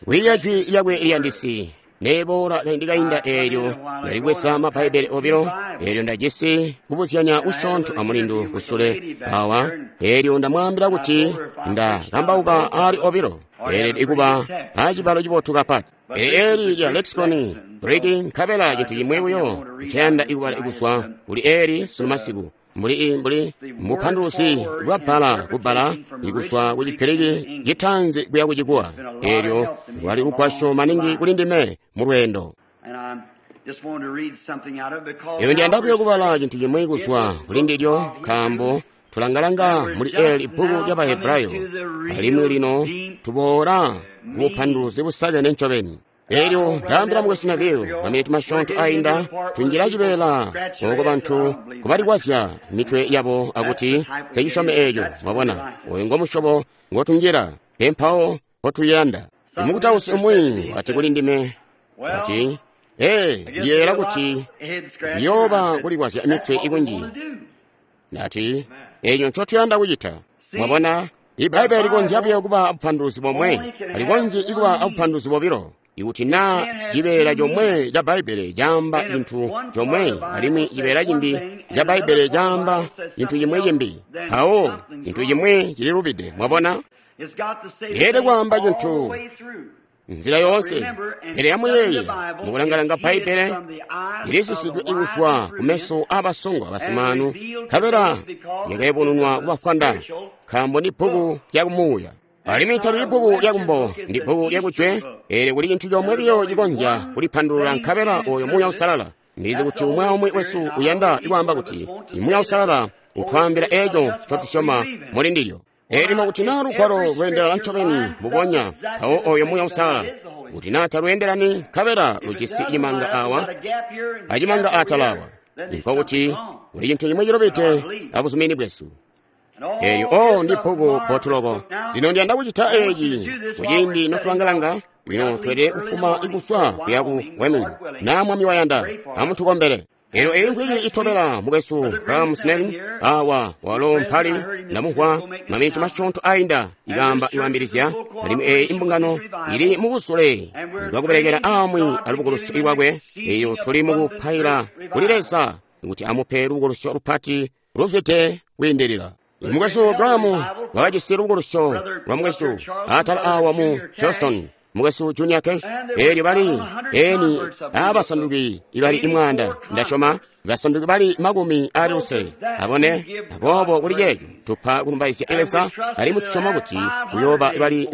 Kwiiya Jwi lyakwe liyandisi. Neboola kaindi kainda eelyo ndalibweza Mabbaibele obilo, eelyo ndajisi kubuzyanya kusyoonto amulindu kusule awa, eelyo ndamwaambila kuti nda kambauka aali obilo, eelede kuba acibalo cibotu kapati. Pele eli lya lexicon Greek nkabela cintu cimwi buyo nceyanda ikubala kuzwa kuli eli sunu masiku, mbuli mbuli bupanduluzi bwa bbala kubbala ikuzwa ku Chigiriki chitaanzi kuya ku Chikuwa. Eelyo lwali lugwasyo maningi kuli ndime mu lweendo. Eyo ndiyanda buyo kubala cintu cimwi kuzwa kuli ndilyo, nkaambo tulangalanga muli eli bbuku lya Bahebrayo, alimwi lino tuboola ku bupanduluzi busakene ncobeni. Elyo ndaambila mukwesu Neville, maminiti masyoonto ainda, tunjila cibeela oko bantu kubalikwazya mitwe yabo akuti nsecisyomi eco. Mwabona, oyo ngo musyobo ngo tunjila, pe mpawo mpotuyanda. Imukutausi umwi wati kuli ndime, wati, Ee, ndiyeeyela kuti ndiyooba kulikwazya mitwe ikunji. Ndati, eco ncotuyanda kucita. Mwabona, Ibbaibbele likonzya buyo kuba abupanduluzi bomwe, talikonzyi kuba abupanduluzi bobilo. Ikuti na cibeela comwe ca Bbaibbele caamba cintu comwe alimwi cibeela cimbi ca Bbaibbele caamba cintu cimwi cimbi, mpawo cintu cimwi cililubide. Mwabona? Leelede kwaamba cintu nzila yoonse. Pele amuyeeye, mukulangalanga Bbaibbele lilisisidwe kuzwa kumeso aabasongo abasimaanu, nkabela lyakayubununwa kubafwanda, nkaambo ndi bbuku lya kumuuya. Alimwi talili bbuku lya kumbo, ndi bbuku lya kujwe. Eelyo kuli cintu comwe biyo cikonzya kulipandulula, nkabela oyo Muuya Uusalala. Ndizi kuti umwi aumwi wesu uyanda kwaamba kuti Muuya Uusalala utwaambila eco ncotusyoma muli ndilyo. Elyo lino kuti naa lugwalo lweendelana ncobeni mbubonya, mpawo oyo Muuya Uusalala. Kuti naa talweendelani, nkabela lujisi cimanga awa acimanga atala awa, nkokuti kuli cintu cimwi cilubide abuzumini bwesu. Elyo, oh, ndi bbuku bbotu loko. Lino ndiyanda kucita eci kuciindi notulangalanga. Lino tweelede kufuma kuzwa kuya ku Wyoming, na Mwami wayanda. Amutukombele. Elyo eyi mvwiki itobela, mukwesu Graham Snelling awa, walo mpali, ndamumvwa maminiti masyoonto ainda ikaamba iwaambilizya, alimwi eyi imbungano ili mubusule bwakubelekela aamwi alubukulusyo lwakwe. Eyo tuli mukupaila kuli Leza kuti amupe lubukulusyo lupati luzwide kwiindilila. Mukwesu Graham wakajisi lubukulusyo lwa mukwesu atala awa mu Charleston, mukwesu Junior Cash. Elyo bali eni abasanduki ibali imwaanda, ndasyoma basanduki bali makumi ali lusele abone. Aboobo kuli ceeco tupa kulumbaizya Leza, alimwi tusyoma kuti kuyooba bali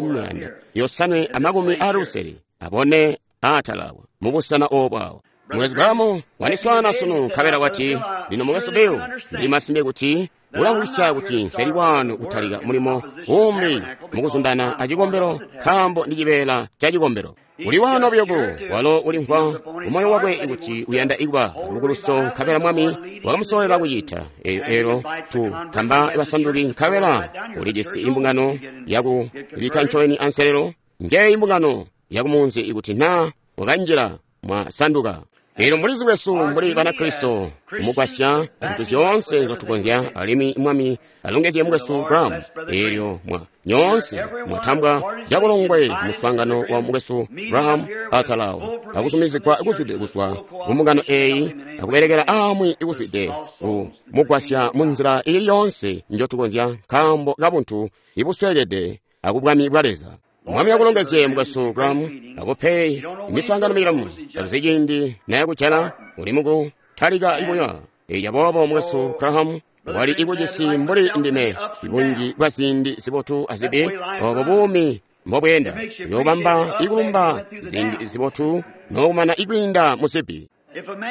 560 abone atala awa mubusena obo awa. Mukwesu Graham wandiswaana sunu, nkabela wati, Lino mukwesu Bill, ndili masimpe kuti ulamvwisya kuti nseli wanu kutalika mulimo umbi mukuzundana acikombelo, nkaambo ndi cibeela ca cikombelo. Uli wano buyo ku, walo ulimvwa mumoyo wakwe kuti uyanda ikuba lubukulusyo, nkabela Mwami wakamusololela kucita. Elyo, elyo tu tamba basanduki, nkabela ulijisi imbungano yaku bikka ncobeni anselelo. Njeeyi imbungano yakumunzi ikuti na wakanjila mwasanduka. Elyo mbulizi bwesu mbuli Banakristo kumugwasya zintu zyoonse nzotukonzya, alimwi Mwami alongezye mukwesu Graham. Elyo mwa nyoonse mwatambwa cabulongwe muswaangano wa mukwesu Graham atalawo, akuzumizigwa kuzwide kuzwa ku mbungano eyi, akubelekela aamwi kuzwide kumugwasya munzila ili yoonse njotukonzya, nkaambo kabuntu ibusweekede akubwami bwa Leza. Mwami akulongezye mukwesu Graham, akupe miswaangano milamu. Tatuzi ciindi nayakujala, uli muku talika ikunywa. Elyo aboobo mukwesu Graham wali ikucisi mbuli ndime, ibunji bwa ziindi zibotu azibi, obo buumi mbobweenda. Uyobamba ikulumba ziindi zibotu nokumana ikwiinda muzibi.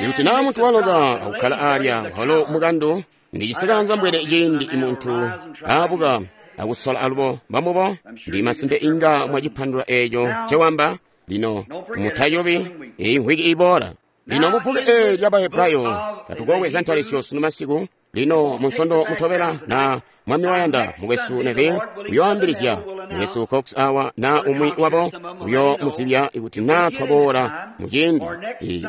Ikuti naa muntu waloka akukkala alya, walo mukandu, ndi cisikanza mbwene ciindi muntu aabuka akusola alubo mbamubo, ndi masimpe inga mwacipandula eco ncewamba. Lino mutacubi eyi mvwiki iboola. Lino mubbuku eli lya Bahebrayo tatukobweza ntalisyo sunu masiku. Lino munsondo mutobela, na Mwami wayanda, mukwesu Neville uyoambilizya, mukwesu Cox awa na umwi wabo uyo muzibya ikuti na twaboola muciindi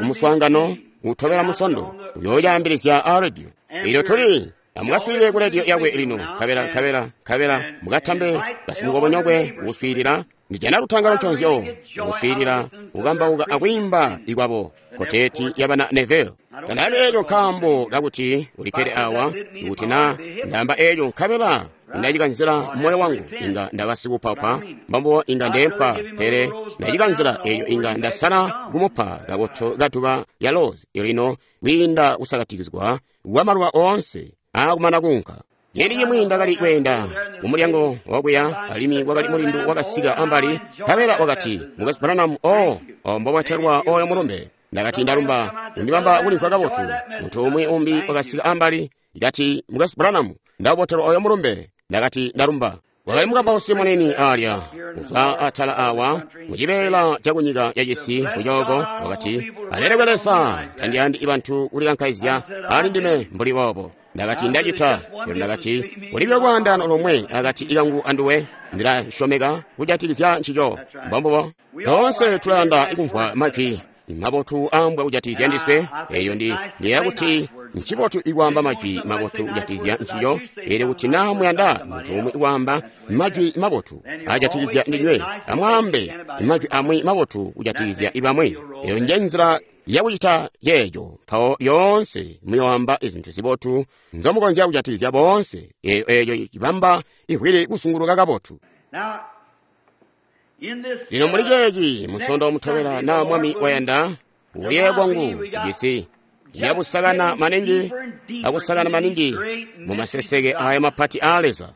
umuswaangano utobela munsondo uyoolyaambilizya a radio. Elyo tuli Amukaswiilile ku rediyo yakwe lino, nkabela, nkabela, nkabela mukatambe basimukobonyokwe kuswiilila. Ndijana lutangalo nconzyo kuswiilila, kukambauka akwiimba ikwabo koteti yabana Neville. Tandaambi eeco nkaambo kakuti ulikkede awa, ikuti na ndaamba eeco nkabela ndacikanzila moyo wangu, inga ndaba sikupapa, mbambo inga ndeempwa, pele ndacikanzila eeco inga ndasala kumupa kakoto katuba ya rose lino kwiinda kusakatikizwa kwa maluba oonse aakumana kuunka. Ciindi cimwi ndakali kweenda kumulyango wakuya, alimwi kwakali mulindu wakasika ambali, nkabela wakati, Mukwesu Branham, o mbobwatelwa oyo mulumbe. Ndakati, ndalumba, undibamba kulimvwa kabotu. Muntu umwi umbi wakasika ambali, kati, Mukwesu Branham, ndaubotelwa oyo mulumbe. Ndakati, ndalumba. Wakali mukambausi munini alya kuzwa atala awa mucibeela cakunyika yacisi kucooko. Wakati, alelekwe Leza, tandiyandi bantu kulikankaizya ali ndime mbuli boobo. Ndakati, ndacita. Lino ndakati, kulibyo lwaandaano lomwe akati kangu anduwe, ndilasyomeka kujatikizya ncico. Mbombubo. Toonse tulayanda kumvwa majwi mabotu aambwa kujatikizya ndiswe. Eyo ndi ndiyakuti ncibotu ikwaamba majwi mabotu kujatikizya ncico. Elyo kuti naa muyanda muntu umwi kwaamba majwi mabotu ajatikizya ndinywe, amwaambe majwi amwi mabotu kujatikizya ibamwi. Eyo nje nzila yakucita ceeco. Mpawo lyoonse muyoamba izintu zibotu nzomukonzya kujatikizya boonse. Eeco cibamba ivwili kusunguluka kabotu. Lino muli ceeci musondo mutobela na Mwami wayanda, uye kwangu tujisi yakusakana maningi akusakana maningi mu maseseke aya mapati a Leza.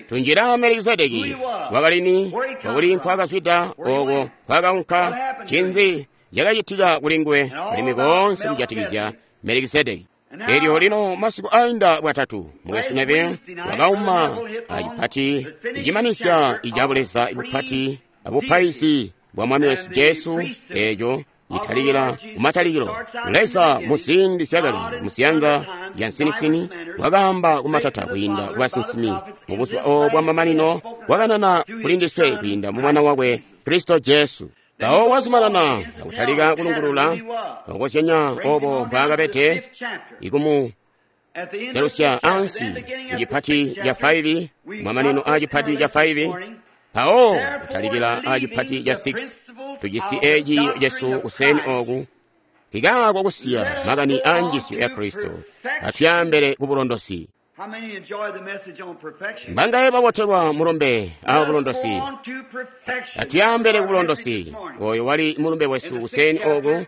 Tunjira Melkisedeki wakalini, wakuli nkwakazwida, oko nkwakaunka, cinzi cakacitika kuli nguwe, alimwi koonse kujatikizya Melkisedeki. Elyo lino masiku ainda bwatatu, Mukwesu Neville wakauma acipati icimanisya icabuleza ibupati abupaizi bwa Mwami wesu Jesu, eeco citalikila kumatalikilo. Leza muziindi zyakale muziyanza zya nsinisini wakaamba kumatata kwiinda kubasinsimi mubuzuba obo bwamamanino wakanana kuli ndiswe kwiinda mu Mwana wakwe Kristo Jesu. Mpawo wazumanana akutalika kulungulula okozyanya obo mbwaakabede ikumu zelusya ansi mucipati ca 5, mamanino a cipati ca 5, mpawo kutalikila a cipati ca 6. Tujisi eci cesu kuseni oku kikaako kusiya makani a njiisyo ya Kristo atuyambele ku bulondosi. Mbangaye babotelwa mulumbe a bulondosi? Atuyambele ku bulondosi. Oyo wali mulumbe wesu kuseni oku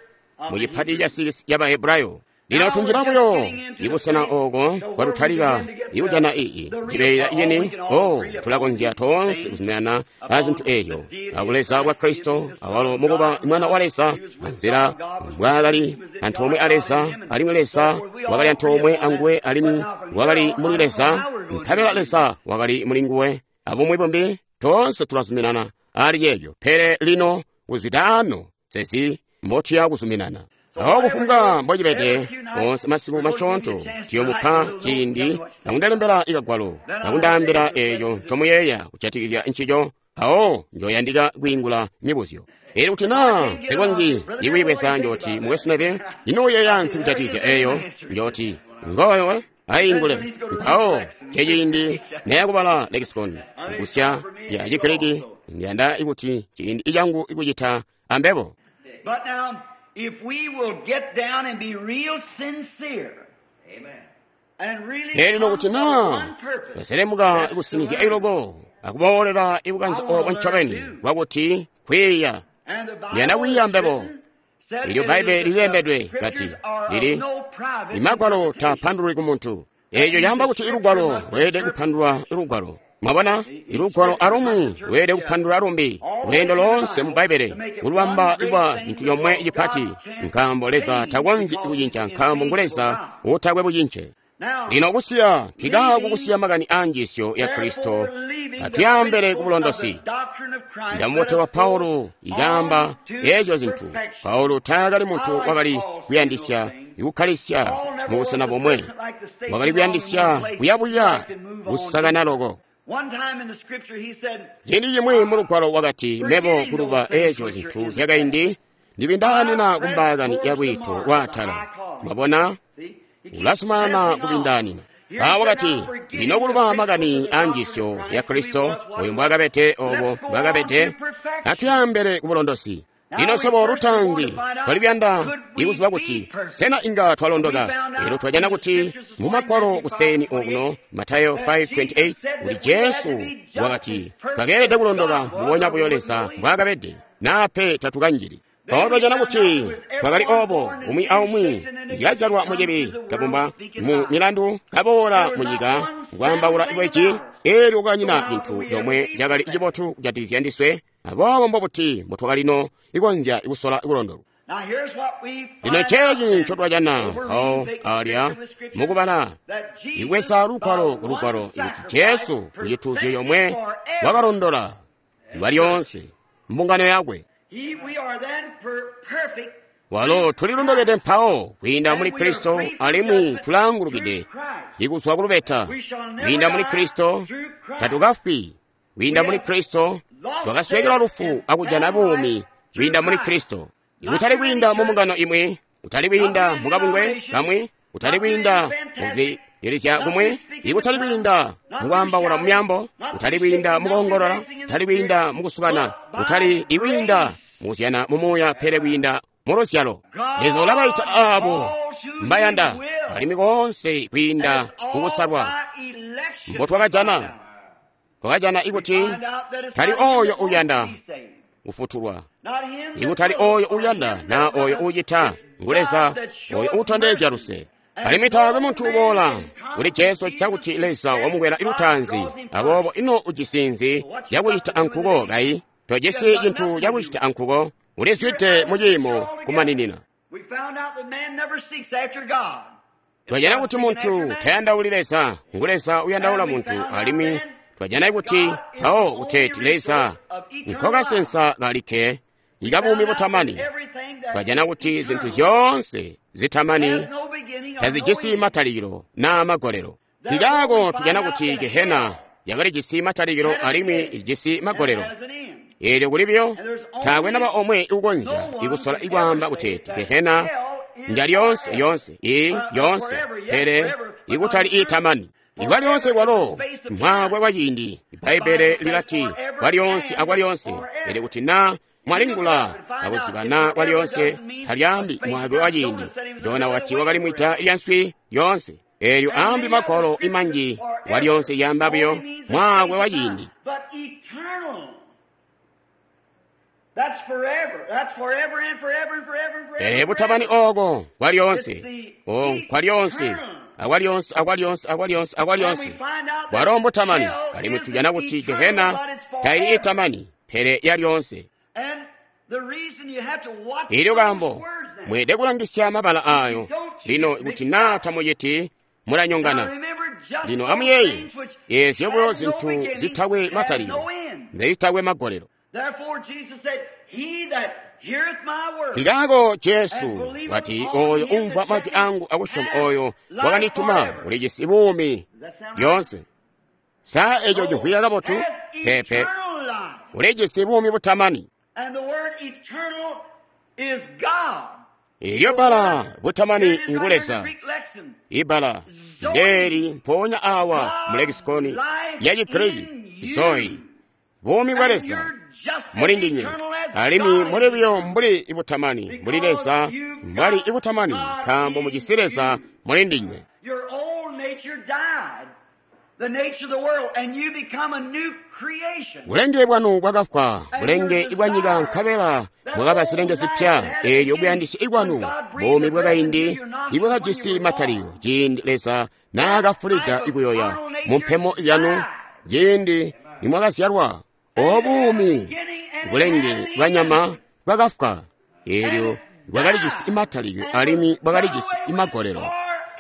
mu cipati ca 6 ya Bahebrayo. Lino tunjira buyo ibusena oko kwatutalika ikujana iyi cibeela icini. O tulakonzya toonse kuzuminana a zintu eeyo abuleza bwa Kristo, awalo mukuba mwana wa Leza, anzila mbwaakali antoomwe a Leza, alimwi Leza wakali antoomwe anguwe, alimwi wakali muli Leza, nkabela Leza wakali muli nguwe. Abumwi bumbi toonse tulazuminana ali ceeco. Pele lino kuzwida ano sezi mbotuya kuzuminana. Awo kufumbwa mbocibede, onse masiku masyoonto tuyomupa ciindi akundalembela ikagwalo akundaambila eeco ncomuyeeya kujatikizya ncico. Awo njoyandika kwiingula mibuzyo. Elyo kuti naa nsikonzyi ikwiibweza, njooti Mukwesu Neville, ino uyeeya nsi kujatikizya eeyo? Njooti ngoyo aingule. Mpawo ceciindi neyakubala lexicon kusya ya Chigiriki, ndiyanda ikuti ciindi icangu ikucita ambebo. If we will get down and be real sincere, amen, Lino kuti naa twaselemuka ikusinizya iloko akuboolera ibukanze obo ncobeni bwakuti kwiiya, ndiyanda kwiiya mbebo. Ilyo Bbaibele lilembedwe kati lili imagwalo tapandulwi ku muntu. Eeco caamba kuti ilugwalo lweelede kupandulwa lugwalo. Mwabona, ilugwalo alumwi lweelede kupandulwa lumbi. Lweendo loonse mu Bbaibele kulubamba kuba cintu comwe cipati, nkaambo Leza takonzyi kucinca, nkaambo ngu Leza utakwe bucince. Lino kusiya kikaako kusiya makani a njiisyo ya Kristo, atuyambele ku bulondosi. Ndamubotelwa Paulo ikaamba eezyo zintu. Paulo taakali muntu wakali kuyandisya ikukkalisya mubusena bomwe, wakali kuyandisya kuyabuya kusakana loko. Ciindi cimwi mu lugwalo wakati, mebo kuluba eezyo zintu zyakaindi ndibindaanina kumbaakani ya lwiito lwaatala. Mwabona, Ulazumanana kubindaanina. Mpawo wakati, lino kuluba makani aanjiisyo ya Kristo, oyo mbwaakabede obo mbwaakabede, atuyambele ku bulondosi. Lino swebo lutaanzi twalibiyanda ikuziba kuti sena inga twalondoka. Elyo twajana kuti mu Magwalo kuseeni okuno, Matayo 5:28, kuti Jesu wakati twakeelede kulondoka mbubonya buyo Leza mbwaakabede, naa pe tatukanjili. Mpawo twajana kuti twakali obo, umwi aumwi yazyalwa mucibi, kabumba mu milandu, kaboola mu nyika kwaambaula bweji, elyo kwakanyina cintu comwe cakali cibotu kujatikizya ndiswe. Aboobo mbobuti mbotwakalino ikonzya kusola kulondolwa. Lino ceeci ncotwajana mpawo alya mukubala ibweza lugwalo ku lugwalo ikuti Jesu kucituuzyo comwe wakalondola iwa lyoonse mbungano yakwe. Walo tulilondokede mpawo kwiinda muli Kristo, alimwi tulaangulukide ikuzwa kulubeta. Kwiinda muli Kristo tatukafwi. Kwiinda muli Kristo twakaswekelwa lufu akujana buumi kwiinda muli Kristo. Kutali kwiinda mu mbungano imwi, kutali kwiinda mu kabungwe kamwi, kutali kwiinda muzililizya kumwi, ikutali kwiinda mukwaambaula mu myaambo, kutali kwiinda mukoongolola, kutali kwiinda mukusukana, kutali ikwiinda mukuzyana mu muuya, pele kwiinda mu luzyalo. Leza ulabaita aabo mbayanda, alimwi koonse kwiinda kukusalwa mbotwakajana. Twakajana ikuti tali oyo uyanda kufutulwa, ikutali oyo uyanda na oyo ucita, ngu Leza oyo utondezya luse. Alimwi taakwe muntu uboola kuli Jesu cakuti Leza wamukwela lutaanzi. Aboobo ino ujisi nzi cakucita ankuko kayi? Tojisi cintu cakucita ankuko, ulizwide mu ciimo kumaninina. Twajana kuti muntu tayandauli Leza, ngu Leza uyandaula muntu. Alimwi twajana kuti mpawo kuteeti Leza nkokasensa kalikke ikabuumi butamani. Twajana kuti zintu zyoonse zitamani tazijisi matalikilo naa magolelo. Nkikaako tujana kuti Gehena yakalijisi matalikilo alimwi ijisi magolelo. Eelyo kuli buyo taakwe naba omwe ukonzya ikusola ikwaamba kuteeti Gehena njalyoonse yoonse ii yoonse, pele ikutali iitamani. Ikwalyoonse kwalo mwaakwe kwa ciindi. Ibbaibbele lilati kwalyoonse akwalyoonse, pele kuti naa mwalingula akuziba naa kwalyoonse talyaambi mwaakwe wa ciindi. Jona wati wakali mwida lya nswi lyoonse. Eelyo aambi magwalo imanji kwalyoonse yaamba buyo mwaakwe wa ciindi. Pele butamani ooko kwalyoonse, o kwalyoonse, akwalyoonse, akwalyoonse, akwalyoonse, akwalyoonse. Bwalo mbutamani, alimwi tujana kuti Gehena taili itamani, pele yalyoonse. Elyo kaambo mweelede kulangisya mabala aayo lino, kuti naa tamuciti mulanyongana. Lino amuyeeye eezyo buyo zintu zitakwe matalikilo, nzezitakwe magolelo. Nkikaako Jesu wati, oyo umvwa majwi angu akusyoma oyo wakandituma ulijisi buumi lyoonse. Sa eco cimvwika kabotu? Peepe, ulijisi buumi butamani. Elyo bbala butamani ngu Leza. Ibbala ndeeli mpoonya awa mu lekisikoni ya Chigiriki, Zoe, buumi bwa Leza muli ndinywe, alimwi muli buyo mbuli ibutamani, mbuli Leza mbwali ibutamani, nkaambo mujisi Leza muli ndinywe. Bulenge bwanu bwakafwa, bulenge bwa nyika, nkabela mwakaba zilenge zipya. Eelyo buyandisi ikwanu, buumi bwakaindi ibwakajisi matalikilo, ciindi Leza naakafulida ikuyoya mu mpemo yanu, ciindi nimwakazyalwa, obuumi bulenge bwa nyama bwakafwa. Eelyo bwakalijisi matalikilo alimwi bwakalijisi magolelo,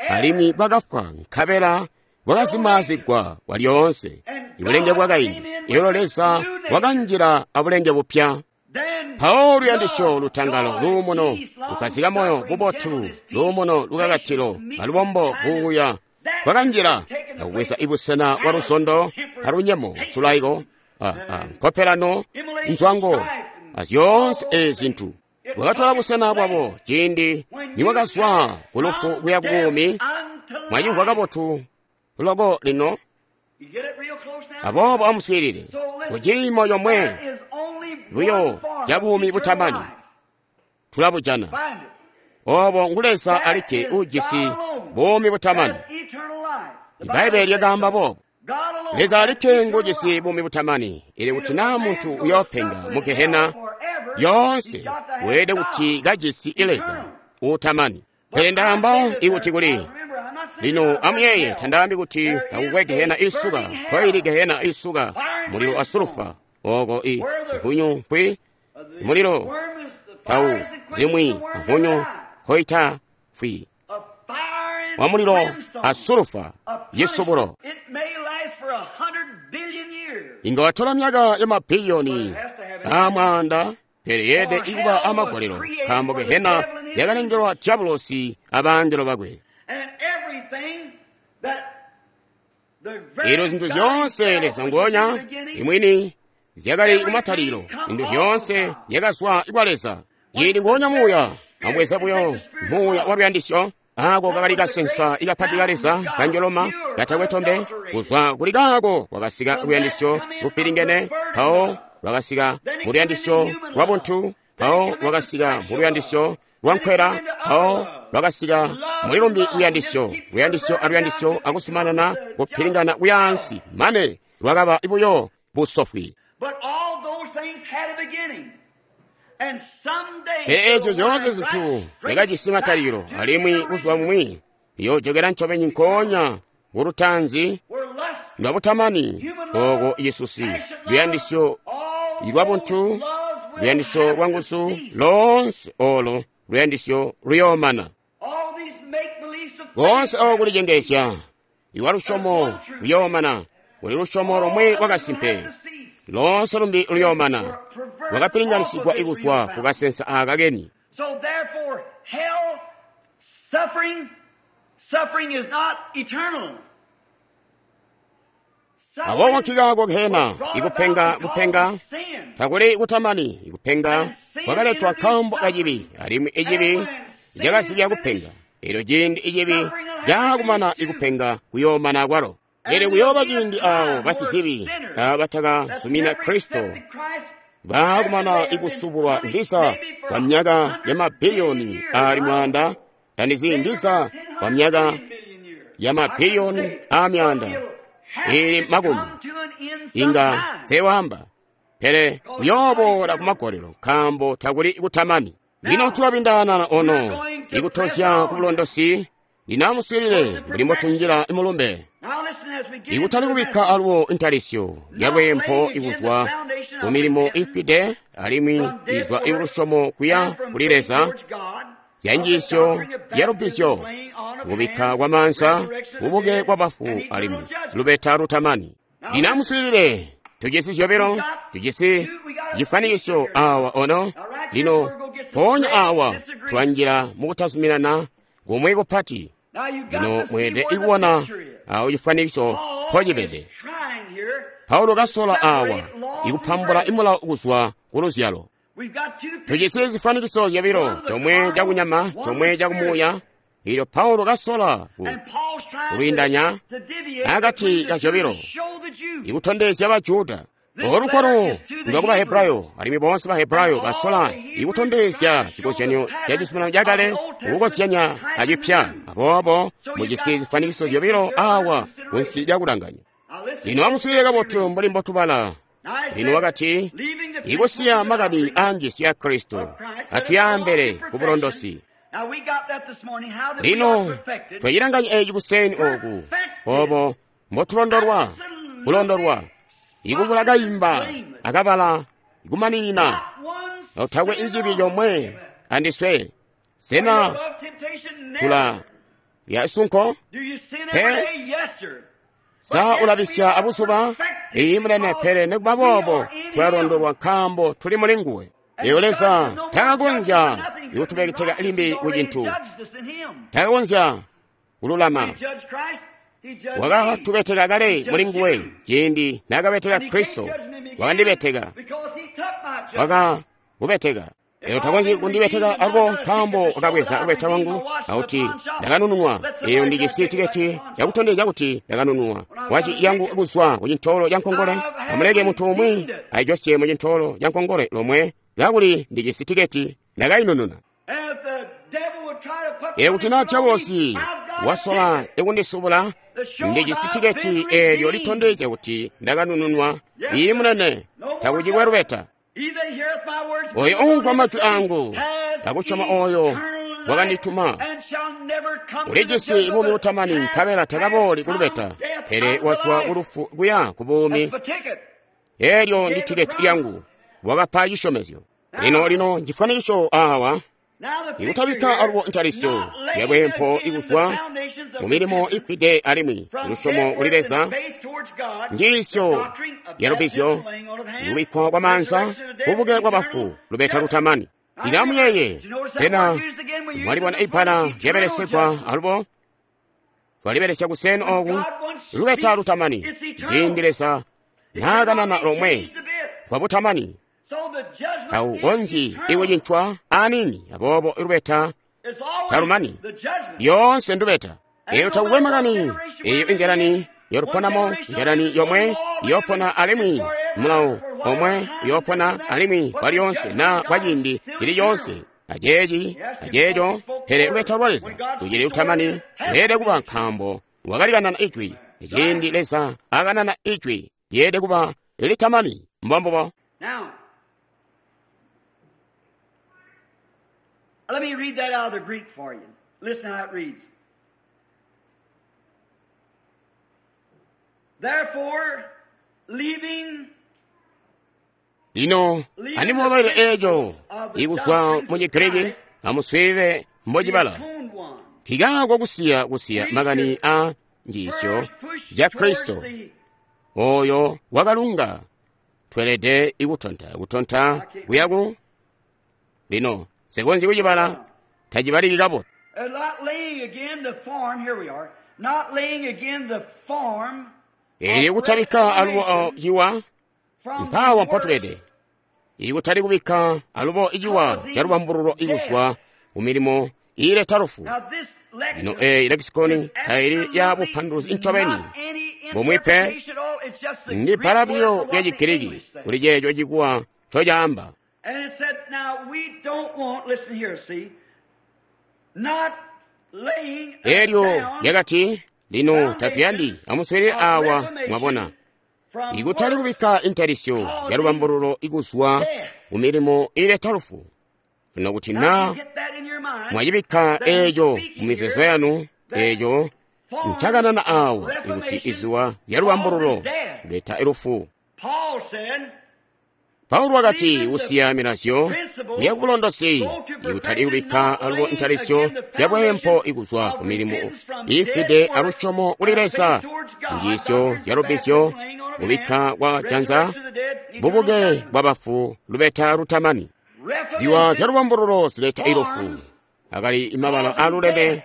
alimwi bwakafwa nkabela bwakazimaazigwa kwalyoonse. Ibulenge bwakaindi, eelyo Leza wakanjila abulenge bupya. Mpawo luyandisyo, lutangalo, luumuno, lukazika moyo, bubotu, luumuno, lukakatilo, alubombo, buuya bwakanjila akubweza ibusena bwa luzondo, alunyemo, sulaiko, nkopelano, nzwango, azyoonse ezi zintu. Bwakatola busena bwabo ciindi niwakazwa ku lufu kuya ku buumi. Mwacimvwa kabotu loko lino. Aboobo amuswiilile ku ciimo comwe buyo ca buumi butamani tulabujana. Obo ngu Leza alikke uujisi buumi butamani. Ibbaibbele lyakaamba boobo. Leza alikke nguujisi buumi butamani. Ili kuti naa muntu uyoopenga mu gehena yoonse, weelede kuti kajisi Leza uutamani. Pele ndaamba ikuti kuli lino amuyeeye, tandaambi kuti takukwe gehena isuka. Nkoili gehena isuka mulilo a sulufa oko i nkunyu nkwi mulilo tau zimwi nkunyu nkoita fwi wa mulilo a sulufa yisubulo. Inga watola myaka ya mabiliyoni amwaanda, pele yeelede ikuba amagolelo, nkaambo gehena yakalengelwa diabulosi abangelo bakwe. Elyo zintu zyoonse Leza nguonya imwini zyakali kumatalikilo, zintu zyoonse zyakazwa kwa Leza. Ciindi nguonya muuya ambweza buyo muuya wa luyandisyo, ako kakali kasensa ikapati ka Leza kanjoloma katakwe tombe. Kuzwa kuli kaako kwakasika luyandisyo lupilingene, mpawo lwakasika mu luyandisyo lwa buntu, mpawo lwakasika mu luyandisyo lwa nkwela, mpawo lwakasika muli lumbi luyandisyo, luyandisyo aluyandisyo, akusumanana kupilingana kuyaansi mane lwakaba buyo busofwi. Pele eezyo zyoonse zintu zyakajisi matalikilo, alimwi buzuba bumwi liyoojokela ncobeni nkoonya kulutaanzi lwa butamani, oko isusi luyandisyo lwa buntu, luyandisyo lwa nguzu, loonse olo luyandisyo luyoomana. Koonse oko kulicengeezya iwa lusyomo luyoomana. Kuli lusyomo lomwe lwakasimpe, loonse lumbi luyoomana. Lwakapilinganisigwa ikuzwa ku kasensa aka keni. Aboobo nkikaako gehena ikupenga kupenga takuli kutamani. Ikupenga kwakaletwa nkaambo kacibi, alimwi icibi cakazibya kupenga. Elyo ciindi icibi caakumana, ikupenga kuyoomana kwalo. Elyo kuyooba ciindi awo basizibi abatakazumina Kristo baakumana ikusubulwa ndiza kwa myaka ya mabiliyoni ali mwaanda, tandizi ndiza kwa myaka ya mabiliyoni a myaanda ili makumi, inga sewamba, pele kuyooboola kumagolelo, nkaambo takuli kutamani. Lino tulabindaana ono ikutozya ku bulondosi. Lino amuswiilile mbuli mbotunjila mulumbe, ikutali kubikka aluwo intalisyo yalweempo ikuzwa ku milimo ifwide alimwi izwa ilusyomo kuya kuli Leza, zyanjiisyo yalubbizyo, kubikka kwamaanza, bubuke kwa bafu, alimwi lubeta lutamani. Lino amuswiilile, tujisi zyobilo, tujisi cifanikisyo awa ono. Lino mpoonya awa tulanjila mukutazuminana kumwi kupati. Lino mweelede ikubona awo cifanikisyo mpocibede. Paulo kasola awa ikupambula imulawo kuzwa ku luzyalo. Tujisi zifanikiso zyobilo, comwe cakunyama, comwe cakumuuya. Ilyo Paulo kasola kulwiindanya akati ka zyobilo, ikutondezya Bajuda. Olu lwa ku Bahebrayo, alimwi boonse Bahebrayo basola ikutondezya cikozyanyo ca cizuminano cakale kukozyanya acipya. Aboobo mujisi zifanikiso zyobilo awa kunsi lya kulanganya. Lino amuswiilile kabotu mbuli mbotubala. Lino wakati, ikusiya makani a njiisyo ya Kristo, atuyaambele ku bulondosi. Lino twacilanganya eci kuseeni oku, obo mbotulondolwa, kulondolwa, ikubula kayimba akabala ikumanina, takwe icibi comwe andiswe. Sena tula lya sunko? Pe sa ulabisya abuzuba? Iyi munene, pele nikuba boobo tulalondolwa nkaambo tuli muli nguwe. Eyo Leza takakonzya ikutubeteka limbi ku cintu, takakonzya kululama. Wakatubeteka kale muli nguwe ciindi naakabeteka Kristo, wakandibeteka, wakakubeteka. Elo takonzyi kundibeteka alubo nkaambo wakabweza lubeta lwangu akuti ndakanununwa. Eyo ndijisi tiketi yakutondezya kuti ndakanununwa. Waci yangu kuzwa ku cintoolo ca nkongole, amuleke muntu umwi ayijosye mu cintoolo ca nkongole lomwe, kakuli ndijisi tiketi ndakayinununa. Eyo kuti naa Diabolosi wasola ikundisubula, ndijisi tiketi eelyo litondezya kuti ndakanununwa. Iyi munene, takucikwe lubeta. Oyo uumvwa majwi angu akusyoma oyo wakandituma ulijisi buumi butamani, nkabela takabooli kulubeta, pele wazwa kulufu kuya ku buumi. Eelyo ndi tiketi lyangu. Wakapa cisyomezyo. Lino lino ncifwanikiso awa ikutabikka alubo ntalisyo yabwempo ikuzwa mu milimo ifwide alimwi lusyomo kuli Leza, njiisyo yalubizyo, ikubikkwa kwa maanza, bubuke bwa bafu, lubeta lutamani. Lino amuyeeye, sena mwalibona ibbala lyabelesegwa alubo? Twalibelesya kuseni oku, lubeta lutamani. Ciindi Leza naakanana lomwe kwa butamani, taukonzyi ikucincwa aniini, aboobo lubeta talumani. Lyoonse ndubeta. Eyo takukwe makani, eyo inzilani yoluponamo, nzilani yomwe iyopona alimwi mulawo omwe uyopona alimwi kwa lyonse na kwa ciindi cili lyonse, aceeci aceeco, pele lubeta lwa Leza lucili lutamani. Lyeelede kuba, nkaambo wakalikanana ijwi. Ciindi Leza akanana ijwi, lyeelede kuba litamani. Mbombubo. Let me read that out of the Greek for you. Listen how it reads. Therefore, leaving Lino andimubabaile eeco ikuzwa mu Chigiriki, amuswiilile mbocibala. Nkikaako kusiya kusiya makani a njiisyo ya Kristo oyo wakalunga, tweelede ikutonta kutonta kuyaku. Lino sikonzyi kucibala, tacibaliki kabotu. Eelyo kutabikka alubo ciwa, mpaawa mpotubede. Ikutali kubikka alubo iciwa ca lubambululo ikuzwa ku milimo iileta lufu. Lino eeyi lekisikoni taili ya bupanduluzi ncobeni bumwi pe, ndi bbala buyo lya Chigiriki kuli ceeco cikuwa ncocaamba. And it said, now we don't want, listen here, see, not laying Eelyo lyakati, lino tatuyandi, amuswiilile awa, mwabona. Ikutali kubikka intalisyo ya lubambululo ikuzwa ku milimo iileta lufu. Lino kuti naa mwacibikka eeco mu mizeezo yanu, eeco ncakanana awa ikuti izuwa lya lubambululo leta lufu. Paulo wakati kusiya milazyo ya bulondosi, ikutali kubikka alubo ntalisyo ya bwempo ikuzwa ku milimo iifwide alusyomo kuli Leza, njiisyo ya lubizyo, kubikka kwa janza, bubuke bwa bafu, lubeta lutamani. Ziwa zya lubambululo zileta ilufu. Akali imabala aluleme.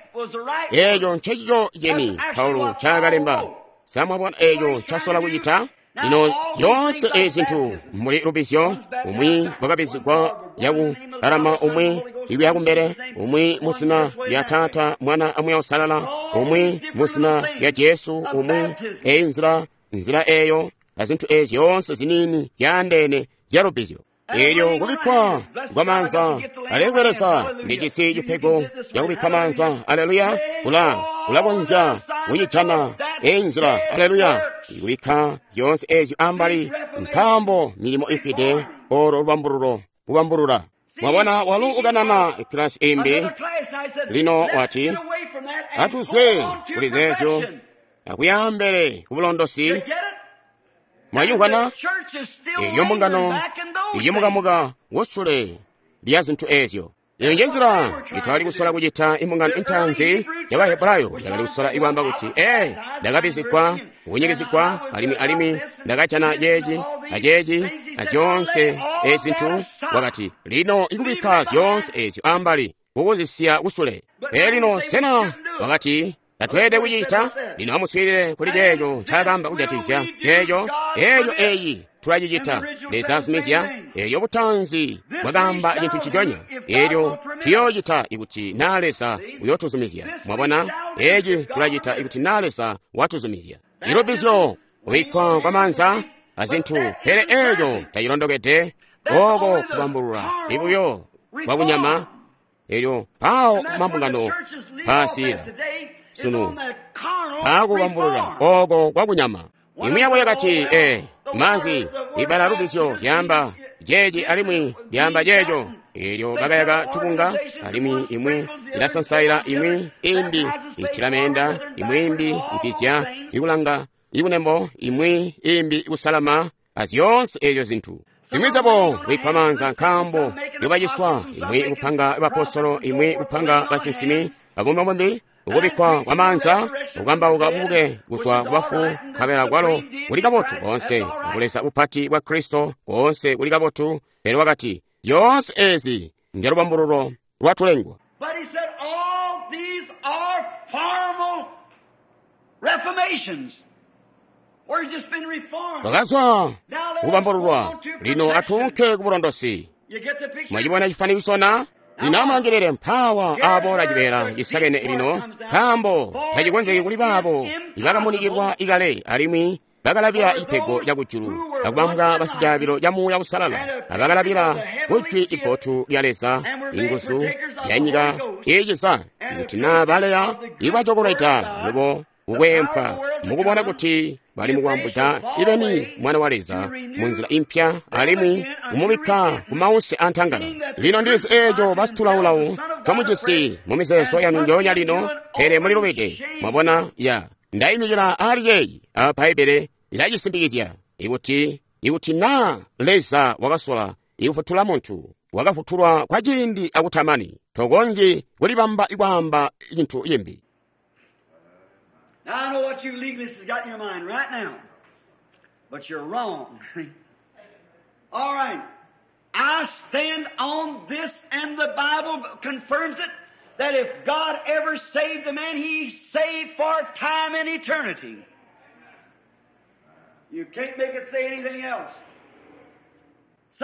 Eeco ncecico ceni Paulo ncaakalemba. Samwabona eeco ncasola kucita? Lino yoonse eezi zintu muli lubizyo, umwi bwakabizigwa yaku lalama, umwi ikuya kumbele, umwi muzina lya Taata, Mwana a Muuya Uusalala, umwi muzina lya Jesu, umwi eyi nzila, nzila eeyo, azintu eezi zyoonse ziniini zyaandeene zya lubizyo. Eelyo kubikkwa kwa maanza, alekwe Leza, ndijisi cipego cakubikka maanza, aleluya, kulakonzya kucijana eyi nzila, aleluya, ikubikka zyoonse eezyo ambali, nkaambo milimo ifwide olo lubambululo kubambulula. Mwabona, walu ukanana kilasi imbi. Lino wati, atuzwe kuli zeezyo akuyambele ku bulondosi. Mwayumvwana eyo mbungano iyomukamuka wosule lya zintu eezyo. Eyo nje nzila itwali kusola kucita imbungano intanzi ya Bahebrayo yakali kusola ikwaamba kuti, ee, ndakabizigwa, kunyikizigwa, alimwi ndakajana ceeci aceeci azyoonse ezi zintu. Wakati, lino ikubikka zyoonse ezyo ambali kukuzisiya kusule. Pele lino sena wakati tatweelede kucita? Lino amuswiilile kuli ceeco ncaakaamba kujatikizya ceeco. Eeco eeyi tulacicita. Leza azumizya. Elyo butanzi bwakaamba cintu nciconya. Elyo tuyoocita ikuti na Leza uyotuzumizya. Mwabona? Eci tulacita ikuti na Leza watuzumizya. Ilubbizyo, kubikkwa kwa maanza azintu, pele eco tacilondokede. Oko kubambulula ibuyo kwa bunyama. Elyo mpawo mambungano paasila sunu paakubambulula oko kwa kunyama. Imwi yabo yakati, maanzi, ibala lubbizyo lyaamba jeeci alimwi lyaamba ceeco. Elyo bakayaka tubunga, alimwi imwi ilasansaila, imwi imbi itila meenda, imwi imbi ipizya ikulanga ikunembo, imwi imbi ikusalama, azyoonse ezyo zintu. Zimwi zabo kubikkwa maanza nkaambo yobaciswa, imwi kupanga bapostolo, imwi kupanga basinsimi, abumbi ukubikkwa kwa maanza, ukambauka bubuke kuzwa kubafu, nkabela kwalo kuli kabotu koonse, akuleza bupati bwa Kristo koonse kuli kabotu. Pele wakati, zyoonse ezi ndyalubambululo lwatulengwa. But he said all these are formal reformations. We've just been reformed. Bakazwa kubambululwa, lino atunke kubulondosi. You get the picture? Mwachibona chifanikiso na? Lino amulangilire mphawa abola chibera chisakene lino, nkaambo tachikonzeki kuli baabo ibakamunikirwa ikale alimwi bakalabila ipego lya kujulu, akubambwa basijaabilo lya Muuya Usalala, abakalabila kujwi ibotu lya Leza, inguzu zya nyika iiciza, ikuti na baleya ibacokolweda lubo kukwempwa mukubona kuti bali mukwambuta ibeni mwana wa Leza munzila impya alimwi kumubikka ku mause antangala. Lino ndilizi eeco basitulawulawu twamujisi mu mizeezo yanu njoonya lino, pele mulilubide. Mwabona ya ndayimikila ali yeeyi a Bbaibele ilacisimbikizya ikuti na Leza wakasola ikufutula muntu, wakafutulwa kwa ciindi akutamani, tokonzyi kulibamba ikwaamba cintu cimbi. Now I know what you legalists has got in your mind right now, but you're wrong. All right. I stand on this, and the Bible confirms it, that if God ever saved a man, he saved for time and eternity. You can't make it say anything else.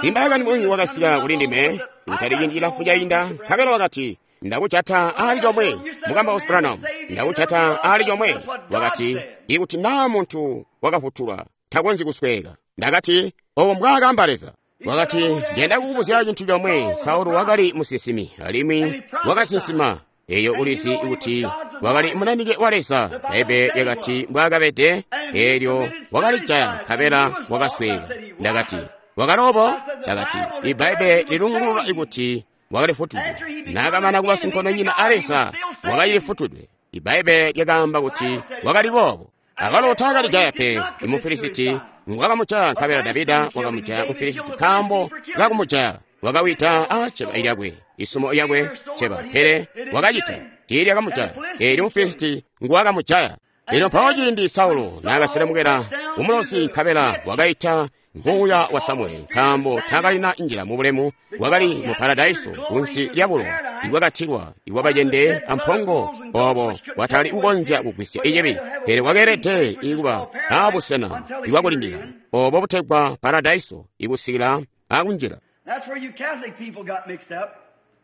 Simbayakani mwingi wakasika kuli ndime kutali ciindi cilamfu cainda, nkabela wakati, ndakuchata ali chomwe mukamba Branham, ndakuchata ali chomwe. Wakati, ikuti na munthu wakafutulwa takonzi kusweka. Ndakati, obo mbwaakamba Leza. Wakati, ndiyenda kukubuzya chinthu chomwe. Saulo wakali musinsimi alimwi wakasinsima. Eyo ulizi kuti wakali munanike wa Leza. Baibe yakati mbwaakabede, elyo wakalijaya nkabela wakasweka. Ndakati, wakalobo? Ndakati, ibaibe lilungulula ikuti wakalifutudwe. Nakamana kuba sinkondonyina a Leza, wakalifutudwe. Ibaibe lyakaamba kuti wakali boobo. Akalo taakalijaya pe Imufilisiti ngwakamucaya, nkabela Davida wakamujaya Mufilisiti nkaambo kakumujaya. Wakawita a ceba lyakwe, isumo lyakwe ceba, pele wakacita tiilyakamujaya. Eelyo Mufilisiti ngwakamujaya. Lino mpawo ciindi Saulo naakaselemukela kumulosi, nkabela wakaita muuya wa Samueli, nkaambo taakalina njila mu bulemu, wakali mu paradaiso kunsi lya bulowa ibwakatilwa ibwabacende ampongo obo bwatali kukonzya kugwisya icibi, pele wakeelede ikuba abusena ibwakulindila obo butegwa paradaiso ikusikila akunjila. That's where you Catholic people got mixed up.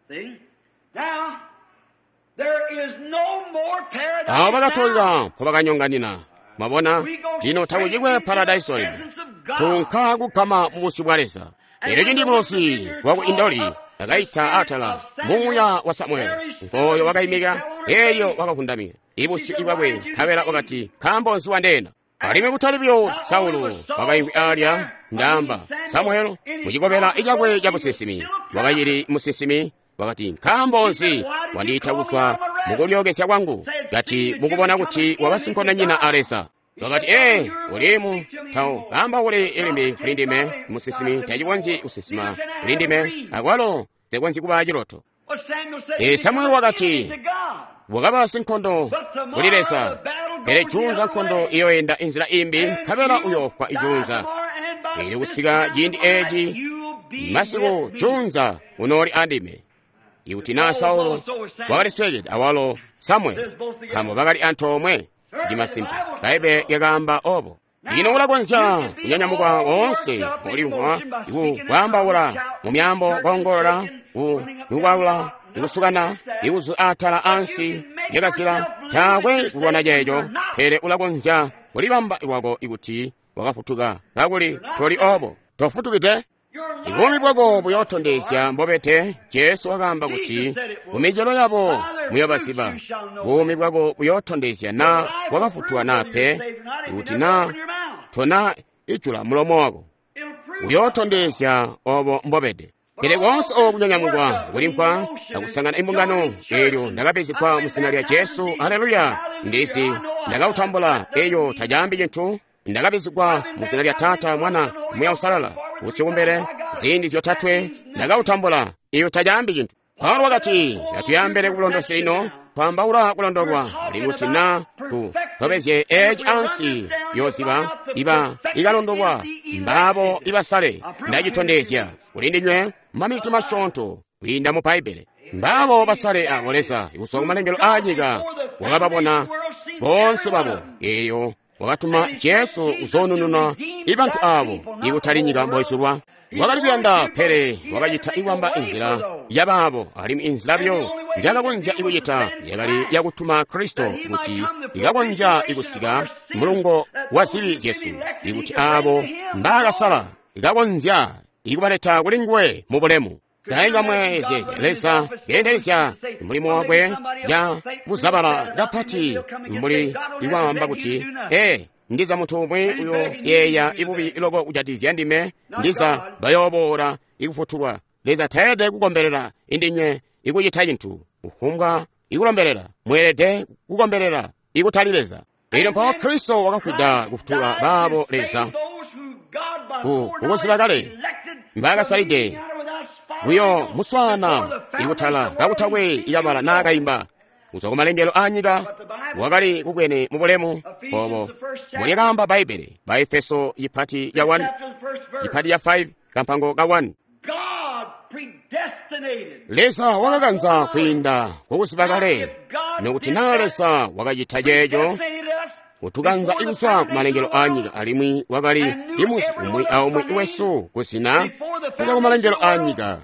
See? Now, there is no more paradise. Awo bakatolika now. mpo bakanyonganina. Mwabona, lino takucikwe paradaiso lino. Tunka kugama mu busyu bwa Leza. Elyo cindi mulosi waku Indoli akaita atala muuya wa Samueli, nkoyo wakayimika, elyo wakavundamira ibusyu ibwakwe, nkabela wakati, nkaambo nzi wandeena? Alimwi kutali buyo Saulo wakayimvwi alya, ndaamba Samueli mucikobela icakwe ca businsimi, wakacili musinsimi, wakati, nkaambo nzi wandiita kuzwa mukulyookezya kwangu, kati mukubona kuti waba sinkondonyina a Leza? Wakati, ulimu tawo kamba uli ilimbi kuli ndime musinsimi tacikonzyi kusinsima kuli ndime, akwalo sikonzyi kuba ciloto. Well, Samuel said, Samueli wakati, to God. wakaba sinkondo kuli Leza, pele junza nkondo iyoyenda inzila imbi, nkabela uyofwa ijunza. Ili kusika ciindi eci masiku junza unooli andime. Ikuti na Saulo wakaliswekede, awalo Samueli, nkaambo bakali antoomwe. Ndi masimpe, Baibe lyakaamba obo. Lino ulakonzya kunyanyamuka woonse ulimvwa ikwaambaula mu myaambo, koongolola, kukwalula, ikusukana, ikuzu atala ansi lyakazila. Taakwe kulwana ceeco, pele ulakonzya kulibamba lwako ikuti wakafutuka, kakuli toli obo, tofutukide. Buumi bwako buyootondezya mbobete. Jesu wakaamba kuti kumicelo yabo muyobaziba. Buumi bwako buyootondezya na wakafutulwa naa pe. Ikuti na tona ijula mulomo wako, uyootondezya obo mbobede. Pele koonse oku kunyanyamukwa kulimvwa akusangana imbungano, eelyo ndakabizigwa mu zina lya Jesu. Haleluya! Ndilizi ndakautambula. Eyo tacaambi cintu. Ndakabizigwa mu zina lya Taata, Mwana, Muya Usalala. Usikumbele ziindi zyotatwe ndakautambula. Iyo tacaambi cintu. Paulo wakati, atuyambele kubulondosi lino, twambaula kulondolwa, kuti na tu tobezye eci ansi yoziba iba ikalondolwa mbabo ibasale. Ndacitondezya kuli ndinywe maminiti masyoonto kwiinda mu Bbaibbele. Mbabo basale abo Leza kuzwa kumalengelo a nyika wakababona boonse babo, eelyo wakatuma Jesu kuzoonununa ibantu abo, ikutali nyika mboizulwa. Wakali kuyanda, pele wakacita iwamba inzila yabaabo, alimwi inzila byo njakakonzya ikucita yakali yakutuma Kristo kuti ikakonzya ikusika mulungo wa zibi zyesu, ikuti abo mbaakasala ikakonzya ikubaleta kuli nguwe mu bulemu. Zaingamwe zyezya Leza keendelezya mulimo wakwe ja kuzabala kapati mbuli ikwaamba kuti, ndiza muntu umwi uyo yeeya ibubi loko kujatizya ndime, ndiza bayooboola ikufutulwa. Leza taelede kukombelela indinywe ikucita cintu, kufumbwa ikulombelela. Mweelede kukombelela ikutali Leza. Elyo mpawo Kristo wakafwida kufutula baabo Leza kukuziba kale mbaakasalide kuyo muswaana ikutala kakutakwe ikabala naakaimba. Kuzwa kumalengelo a nyika wakali kubwene mu bulemu obo mulyakaamba Bbaibbele, ba Efeso ipati ya 1, ipati ya 5, kampango ka 1. Leza wakakanza kwiinda kukuziba kale, nokuti naa Leza wakacita ceeco kutukanza ikuzwa kumalengelo a nyika, alimwi wakali imuzi umwi aumwi wesu kuzina kuzwa kumalengelo a nyika,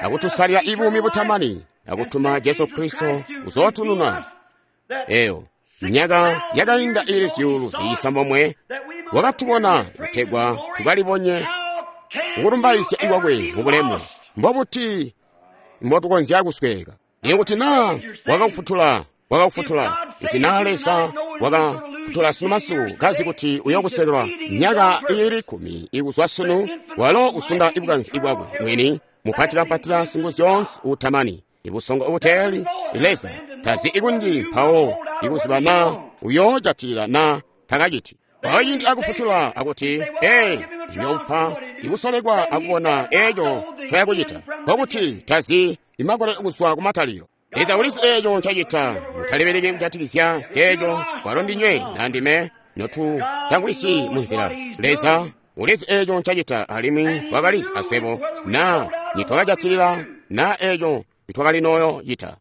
akutusalila ibuumi butamani, akutuma Jesu Kristo kuzootununa. Eyo myaka yakainda ili zyuulu ziisambomwe wakatubona kutegwa tukalibonye kukulumbaizya ikwakwe mu bulemu. Mbobuti mbotukonzya kusweeka? Ikuti naa wakakufutula, wakakufutula. Kuti naa Leza wakafutula sunu masiku, kazi kuti uyokusekelwa myaka iili 10 ikuzwa sunu, walo usunda ibukanzi ibwakwe mwini, mupati kampatila singuzyonse utamani, ibusongo ubuteeli. Leza tazi ikunji mpawo ikuziba naa uyoojatilila naa takaciti. Mpawo ciindi akufutula akuti, ndiyompa ikusolekwa akubona eeco ncoyakucita, nkokuti tazi imagolelo kuzwa kumatalilo. Leza ulizi eeco ncacita. Mutalibeleki kujatikizya ceeco, kwalo ndinywe na ndime notutangwisyi munzila. Leza ulizi eeco ncacita, alimwi wakalizi aswebo naa nitwakajatilila naa eeco nitwakalinooyo cita.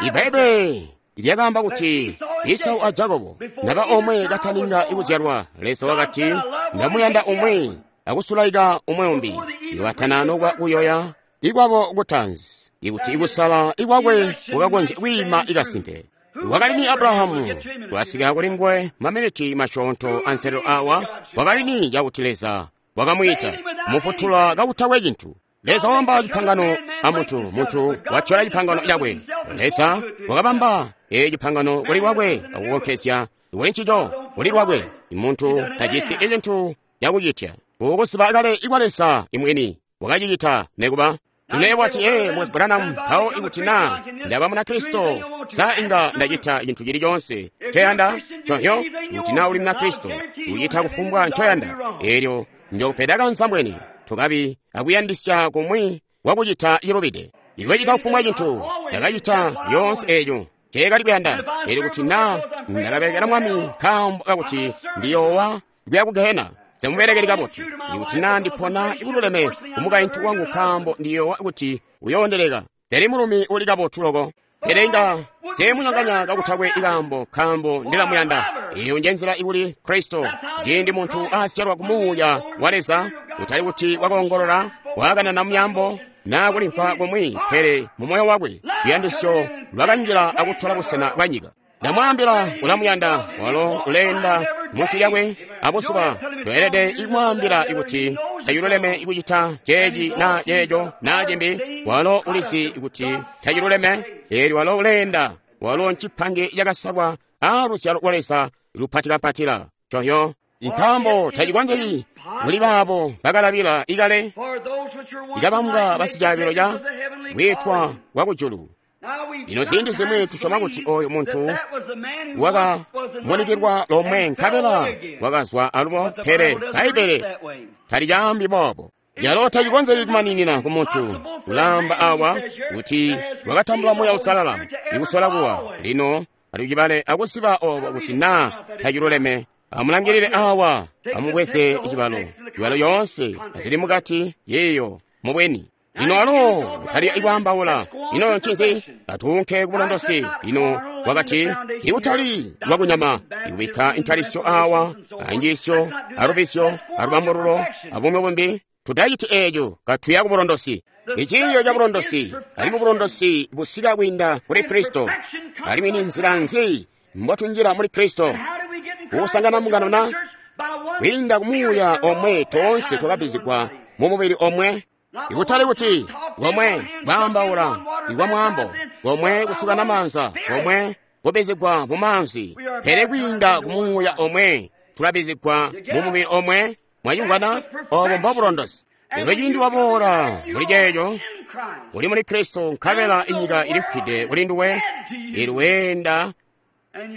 Ibbaibbele lyakaamba kuti Esau a Jakobo naba omwe kataninga ikuzyalwa, Leza wakati, ndamuyanda umwi akusulaika umwe umbi, iwatana nokwa kuyoya ikwabo kutanzi, ikuti ikusala ikwakwe kukakonzya kwiima ikasimpe. Wakali ni Abrahamu, twasika kuli nguwe maminiti masyoonto anselelo awa. Wakali ni cakuti Leza wakamwiita mufutula kakutakwe cintu. Leza wabamba cipangano a muntu, muntu watyola cipangano cakwe. Leza wakabamba cipangano kuli lwakwe akukonkezya kuli ncico kuli lwakwe. Muntu tajisi icintu cakucitya. Ukuziba kale ikwa Leza imwini wakacicita nekuba. Lino wati, Moses Branham, mpawo ikuti naa ndaba Munakristo, sa inga ndacita cintu cili coonse ncoyanda? Nconzyo, kuti naa uli Munakristo, ucita kufumbwa ncoyanda. Eelyo njokupeda kanzambweni, tukabi akuyandisya kumwi kwakucita cilubide. Iwe cita kufumbwa cintu, ndakacita lyoonse eeco nceekali kuyanda. Eelyo kuti naa ndakabelekela Mwami nkaambo kakuti ndiyoowa kuya ku gehena, semubelekeli kabotu. Ikuti naa ndipona ikululeme kumukaintu wangu nkaambo ndiyoowa kuti uyoondeleka, seli mulumi uli kabotu loko. Pele inga seemunyonganya kakutakwe ikaambo, nkaambo ndilamuyanda. Iyo nje nzila ikuli Kristo. Ciindi muntu asyalwa ku Muuya wa Leza, kutali kuti wakoongolola, wakanana myaambo, naa kulimvwa kumwi, pele mu moyo wakwe luyandisyo lwakanjila akutola busena bwa nyika. Ndamwaambila ulamuyanda, walo uleenda munsi lyakwe abuzuba. Toelede ikumwaambila ikuti taciluleme ikucita ceeci naa ceeco naa cimbi. Walo ulizi kuti taciluleme, eelyo walo uleenda. Walo ncipange cakasalwa aaluzyalo lwa Leza lupatikampatila. Coyo nkaambo tacikonzeki kuli baabo bakalabila ikale ikabambwa basicaabilo ca kwiitwa kwa kujulu. Lino ziindi zimwi tusyoma kuti oyu muntu wakamunikilwa lomwe nkabela wakazwa alubo, pele Bbaibbele talicaambi boobo. Calo tacikonzeki kumaninina ku muntu. Ulaamba awa kuti wakatambula Muuya Uusalala ikusola kuwa. Lino atucibale akusiba obo kuti naa taciluleme. Amulangilile awa, amubweze cibalo, cibalo yoonse azili mukati yeeyo mubweni. Lino alo kutali ikwaambaula. Ino ncinzi? Atuunke ku bulondosi. Lino wakati ikutali lwakunyama, ikubikka intalisyo awa, anjiisyo, alubisyo, alubambululo, abumwi bumbi. Tutaciti eeco katuya ku bulondosi. Iciiyo ca bulondosi, alimwi bulondosi busika kwiinda kuli Kristo. Alimwi ni nzila nzi mbotunjila muli Kristo? Kusangana mbungano na kwiinda ku Muuya omwe toonse twakabbizigwa mu mubili omwe. Ikutali kuti komwe kwaambaula ikwa mwaambo, komwe kusukana maanza, komwe kubbizigwa mu maanzi, pele kwiinda ku Muuya omwe tulabbizigwa mu mubili omwe. Mwacimvwana? Obo mbobulondosi. Lino ciindi waboola muli ceeco, uli muli Kristo, nkabela inyika ilifwide kuli nduwe, ilweenda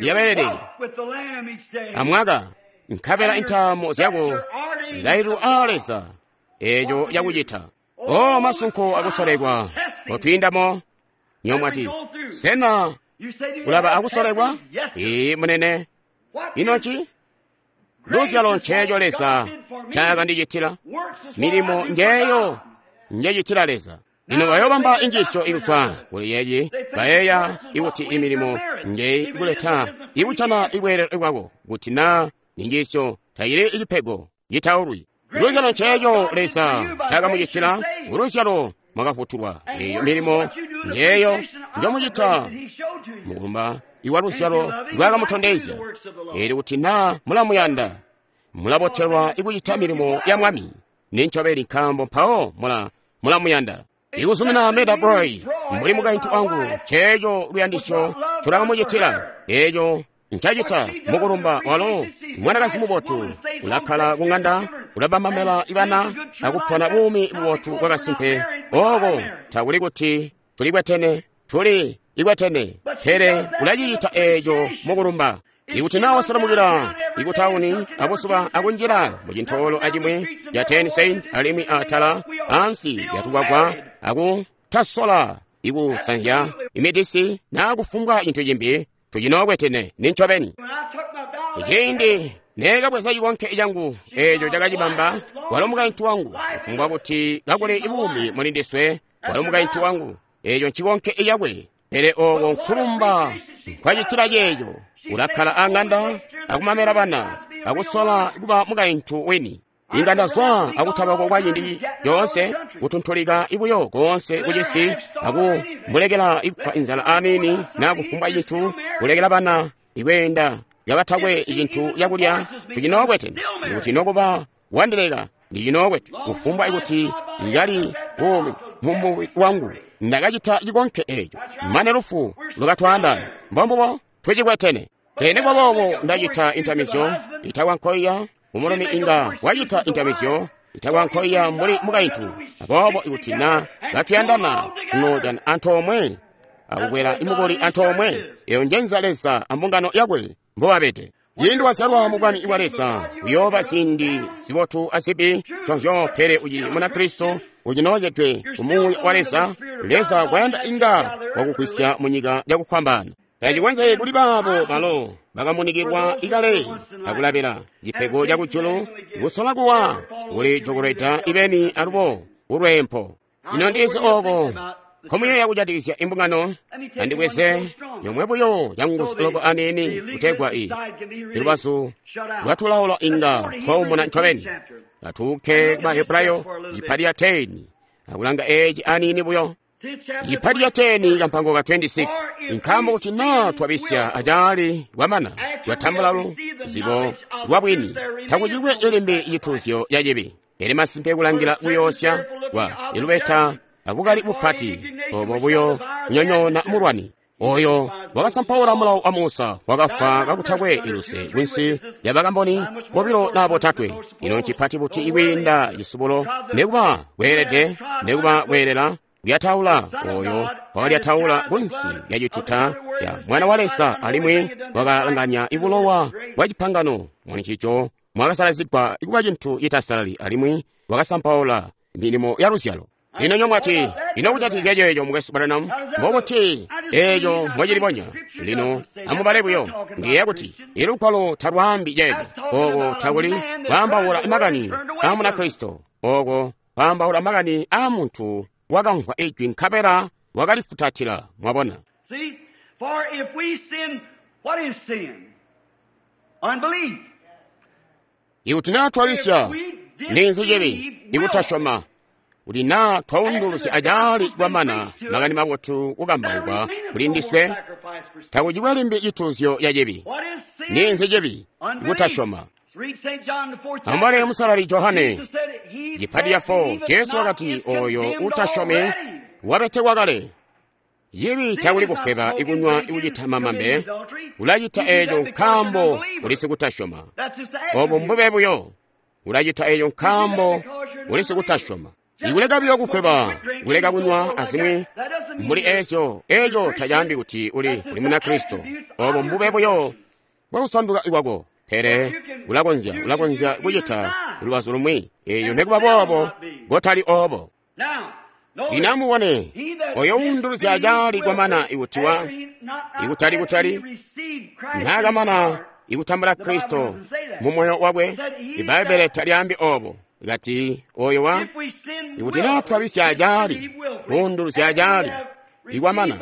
lyabelele amwaka, nkabela intaamo zyako zilaililwa aa Leza eeco yakucita. O masunko akusolekwa kotwiindamo. Nyomwati, sena kulaba akusolekwa? Ii munene. Ino nci? Luzyalo nceeco Leza ncaakandicitila. Milimo njeeyo njecitila Leza. Lino bayoobamba injiisyo ikuzwa kuli yeeyi, bayeeya ikuti imilimo nje ikuleta ikucana ibweelelo bwako, kuti naa ninjiisyo tayili icipego citaulwi. Luzyalo nceeco Leza ncaakamucitila, kuluzyalo mwakafutulwa. Eeyo milimo njeeyo njomucita mukulumba iwa luzyalo lwakamutondezya. Eelyo kuti naa mulamuyanda, mulabotelwa ikucita milimo ya Mwami. Nincobeni, nkaambo mpawo mulamuyanda. Ikuzumina Meda Broy mbuli mukaintu wangu, nceeco luyandisyo ncolakamucitila. Eeco ncacita mukulumba walo mwanakazi mubotu, ulakkala kuŋanda, ulabamamela ibana, akupona buumi bubotu bwakasimpe. Ooko takuli kuti tulikwetene, tuli ikwetene, pele ulacicita eeco mukulumba. Ikuti naa wasalamukila ikutauni abuzuba akunjila mucintoolo acimwi ca 10 cent alimwi atala ansi yatukwakwa akutasola ikusanzya imidisi naa kufumbwa cintu cimbi, tucinookwetene nincobeni. Ciindi neekabweza cikonke cangu eeco cakacibamba, walo mukaintu wangu, kufumbwa kuti kakuli buumi muli ndiswe, walo mukaintu wangu, eeco ncikonke cakwe. Pele ooko nkulumba nkwacitila ceeco. Ulakkala aŋanda akumamela bana akusola kuba mukaintu wini. Inga ndazwa akutabako kwa ciindi coonse, kutuntulika ibuyo koonse kucisi, akumulekela ikufa inzala aniini naa kufumbwa cintu, kulekela bana ikweenda kabatakwe cintu cakulya. Tucinookwetene. Ikuti nokuba wandileka, ndicinookwete. Kufumbwa ikuti ikali buumi mumubili wangu, ndakacita cikonke eeco mane lufu lukatwaandaanya. Mbombubo tucikwetene. Pele kwaboobo ndacita intamizyo itakwa nkoiya. Umulumi inga wacita intamizyo itakwa nkoiya mbuli mukaintu. Aboobo ikuti naa katuyandana, tunoojana antoomwe akukwela imukuli antoomwe. Eyo njenza Leza ambungano yakwe mbobabede. Ciindi wazyalwa mu bwami bwa Leza, uyooba ziindi zibotu azibi conzyo, pele ucili Munakristo, ucinoozedwe ku Muuya wa Leza. Leza kwayanda inga wakugwisya munyika yakufwambaana. Tacikonzeki kuli baabo balo bakamunikilwa ikale akulabila cipego ca kujulu, kusola kuwa kuli jokolweda ibeni alubo ulweempo. Ino ndilizi ooko Nkomuyeeya kujatikizya imbungano? Andibweze yomwe buyo canguzu loko aniini kutegwa i ilubazu lwatulaula inga twaumuna ncobeni. Atuuke ku Bahebrayo cipati ya 10 akulanga eeci aniini buyo. Cipati ca 10 kampango ka 26. Nkaambo kuti naa twabisya acaali kwamana twatambula luzibo lwa bwini, takucikwe limbi cituuzyo ca cibi. Pele masimpe kulangila kuyoosya kwa ilubeta abukali bupati obo buyo kunyonyoona mulwani oyo wakasampaula mulawo wa Musa, wakafwa kakutakwe iluse kunsi lya bakamboni bobilo na botatwe. Ino ncipati buti ikwiinda cisubulo nekuba kweelede nekuba kweelela kulyataula oyo wakalyataula kunsi lya cituta ya Mwana wa Leza, alimwi wakalanganya ibulowa bwa cipangano mulincico mwakasalazigwa ikuba cintu citasalali, alimwi wakasampaula milimo ya luzyalo. Lino nyomwati, ino kujatikizya ceeco mukwesu Branham? Mbobuti eeco mbocilibonya? Lino amubale buyo. Ndiyeeya kuti ilugwalo talwaambi ceeco. Ooko takuli kwaambaula makani aa Munakristo. Ooko kwaambaula makani aa muntu wakamvwa ijwi nkabela wakalifutatila. Mwabona? See, for if we sin, what is sin? Unbelief. Ikuti naa twabisya, ninzi cibi? Ikutasyoma. Kuti naa twaundulusya acaali kwamana makani mabotu kukambaukwa kuli ndiswe, takucikwe limbi cituuzyo ca cibi. Ninzi cibi? Kutasyoma. Amubale Musalali Johane cipati ya 4. Jesu wakati oyo utasyomi wabetekwa kale. Cibi takuli kufweba ikunywa ikucita mamambe, ulacita eeco nkaambo uli sikutasyoma. Obo mbube buyo. Ulacita eeco nkaambo uli sikutasyoma. Ikuleka buyo kufweba, kuleka kunywa azimwi mbuli eezyo, eeco tacaambi kuti uli Munakristo. Obo mbube buyo bwakusanduka ikwako. Pele ulakonzya kucita lubazu lumwi, eeyo nekuba boobo kotali obo. Lino amubone oyo uunduluzya acaali kwamana ikuti wa ikutali naakamana ikutambula Kristo mu moyo wakwe. Ibbaibbele talyaambi obo. Kati oyo wa ikuti naa twabisya acaali, kuunduluzya acaali ikwamana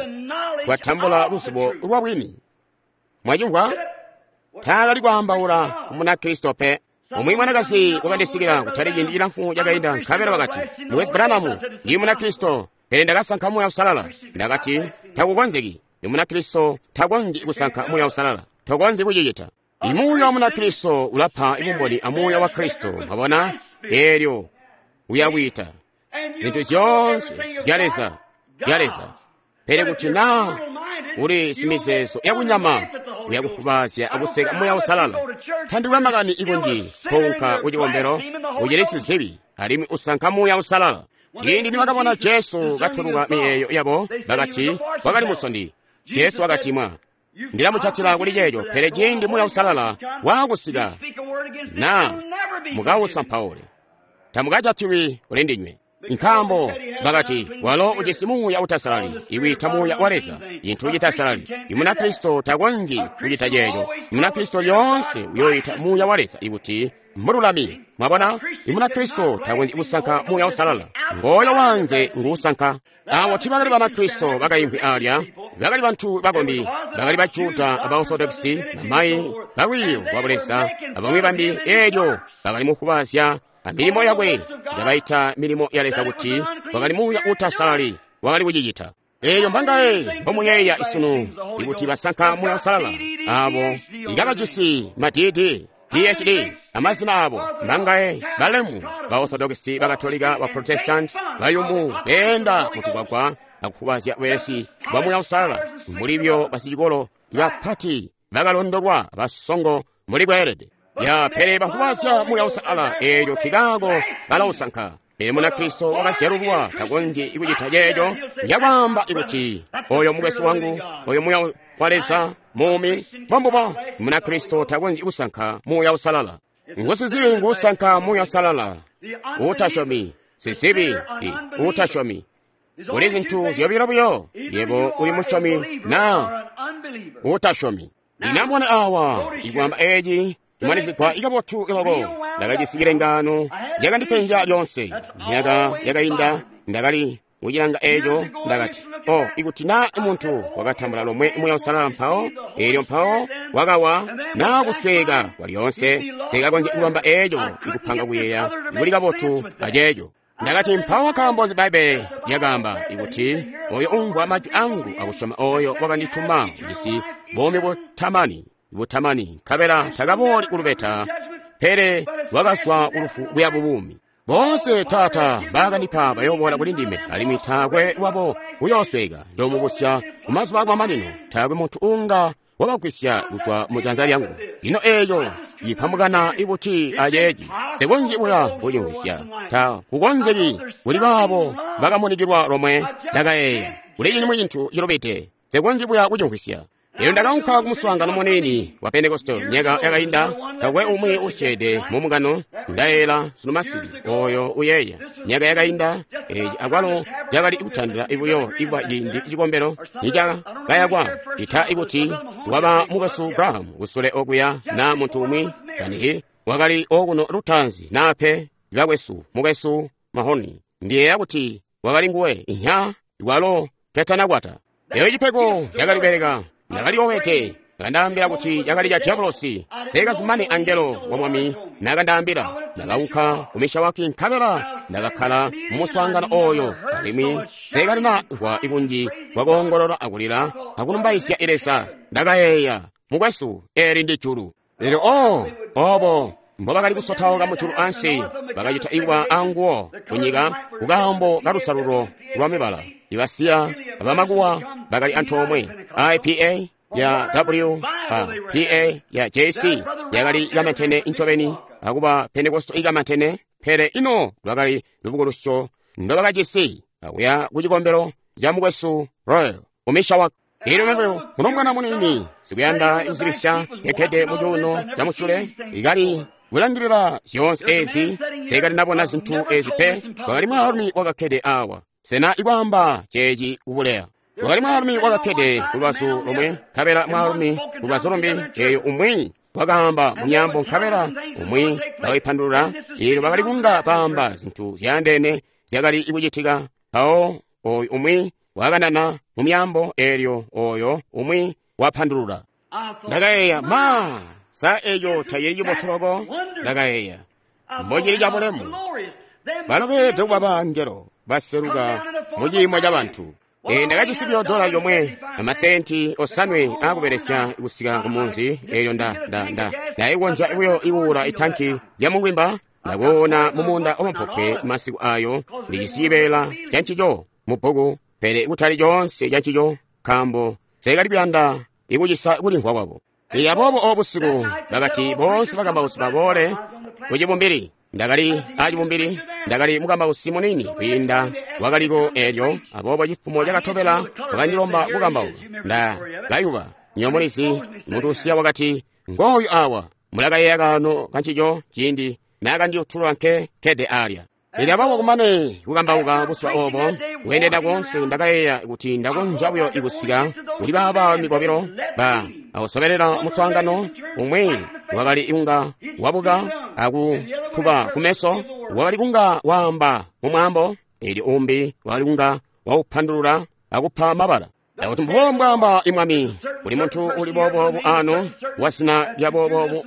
twatambula luzibo lwa bwini. Mwacimvwa? Taakali kwaambaula ku Munakristo pe. Umwi mwanakazi wakandisikila kutali ciindi cilamfu cakainda, nkabela wakati, Mukwesu Branham, ndi Munakristo, pele ndakasankha Muuya Uusalala. Ndakati, takukonzeki. Ndi Munakristo takonzyi kusankha Muuya Uusalala. Tokonzyi kucicita. Imuuya wa Munakristo ulapa ibumboni a Muuya wa Kristo. Mwabona? Eelyo uyakwiita zintu zyoonse zya Leza, zya Leza. Pele kuti naa uli simizeezo yakunyama, uyakufubaazya akuseka Muuya Uusalala. Tandikwe makani ikunji kounka kucikombelo, ucili sizibi, alimwi usankha Muuya Uusalala. Ciindi nibakabona Jesu katuluka miyeeyo yabo, bakati wakali musondi. Jesu wakati, mwa ndilamucatila kuli ceeco, pele ciindi Muuya Uusalala waakusika, naa mukausampaule, tamukajatilwi kuli ndinywe. Nkaambo bakati walo ujisi muuya utasalali, iwiita Muuya wa Leza cintu citasalali. Imunakristo takonzyi kucita ceeco. Imunakristo lyoonse uyoita Muuya wa Leza ikuti mululami. Mwabona? Imunakristo takonzyi kusankha Muuya Uusalala. Ngooyo wanze nguusankha. Awo tibakali Banakristo bakaimvwi alya, bakali bantu bakombi, bakali ba Juda aba Orthodoxi, bamayi balwiiyo lwa Buleza, abamwi bambi. Eelyo bakali mukubaazya amilimo yakwe, ndabaita milimo ya Leza kuti wakali muuya utasalali wakali kucicita. Eelyo mbangaye mbomuyeeya isunu ikuti basankha Muuya Uusalala abo ikabajisi ma DD, PhD amazina abo? Mbangaye balemu ba Orthodoxi, ba Katolika, ba Protestant bayumu beenda mutugwagwa akufubazya bwelesi bwa Muuya Uusalala mulibyo basicikolo bapati bakalondolwa basongo muli bweelede. Ya pele bafubaazya Muuya Uusalala, eelyo kikaako balausankha. Pele Munakristo wakazyalulwa takonzyi kucita ceeco. Yakwaamba ikuti oyo mukwesu wangu, oyo Muuya wa Leza muumi, mbombubo. Munakristo takonzyi kusankha Muuya Uusalala. Ngusizibi nguusankha Muuya Uusalala. Utasyomi sizibi utasyomi. Kuli zintu zyobilo buyo, yebo uli musyomi naa utasyomi. Lino amubone awa ikwaamba eeci imwanizigwa ikabotu iloko. Ndakajisi cilengano cakandipenzya lyoonse. Myaka yakainda ndakali kucilanga eco. Ndakati, o, ikuti na muntu wakatambula lomwe Muuya Uusalala mpawo, eelyo mpawo wakawa na kusweka kwalyoonse, sikakonzya kubamba eco ikupanga kuyeeya kuli kabotu aceeco. Ndakati, mpawo nkaambo nzi Bbaibbele lyakaamba ikuti oyo umvwa majwi angu akusyoma oyo wakandituma ujisi buumi butamani, butamani, nkabela takabooli kulubeta, pele wakazwa kulufu kuya bubuumi. Boonse Taata mbakandipa bayoboola kuli ndime, alimwi taakwe wabo uyoosweka. Njoomubusya ku mazuba akumamanino. Taakwe muntu uunga wabagwisya kuzwa mu janza lyangu. Ino eeco cipambukana ibuti aceeci? Nsikonzyi buya kucimvwisya. Ta kukonzeki kuli baabo bakamunikilwa lomwe. Ndakayeeya, kuli cimwi cintu cilubide. Nsikonzyi buya kucimvwisya. Elyo ndakaunka kumuswaangano muniini wa Pentekoste myaka yakainda, takwe umwi usyeede mu mbungano, ndayeeyela sunu masiku, oyo uyeeya. Myaka yakainda, eci akwalo cakali kutandila buyo ikuba ciindi cikombelo nicakayakwa, ita ikuti waba mukwesu Graham kusule okuya na muntu umwi, kanihi wakali okuno lutaanzi naa pe, bakwesu, mukwesu Mahoni. Ndiyeeya kuti wakali nguwe, inya, walo ketanakwata. Eyo cipego cakali kubeleka. Ndakali owete, akandaambila kuti cakali ca diabolosi. Nsekazumane angelo wa Mwami nakandaambila. Ndakaunka ku Mishawaki nkabela ndakakkala mu muswaangano oyo, alimwi nsekalina mvwa kunji kwa koongolola akulila akulumbaizya Leza. Ndakayeeya, mukwesu, eli ndi julu. Elyo o, obo mbobakali kusotauka mujulu ansi, bakacita ikuba anguwo kunyika kukaambo kalusalulo lwa mibala. Ibasiya abamakuwa bakali antoomwe. IPA ya W PA ya JC yakali ikamantene ncobeni akuba Pentekoste ikamantene, pele ino lwakali lubukulusyo ndobakajisi akuya ku cikombelo ca mukwesu Royal ku Mishawaka. Elyo mebo mulombwana muniini sikuyanda kuzibisya kekkede mu cuuno ca musyule ikali kulangilila zyoonse ezi, nsekali nabona zintu ezi pe. Kwakali mwaalumi wakakkede awa. Sena ikwaamba ceeci kubuleya? Kwakali mwaalumi wakakkede kulubazu lomwe, nkabela mwaalumi kulubazu lumbi, eyo umwi wakaamba mu myaambo nkabela umwi wakaipandulula. Eelyo bakali kunga baamba zintu zyaandeene zyakali kucitika. Mpawo oyu umwi wakanana mu myaambo, eelyo oyo umwi wapandulula. Ndakayeeya, ma, sa eco tacili cibotu loko? Ndakayeeya, mbocili cabulemu. Balo beelede kuba bangelo baseluka mu ciimo ca bantu. Ndakajisi buyo dola lyomwe amasenti osanwe aakubelesya kusika ku munzi. Eelyo ndaikonzya buyo ikuula itanki lya mungwimba. Ndakoona mu muunda wamupope masiku ayo, ndijisi cibeela ca ncico mu bbuku, pele kutali coonse ca ncico, nkaambo nseekali kuyanda ikucisa kulimvwa kwabo. Elyo aboobo obo busiku bakati boonse bakambausi baboole ku cibumbili. Ndakali acibumbili, ndakali mukambausi muniini kwiinda wakaliko eelyo, aboobo cifumo cakatobela bakandilomba kukambauka. Nda kayuba. Nywebo mulizi, muntu usiya wakati, ngooyu awa, mulakayeeya kaano kancico ciindi naakandiyutulula nke kkede alya. Elyo aboobo kumane kukambauka buzuba obo, kweendenda koonse, ndakayeeya kuti ndakonzya buyo ikusika kuli baabami bobilo ba akusobelela muswaangano. Umwi wakali kunga wabuka akutuba kumeso, wakali kunga waamba mu mwaambo, elyo umbi wakali kunga waupandulula akupa mabala. Ndakuti mbubo mbwaamba imwami, kuli muntu uli booboobu ano wazina lya booboobu,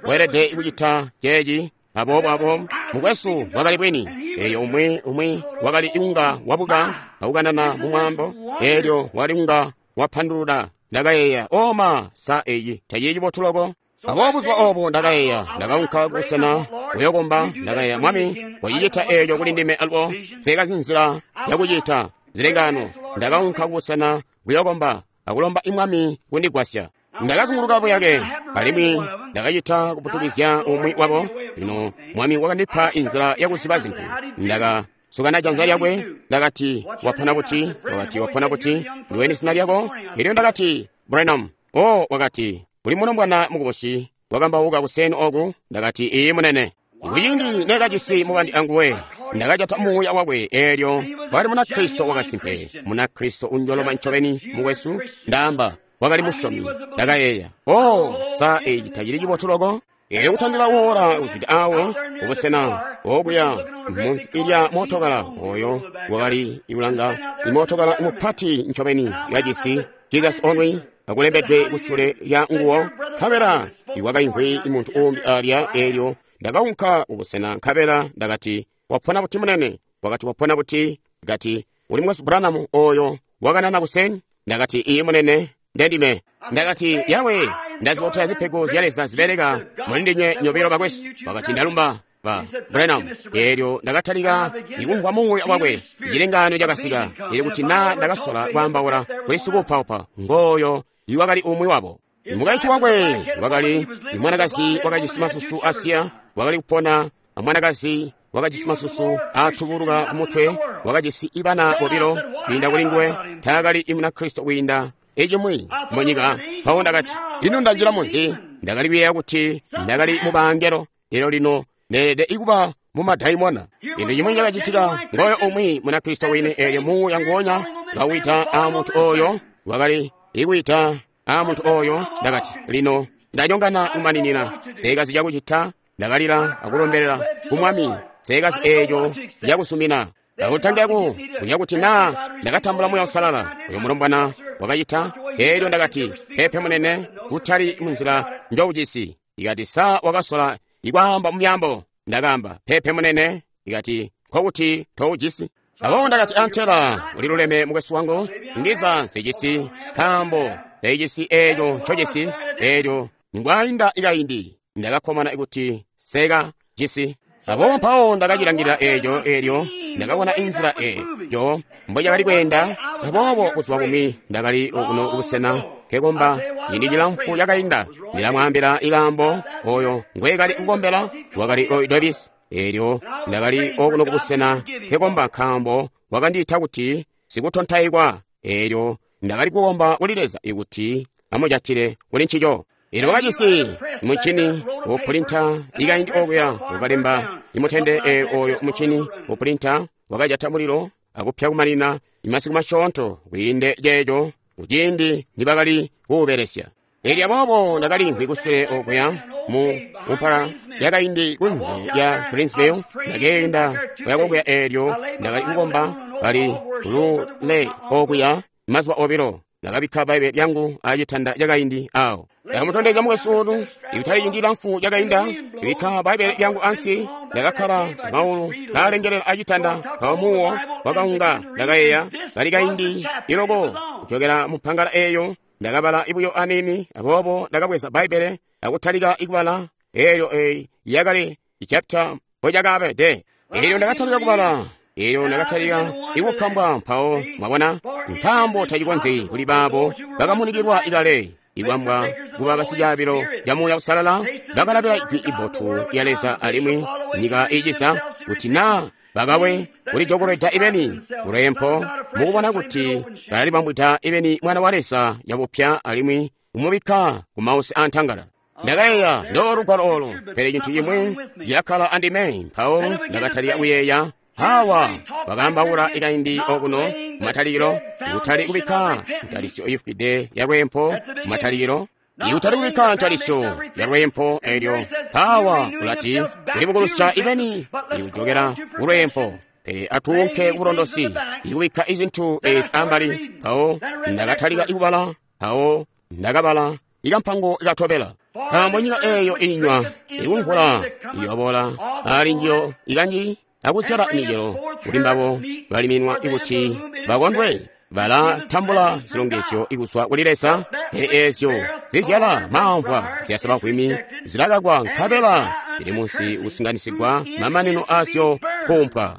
weelede kucita ceeci aboobo abo. Mukwesu wakali bwini. Elyo umwi wakali kunga wabuka akukanana mu mwaambo, elyo wakali kunga wapandulula. Ndakayeeya, oma, sa eyi tacili cibotu loko? Aboobo buzuba obo ndakayeeya, ndakaunka kubusena kuyokomba. Ndakayeeya, Mwami, wacicita eeco kuli ndime alubo, nseekazi nzila yakucita zilengano. Ndakaunka kubusena kuyokomba akulomba imwami kundigwasya. Ndakazunguluka buyake, alimwi ndakacita kuputukizya umwi wabo. Lino Mwami wakandipa inzila yakuziba zintu. Ndakasukana janza lyakwe, ndakati, wapona buti? Wakati, wapona buti? Ndiweni zina lyako? Elyo ndakati, Branham. O, wakati, uli mulombwana mukubusi wakambauka kuseni oku. Ndakati, iiyi munene. Kuciindi nekajisi mubandi anguwe, ndakajata muuya wakwe. Eelyo wakali Munakristo wakasimpe, Munakristo unjoloma ncobeni, mukwesu. Ndaamba, wakali musyomi. Ndakayeeya, o, sa eci tacili cibotu loko? Elyo kutandila woora kuzwida awo kubusena okuya munsi ilya mootokala oyo wakali ikulanga imootokala mupati ncobeni yajisi Jesus Only akulembedwe kusule lya nguwo, nkabela iwakaimvwi muntu umbi alya. Elyo ndakaunka kubusena nkabela ndakati, wapona buti munene? Wakati, wapona buti? Kati, uli Mukwesu Branham oyo wakanana kuseni? Ndakati, iye munene, ndendime. Ndakati, yawe, ndazibotela zipego zya Leza zibeleka muli ndinywe nyobilo bakwesu. Wakati, ndalumba ba Branham. Elyo ndakatalika ikumvwa muuya wakwe, cilengano cakasika. Elyo kuti na ndakasola kwaambaula kuli sikuupaupa ngooyo iwakali umwi wabo. Mukaintu wakwe wakali mwanakazi wakajisi masusu asiya, wakali kupona amwanakazi wakajisi masusu atubuluka kumutwe, wakajisi ibana bobilo kwiinda kuli nguwe. Taakali Munakristo kwiinda icimwi munyika. Mpawo ndakati, ino ndanjila munzi? Ndakali kuyeeya kuti ndakali mubangelo, elyo lino neelede ikuba mumadaimona. Cintu cimwi cakacitika, ngooyo umwi Munakristo wini. Elyo muuya nguonya kawita a muntu oyo wakali ikwiita a muntu oyo. Ndakati, lino ndanyongana kumaninina, sekazi cakucita. Ndakalila akulombelela ku Mwami, sekazi eeco cakusumina. Ndakutangaku kuya kuti na ndakatambula Muuya Uusalala. Uyo mulombwana wakacita. Elyo ndakati, pepe munene, kutali munzila njoujisi. Ikati, sa wakasola ikwaamba mumyaambo? Ndakaamba, pepe munene. Ikati, nkokuti toujisi. Aboobo ndakati, antela uliluleme mukwesu wangu, ndiza nsijisi, nkaambo teijisi eeco ncojisi. Elyo ngwainda ikaindi ndakakkomana kuti seka jisi. Aboobo mpawo ndakacilangilila eeco. Elyo ndakabona inzila eeco mbocakali kweenda. Aboobo kuzwa kumwi ndakali okuno kubusena nkekomba ciindi cilamfu cakainda. Ndilamwaambila ikaambo oyo ngwekali kukombela wakali Roy Davis. Elyo ndakali okuno kubusena nkekomba nkaambo wakandiita kuti sikutontaikwa. Elyo ndakali kukomba kuli Leza ikuti amujatile kuli ncico. Elyo wakajisi muncini wopulinta ikaindi okuya ukalemba imutende. Oyo muncini wopulinta wakajata mulilo akupya kumanina imasiku masyoonto kwiinde ceeco kuciindi nibakali kuubelesya. Elyo aboobo ndakalimvwi kusule okuya mu mpala yakaindi kunze ya Greensville. Ndakeenda kuya kokuya. Elyo ndakali kukomba kali lule okuya mazuba obilo. Ndakabikka Bbaibbele lyangu acitanda cakaindi awo. Ndakamutondezya mukwesu olu ikutali ciindi cilamfu cakainda. Ndabikka Bbaibbele lyangu ansi, ndakakkala maulu kaalengelela acitanda. Mpawo muwo wakaunga. Ndakayeeya kali kaindi iloko kujokela mumpangala eeyo. Ndakabala buyo aniini. Aboobo ndakabweza Bbaibbele akutalika ikubala. Elyo eyi yakali ichapita mpocakabede. Elyo ndakatalika kubala. Elyo ndakatalika ikukambwa. Mpawo mwabona, nkaambo tacikonzyi kuli baabo bakamunikilwa ikale ikwambwa kuba basicaabilo ca Muuya Uusalala, bakalabila ijwi ibotu lya Leza alimwi nyika iicisa, kuti na bakawe kulijokolweda ibeni kulwempo mukubona kuti balalibambwida ibeni Mwana wa Leza yabupya alimwi kumubikka ku mausi antangala. Ndakayeeya ndo lugwalo olu, pele cintu cimwi cilakkala andime. Mpawo ndakatalika kuyeeya, hawa bakaambaula ikaindi okuno kumatalikilo, ikutali kubikka ntalisyo ifwide ya lwempo kumatalikilo, ikutali kubikka ntalisyo ya lwempo. Elyo hawa ulati kulibukulusya ibeni ikujokela kulwempo, pele atuunke kubulondosi ikubikka izintu ezi ambali. Mpawo ndakatalika ikubala. Mpawo ndakabala ikampango ikatobela. Nkaambo nyika eeyo inywa ikumvula iyobola ali njiyo ikanji akuzyala micelo kuli mbabo baliminwa ikuti bakondwe, balatambula zilongezyo ikuzwa kuli Leza. Pele eezyo zizyala maamvwa ziyasaba vwimi zilakakwa, nkabela zili munsi kusinganisigwa, mamanino azyo kuumpwa.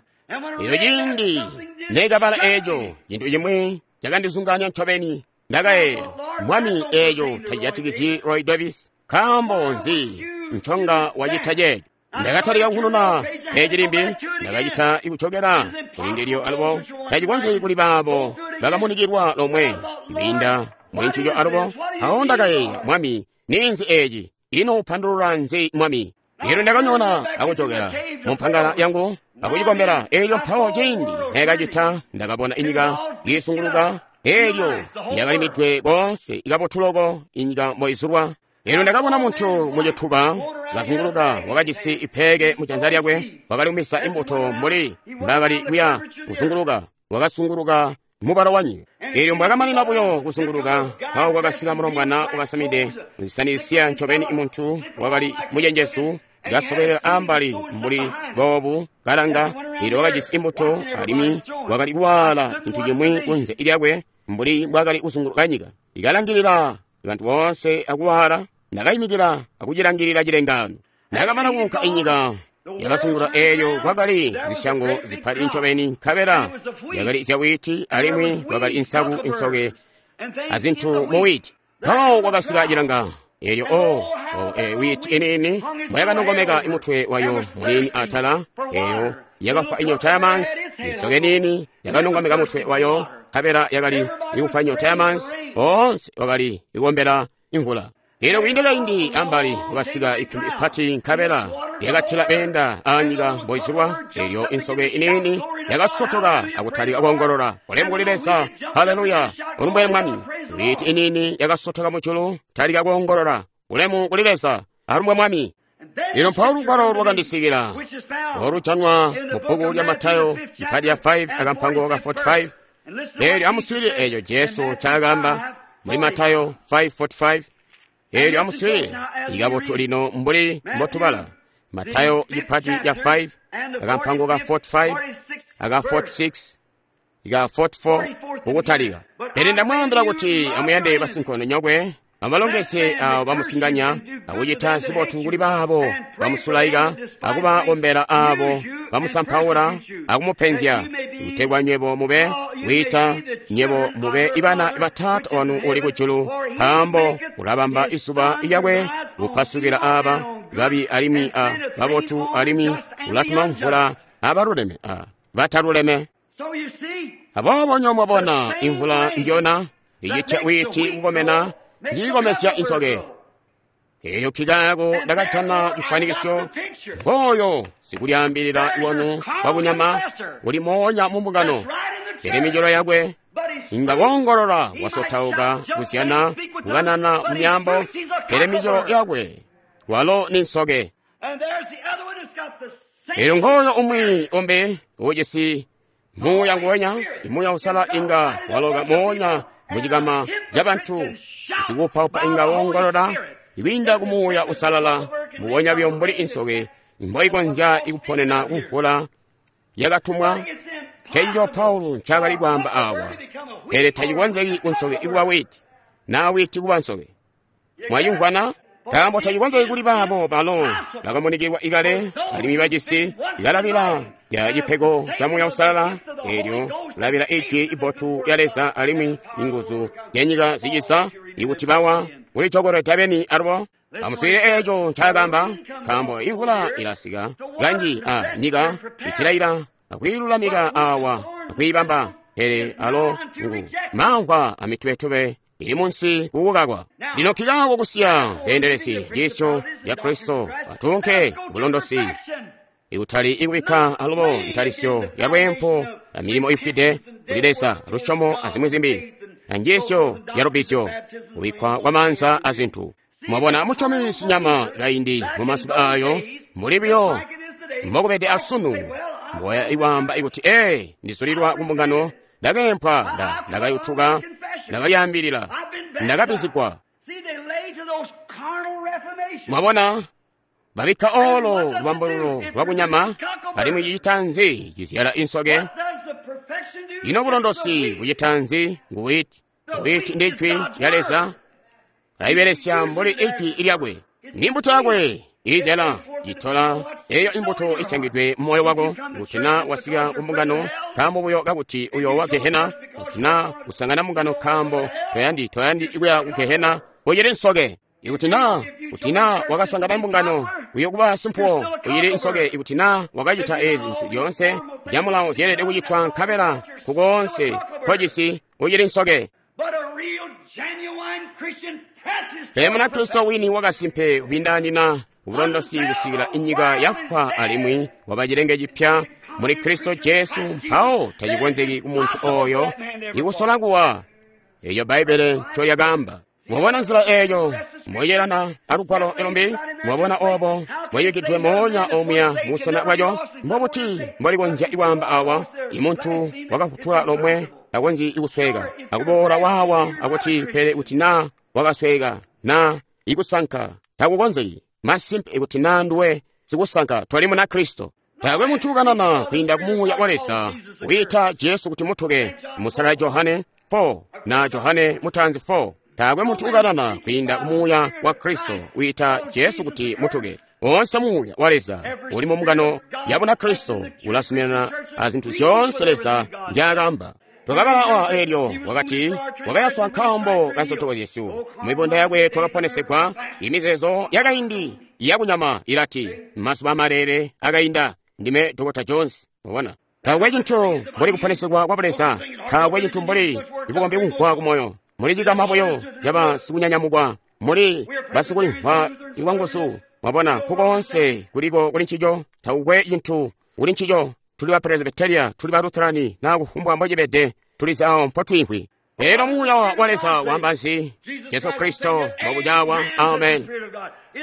Elyo ciindi nekabala eeco, cintu cimwi cakandizunganya ncobeni. Ndakayeeya, Mwami, eeco tacijatikizyi Roy Davis. Nkaambo nzi nconga wacita ceeco? Ndakatalika kukununa peji limbi. Ndakacita ikujokela kuli ndilyo alubo. Tacikonzyi kuli baabo bakamunikilwa lomwe kwiinda muli ncico alubo. Mpawo ndakayeeya, Mwami, ninzi eeci? Ino upandulula nzi, Mwami? Elyo ndakanyona akujokela mumpangala yangu akucikombela. Elyo mpawo ciindi nekacita, ndakabona inyika iisunguluka. Elyo yakalimidwe koonse ikabotuloko inyika mboizulwa. Elyo ndakabona muntu mucituba Kazunguluka, wakajisi ipeeke mu janza lyakwe, wakali kumisa imbuto mbuli mbakali kuya kuzunguluka, wakasunguluka mubalo wanyika. Elyo mbwakamanina buyo kuzunguluka, mpawo kwakasika mulombwana wakasamide zisani zisiya ncobeni, muntu wakali mucenjezu, kasobelela ambali mbuli boobu, kalanga. Elyo wakajisi imbuto, alimwi wakali kuwaala cintu cimwi kunze lyakwe mbuli mbwakali kuzunguluka nyika, ikalangilila bantu boonse akuwaala. Ndakayimikila akucilangilila cilengaano. Ndakamana kuunka inyika yakasungula, eelyo kwakali zisyango zipati ncobeni, nkabela yakali zyawiiti, alimwi kwakali insaku, insoke azintu muwiiti. Mpawo kwakasika cilanga, eelyo wiiti iniini mbwayakanongomeka mutwe wayo muniini atala, eeyo yakafwa inyota yamanzi. Insoke niini yakanongomeka mutwe wayo, nkabela yakali ikufwa inyota yamanzi. Boonse wakali ikuombela imvula. Elyo kwiinda kaindi ambali kwakasika iphimbi ipati, nkabela lyakathila meenda aanyika mboizulwa. Elyo insoke iniini yakasotoka akutalika koongolola, ulemu kuli Leza, haleluya, ulumbwe Mwami. Wiiti iniini yakasotoka mujulu, talika koongolola, ulemu kuli Leza, alumbwe Mwami. Lino mpawo lugwalo lwakandisikila, olujanwa mu bbuku lya Matayo ipati ya 5 akampango ka 45. Elyo amuswiilile eeco Jesu ncaakaamba muli Matayo 5:45. Elyo amuswiilile ikabotu lino mbuli mbotubala Matayo ipati ya 5 akampango ka 45 aka 46 ika 44 kukutalika. Pele ndamwaambila kuti amuyande basinkondonyokwe, amubalongezye aabo bamusinganya, akucita zibotu kuli baabo bamusulaika, akubakombela aabo bamusampaula akumupenzya, kutegwa nywebo mube kwiita nywebo mube ibana ba Taata wanu uli kujulu, nkaambo ulabamba izuba lyakwe kupasukila aaba babi alimwi a babotu, alimwi ulatuma mvula abaluleme a bataluleme. Aboobo nywebo mwabona imvula njona icitya wiiti kukomena, njiikomezya insoke. Elyo nkikaako ndakajana cifwanikisyo, ngooyo sikulyaambilila wanu wabunyama uli moonya mu mbungano. Pele micelo yakwe inga woongolola, wasotauka, kuzyana, kukanana mu myaambo, pele micelo yakwe walo ni nsoke. Elyo ngooyo umwi umbi ujisi muuya nguwenya, imuuya usala inga waloka moonya mucikama cabantu, sikuupaupa inga woongolola ikwiinda kumuuya usalala, mbubonya buyo mbuli insoke mboikonzya ikuponena kumvula yakatumwa. Ncencico Paulo ncaakali kwaamba awa. Pele tacikonzeki kunsoke ikuba wiiti, naa wiiti kuba nsoke. Mwayumvwana? Nkaambo tacikonzeki kuli baabo balo bakamunikilwa ikale, alimwi bajisi ikalabila lya cipego ca Muuya Usalala, eelyo kulabila ijwi ibotu lya Leza alimwi inguzu zyanyika zicisa, ikuti bawa kulicokolweda beni alubo. Amuswiilile eeco ncaakaamba, nkaambo imvula ilasika kanji a nyika itilaila akwiilulamika awa akwiibamba, pele alo ngu mamvwa amitubetube ili munsi kukukakwa. Lino nkikaako kusiya beendelezi njiisyo ya Kristo, atunke bulondosi, ikutali ikubikka alubo ntalisyo ya lweempo a milimo ifwide kuli Leza, lusyomo azimwi zimbi, anjiisyo ya lubbizyo, kubikkwa kwa maanza azintu. Mwabona, musyomi sinyama kaindi mu mazuba ayo muli buyo mbokubede asunu, mboya iwaamba ikuti, ee, ndizulilwa ku mbungano, ndakeempwa, ndakayutuka, ndakalyaambilila, ndakabbizigwa. Mwabona, babikka olo lubambululo lwakunyama, alimwi cicita nzi? Cizyala insoke. Ino bulondosi bucita nzi? Ngu wiiti. Wiiti ndi ijwi lya Leza, laibelesya mbuli ijwi lyakwe. Ni mbuto yakwe izyala, citola eyo imbuto isyangidwe mu moyo wako. Kuti na wasika ku mbungano nkaambo buyo kakuti uyoowa gehena, kuti na usangana mbungano nkaambo toyandi kuya ku gehena, ucili nsoke. Ikuti na wakasangana mbungano uyokuba simpuwo, ucili nsoke. Ikuti na wakacita ezi zintu zyoonse zyamulawo zyeelede kucitwa, nkabela kukoonse nkojisi, ucili nsoke. Pele Munakristo wini wakasimpe ubindaanina ubulondosi kusikila inyika yafwa alimwi waba cilenge cipya muli Kristo Jesu, mpawo tacikonzeki kumuntu oyo ikusola kuwa. Eyo Bbaibbele ncolyakaamba. Mwabona nzila eyo moyelana alugwalo elombi? Mwabona obo mwayikidwe moonya omuya musana bwaco? Mbobuti mbolikonzya kwaamba awa, imuntu wakafutula lomwe takonzyi kusweka, akuboola wawa akuti pele kuti naa wakasweka na ikusanka takukonzeki. Masimpe ikuti naa nduwe sikusanka toli muna Kristo. Taakwe muntu ukanana kwiinda kumuuya wa Leza wiita Jesu kuti mutuke, musala Johane 4 na Johane mutanzi 4. Taakwe muntu ukanana kwiinda kumuuya wa Kristo wiita Jesu kuti mutuke. Onse muuya wa Leza uli mu mbungano ya Bunakristo ulazuminana a zintu zyoonse Leza nzyaakamba. Twakabala awa eelyo wakati wakayaswa nkaambo ka nsotoko zyesu, mibunda yakwe twakaponesegwa. Imizeezo yakaindi yakunyama ilati mazuba amalele akainda. Ndime Dr. Jones. Mwabona, taakwe cintu mbuli kuponesegwa kwa Buleza, taakwe cintu mbuli bukombi kumvwa kumoyo. Muli cikama buyo caba sikunyanyamukwa, muli basikulimvwa ikwanguzu. Mwabona, nkukoonse kuliko kuli ncico, taakwe cintu kuli ncico. Tuli ba Presbyteria, tuli ba Lutherani, na kufumbwa mbocibede, tulizi awo mpotwiimvwi. Lero muuya wa Leza wamba nzi? Jesu Kristo mbobujawa. Amen.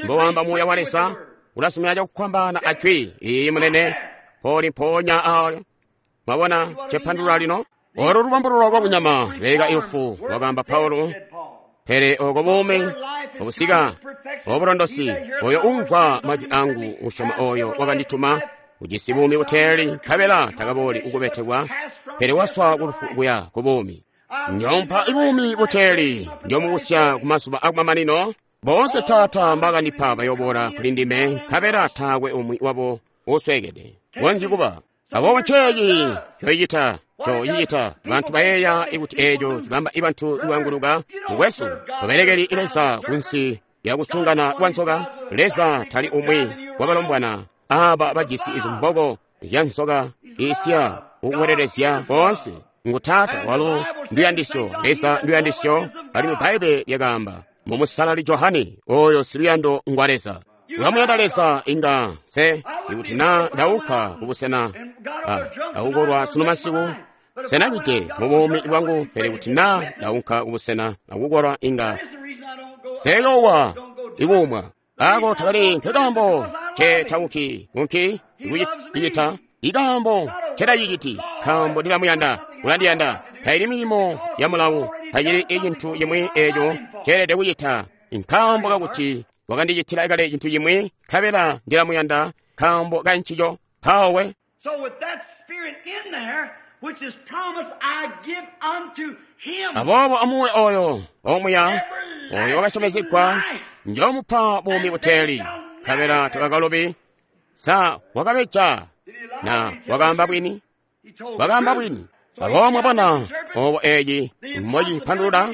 Mbowamba muuya wa Leza ulasumina cakukwambana ajwi iyi munene poli mponya awo. Mwabona cepandulula lino? Olo lubambululo lwa kunyama leka ilufu, wakamba Paulo. Pele oko buumi obusika obulondosi, oyo umvwa majwi angu usyoma oyo wakandituma ujisi buumi buteeli, nkabela takabooli ukubetekwa, pele waswa kulufu kuya ku buumi. Njompa ibuumi buteeli, njomubusya ku mazuba akumamanino. Boonse Taata mbakandipa bayoboola kuli ndime, nkabela taakwe umwi wabo usweekede. Konzyi kuba. Aboobo nceeci coicita, coicita. Bantu bayeeya ikuti eeco cibamba ibantu iwanguluka. Mukwesu, tubelekeli Leza kunsi lyakusungana kwa nzoka. Leza tali umwi wabalombwana aba bajisi izimboko zya nzoka isya ukukwelelezya koonse. Ngu Taata walo nduyandisyo, Leza nduyandisyo, alimwi Bbaibbele lyakaamba mu Musalali Johane, oyo siluyando ngwa Leza. Ulamuyanda Leza inga se ikuti naa ndaunka kubusena akukolwa sunu masiku, senacite mu buumi bwangu, pele kuti naa ndaunka kubusena akukolwa inga seyowa ikuumwa. Ako takali nkekaambo nce taunki unki ikucita ikaambo ncetaciciti, nkaambo ndilamuyanda, ulandiyanda. Taili milimo ya mulawu, tacili icintu cimwi eeco nceelede kucita, nkaambo kakuti wakandicitila kale cintu cimwi, nkabela ndilamuyanda nkaambo ka ncico. Mpawo So with that spirit in there, which is promised, I give unto him. Aboobo amuwe oyo omuya oyo wakasyomezegwa, njomupa buumi buteeli, nkabela takakalobi. Sa wakabeja na wakaamba bwini? He told Wakaamba the truth. bwini. Aboobo mwabona obo eeci mbocipandulula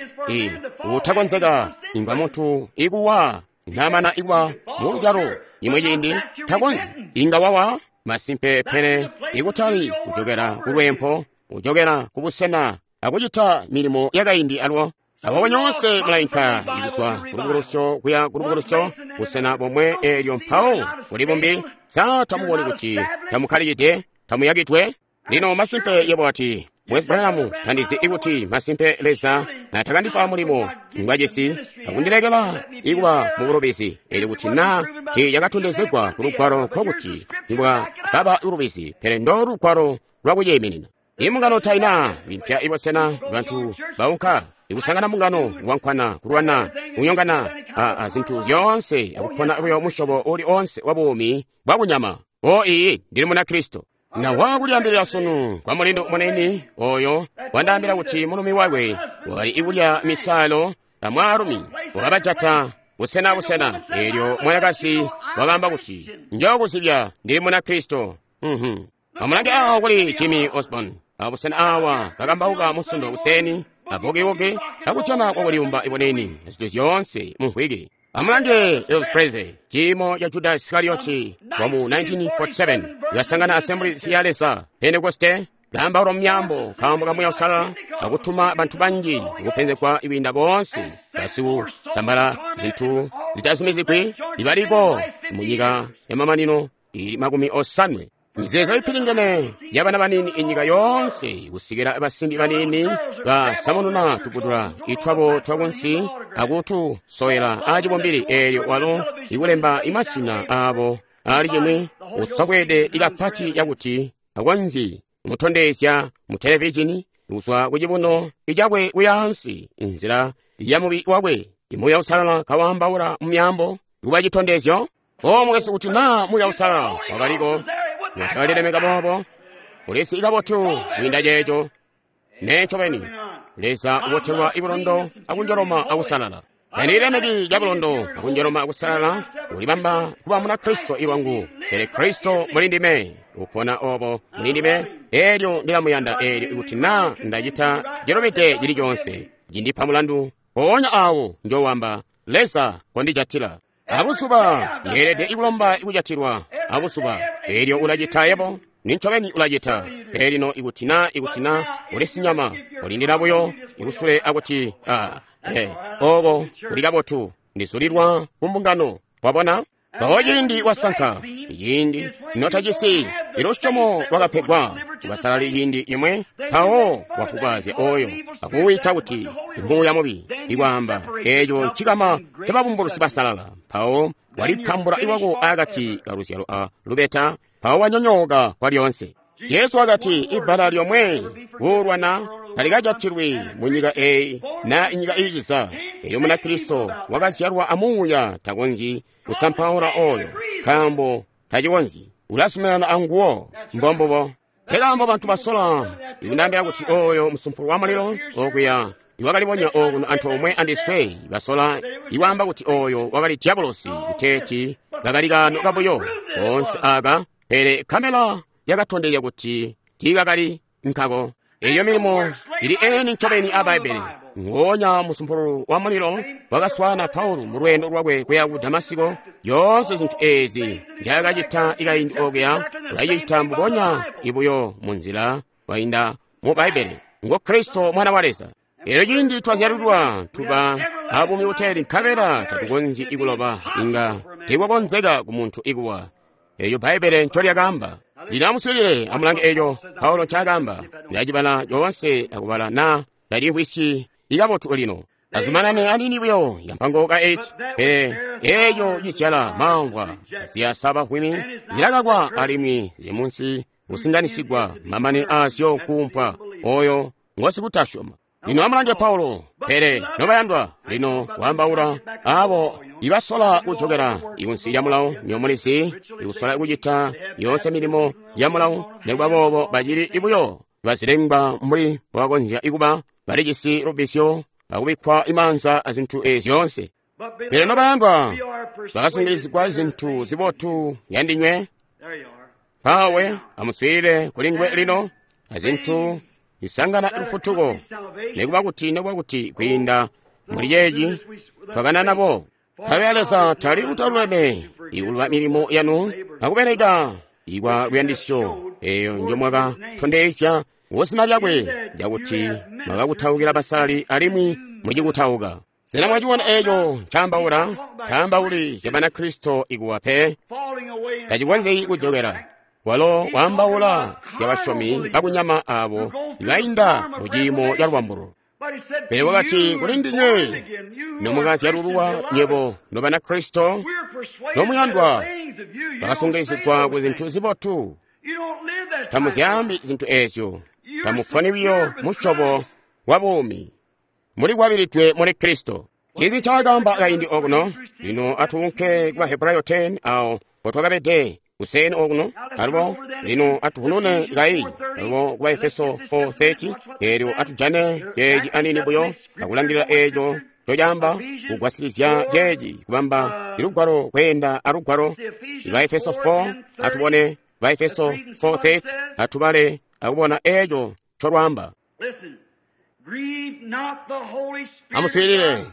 utakonzeka ingwa muntu ikuwa namana ikuwa muluzyalo imwe ciindi takonzyi inga wawa masimpe, pele ikutali kujokera kulwempo, kujokera kubusena akucita milimo yakaindi alwo. Aboobo nyoonse mulainka ikuzwa kulubukulusyo kuya kulubukulusyo, busena bomwe eelyo mpawo kuli bumbi. Sa tamuboni kuti tamukkalikide, tamuyakidwe? Lino masimpe yebo ati, Mwezi Branham tandizi ikuti masimpe Leza natakandipa mulimo ngwajisi akundilekela ikuba mubulubizi, eli kuti naa tiiyakatondezegwa ku lugwalo nkokuti ibwa baba ulubizi, pele ndo lugwalo lwakuyiiminina. Imbungano taina impya ibosena bantu baunka ikusangana mbungano wankwana kulwana kunyongana a zintu zyoonse akupona buyo musyobo uli onse wa buumi bwa kunyama. O iyi ndili muna Kristo. Na wakulyambilira sunu kwa mulindo munene oyo wandaambila kuti mulumi wakwe wakali ikulya misalo na mwaalumi wakabajata busena busena. Eelyo mwanakazi wakaamba kuti njokuzibya ndili muna Kristo. Amulange awo kuli Jimmy Osborne abusena awa kakambauka musundo kuseni abokewoke akutyana kwakuliumba iboneni zintu zyoonse munhwiki. Amulange Elvis Presley ciimo ca Judas Iskarioti wa mu 1947 yasangana Assemblies ya Leza Pentekoste kaambaula mumyaambo nkaambo ka Muuya Uusalala akutuma bantu banji kupenzegwa ibinda boonse basikusambala zintu zitazumizigwi ibaliko munyika yamamanino ili 80. Mizeezo ipilingene yabana baniini inyika yoonse kusikila basimbi baniini basamununa tuputula itwabo twakunsi akutusowela acibumbili eelyo walo ikulemba imasina aabo ali cimwi usokweede ikapati yakuti akonzyi kumutondezya mu televizhini kuzwa kucibuno icakwe kuyaansi inzila ya mubili wakwe. Imuuya Uusalala kawaambaula mu myaambo kuba citondezyo. O mukwesu, kuti naa Muuya Uusalala wakaliko notakalilemeka boobo, ulisi kabotu kwiinda ceeco. Nee ncobeni, Leza ubotelwa ibulondo akunjoloma akusalala. Tandilemeki cabulondo akunjoloma akusalala ulibamba kuba muna Kristo iwangu, pele Kristo muli ndime, upona obo muli ndime, eelyo ndilamuyanda eelyo ikuti naa ndacita cilubide cili coonse, cindipa mulandu, mpoonya awo njowamba, Leza kondijatila. Abuzuba ndeelede ikulomba ikujatilwa abuzuba, eelyo ulacita yebo, nincobeni ulacita. Pele lino ikuti naa uli sinyama, ulindila buyo ikusule akuti oko kuli kabotu, ndizulilwa ku mbungano. Wabona? Mpawo ciindi wasanka, ciindi notajisi ilusyomo lwakapegwa kubasalali ciindi cimwe, mpawo wafukazya oyo akuwita kuti muuya mubi, ikwaamba eeco ncikama cababumbulusi basalala. Mpawo walipambula iwako akati kaluzyalo a lubeta, mpawo wanyonyooka kwalyoonse. Jesu wakati ibbala lyomwe kuulwana talikajatilwi mu nyika eeyi na inyika iiciza. Elyo Munakristo wakazyalwa amuuya takonzyi kusampaula oyo, nkaambo tacikonzyi. Ulazuminana anguwo. Mbombubo. Nkekaambo bantu basola ikundaambila kuti oyo musumpulu wa mulilo okuya iwakalibonya okuno antoomwe andiswe, basola iwaamba kuti oyo wakali diabolosi, kuteeti kakali kaano kabuyo koonse aka, pele kamela yakatondezya kuti tiikakali nkako. Eyo milimo ili eni ncobeni a Bbaibbele. Ngoonya musumpulu wa mulilo wakaswaana Paulo mu lweendo lwakwe kuya ku Damasiko. Yoonse zintu eezi nzyaakacita ikaindi okuya ulacita mbubonya ibuyo mu nzila wainda mu Bbaibbele. Ngo Kristo Mwana wa Leza. Elyo ciindi twazyalulwa tuba abuumi buteeli, nkabela tatukonzyi ikuloba, inga tiikwakonzeka ku muntu ikuwa. Eyo Bbaibbele ncolyakaamba. Lino amuswiilile, amulange eco Paulo ncaakaamba. Ndilacibala coonse akubala naa talimvwisyi ikabotu lino. Azumanane aniini buyo yampango ka 8. Pele eco cizyala maamvwa ziyasa bavwimi zilakakwa alimwi zili munsi kusinganisigwa mamanino aazyo kuumpwa oyo ngosikutasyoma. Lino amulange Paulo. Pele nobayandwa, lino waambaula abo ibasola kujokela ikunsi lya mulawo nyomulizi, ikusola kucita yoonse milimo ya mulawo, nikuba boobo bacili ibuyo bazilengwa mbuli mbobakonzya ikuba, balijisi lubisyo akubikkwa imaanza azintu eezi zyoonse. Pele nobayandwa, bakasungilizigwa zintu zibotu yandinywe. Mpawe amuswiilile kuli nguwe lino azintu isangana lufutuko, nikuba kuti kwiinda muli ceeci twakanana bo. Nkabela Leza tali utaluleme ikuluba milimo yanu akubeleka ikwa luyandisyo eyo njomwakatondezya kuzina lyakwe, lyakuti mwakakutaukila basalali alimwi mucikutauka. Sena mwaciona eeco ncaambaula? Ncaambauli zya Banakristo ikuwa pe, tacikonzyi kujokela. Walo waambaula zya basyomi bakunyama aabo ibainda mu ciimo ca lubambulo. Pele wakati kuli ndinywe nomukazyalululwa nywebo nobanakristo nomuyandwa, bakasungilizigwa ku zintu zibotu. Tamuzyaambi zintu eezyo, tamuponi buyo musyobo wa buumi, mulikwabilidwe muli Kristo. Ncinzi ncaakaamba kaindi okuno? Lino atuunke ku Bahebrayo 10 awo mpotwakabede kuseeni okuno. Alubo lino atuhunune kai alubo ku Baefeso 4:30, eelyo atujane ceeci aniini buyo akulangilila eeco ncocaamba kugwasilizya ceeci kubamba ilugwalo kweenda alugwalo. Baefeso 4, atubone Baefeso 4:30, atubale akubona eeco ncolwaamba. Amuswiilile,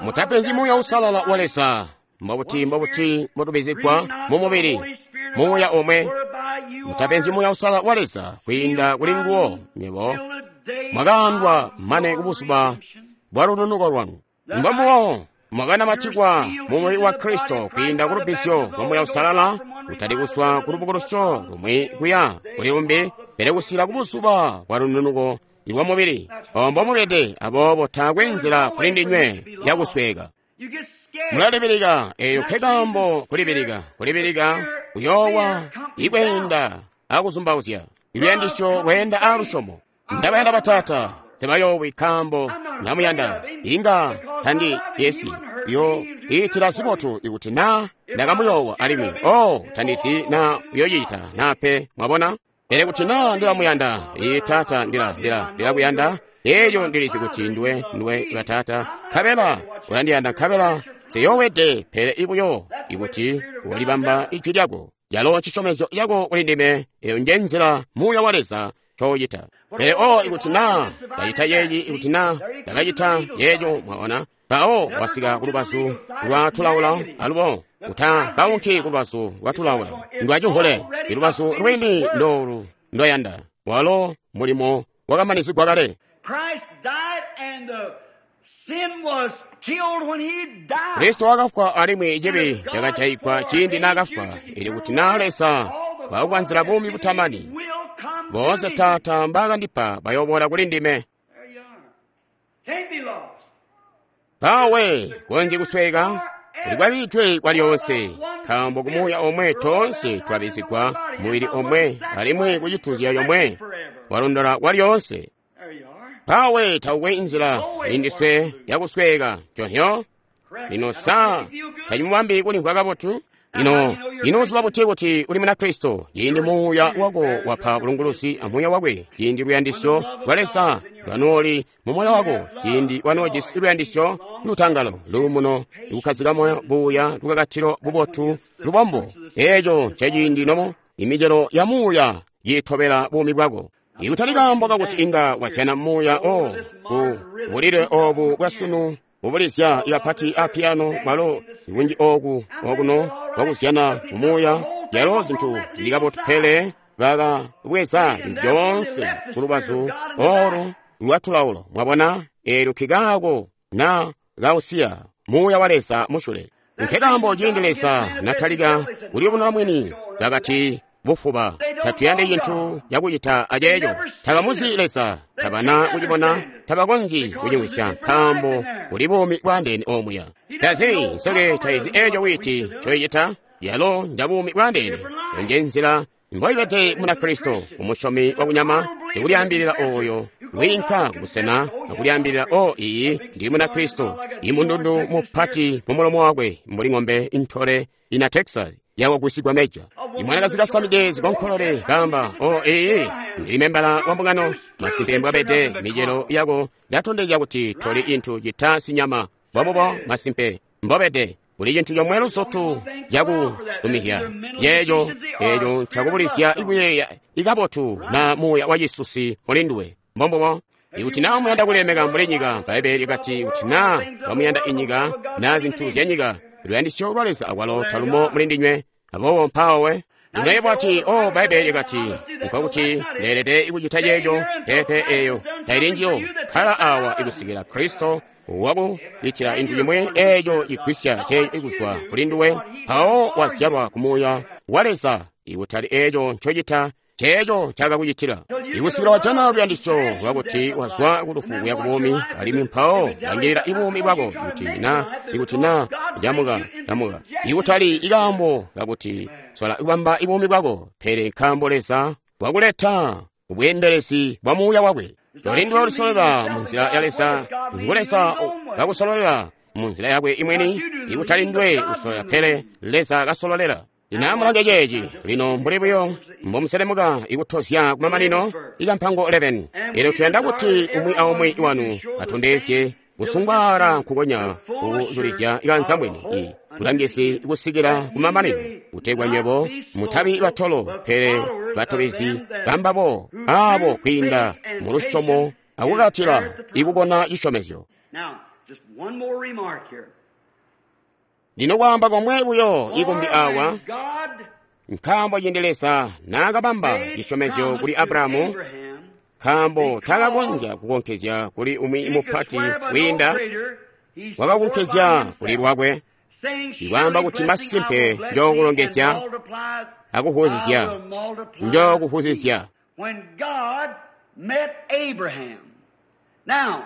mutapenzyi Muuya Uusalala wa Leza. Mbobuti mbotubizigwa mu mubili Muuya omwe. Mutapenzyi Muuya Uusalala wa Leza, kwiinda kuli nguwo nywebo mwakaandwa mane kubuzuba bwa lununuko lwanu. Mbombubo mwakanamatikwa mu mubili wa Kristo kwiinda ku lubbizyo lwa Muuya Uusalala Kutali kuswa ku lubukulusyo lumwi kuya kuli lumbi, pele kusika ku buzuba bwa lununuko lwa mubili. Obo mbomubede, aboobo taakwe nzila kuli ndinywe yakusweeka. Mulalibilika, eyo nke kaambo kulibilika, kulibilika, kuyoowa, ikweenda akuzumbauzya. Iluyandisyo lweenda a lusyomo. Ndabayanda bataata, tebayoowi nkaambo ndamuyanda. Inga tandi yesi yo iitila zibotu ikuti na ndakamuyoowa alimwi oh tandizi na uyoyita na pe, mwabona? Pele kuti na ndilamuyanda, ee taata ndilakuyanda, eeyo ndilizi kuti ndiwe bataata, nkabela ulandiyanda, nkabela nsiyoowede, pele ibuyo ikuti walibamba ijwi lyako, yalo ncisyomezyo cako kuli ndime, eyo nje nzila Muuya wa Leza ncoocita. Pele oh ikuti na ndacita yeeyi, ikuti na ndakacita yeeyo, mwaona, mpawo wasika kulubazu lwa tulaula, alubo uta kaunki kulubazu lwa tulaula ndwacihule, ilubazu lwini ndolu ndoyanda, walo mulimo wakamanizigwa kale. Kristo wakafwa alimwi cibi cakajaigwa ciindi naakafwa, ili kuti na Leza wakukanzila buumi butamani. Boonse Taata mbaakandipa bayoboola kuli ndime. Mpawe konzyi kusweka kuli kwabitwe kwa lyoonse, nkaambo ku Muuya omwe toonse twabizigwa mubili omwe alimwi kucituzya yomwe walondola kwa lyoonse. Mpawe taukwe nzila indiswe yakusweka conhyo. Lino sa tacimubambi kulimvwa kabotu? Ino ino uziba buti kuti uli muna Kristo? Ciindi Muuya wako wapa bulunguluzi a Muuya wakwe, ciindi luyandisyo lwa Leza lwanooli mu moyo wako, ciindi wanoojisi luyandisyo, lutangalo, luumuno, kukkazika moyo, buuya, lukakatilo, bubotu, lubombo, eeco nceciindi nomo imicelo ya Muuya yiitobela buumi bwako. Ikutali kaambo kakuti inga wazyana Muuya o ku bulile obu bwasunu bubulizya ikapati a piano mwalo kunji oku okuno bwakuzyana mumuuya, yalo zintu zili kabotu, pele bakabweza zintu zyoonse ku lubazu olu lwa tulaulo. Mwabona, eelyo kikaako na kausiya Muuya wa Leza musyule. Nke kaambo ciindi Leza natalika kuliyubununa mwini, bakati bufuba, tatuyandi cintu cakucita aceeco. Tabamuzi Leza, tabana kucibona, tabakonzyi kucimvwisya, nkaambo kuli buumi bwandeene omuya. Tazi nsoke taizi eeco witi ncoicita, yalo nja buumi bwandeene. Nje nzila mboibede muna Kristo, umusyomi wakunyama, ndikulyaambilila ooyo wiinka kubusena akulyaambilila o iyi ndi muna Kristo, imundundu mupati mu mulomo wakwe mbuli ng'ombe intole ina Texas yakugwisigwa meja. Imwanakazi kasamide zikonkolole kamba o iyi ndili membala wa mbungano, masimpe mbwabede micelo yako yatondezya kuti toli inthu cita sinyama. Bwabubo masimpe mbobede kuli cintu comwe luzotu cakulumizya yeeco eeco ncakubulizya ikuyeeya ikabotu na muuya wa cisusi muli nduwe. Mbombubo. Ikuti na muyanda kulemeka mbuli nyika, Bbaibbele likati kuti na bamuyanda inyika na zintu zya nyika, luyandisyo lwa Leza akwalo talumo muli ndinywe. Aboobo mpawe lino bwati o Bbaibbele likati nkokuti leelede kucita ceeco, pepe eeyo taili njiyo. Kkala awa ikusikila Kristo wakucitila inthu chimwe eeco cigwisya ceeco ikuzwa kuli nduwe, mpawo wazyalwa ku Muuya wa Leza, ikutali eeco ncocita ceeco ncakakucitila. Ikusikila wajana luyandisyo lwakuti wazwa kulufu kuya ku buumi, alimwi mpawo langilila ibuumi bwako ikuti na camuka camuka, ikutali ikaambo kakuti sola kubamba ibuumi bwako, pele nkaambo Leza wakuleta kubweendelezi bwa Muuya wakwe. Toli nduwe ulisololela munzila ya Leza, ngu Leza kakusololela munzila yakwe imweni, ikutali nduwe usololela, pele Leza kasololela. Lino amulange ceeci lino mbuli buyo mbomuselemuka ikutozya kumamanino ikampango 11. Elyo tuyanda kuti umwi aumwi wanu atondezye kusungwaala nkukonya kuzulizya ikanza mwini bulangizi kusikila kumamanino, kutegwa nywebo mutabi batolo pele batobezi bambabo aabo kwiinda mu lusyomo akukatila ikubona cisyomezyo. Lino kwaamba komwe buyo ikumbi awa, nkaambo ciindi Leza naakabamba cisyomezyo kuli Abrahamu, nkaambo takakonzya kukonkezya kuli umwi mupati kwiinda wakakonkezya kuli lwakwe. Ikwaamba kuti masimpe njookulongezya akuhuzizya, njookuhuzizya. When God met Abraham. Now,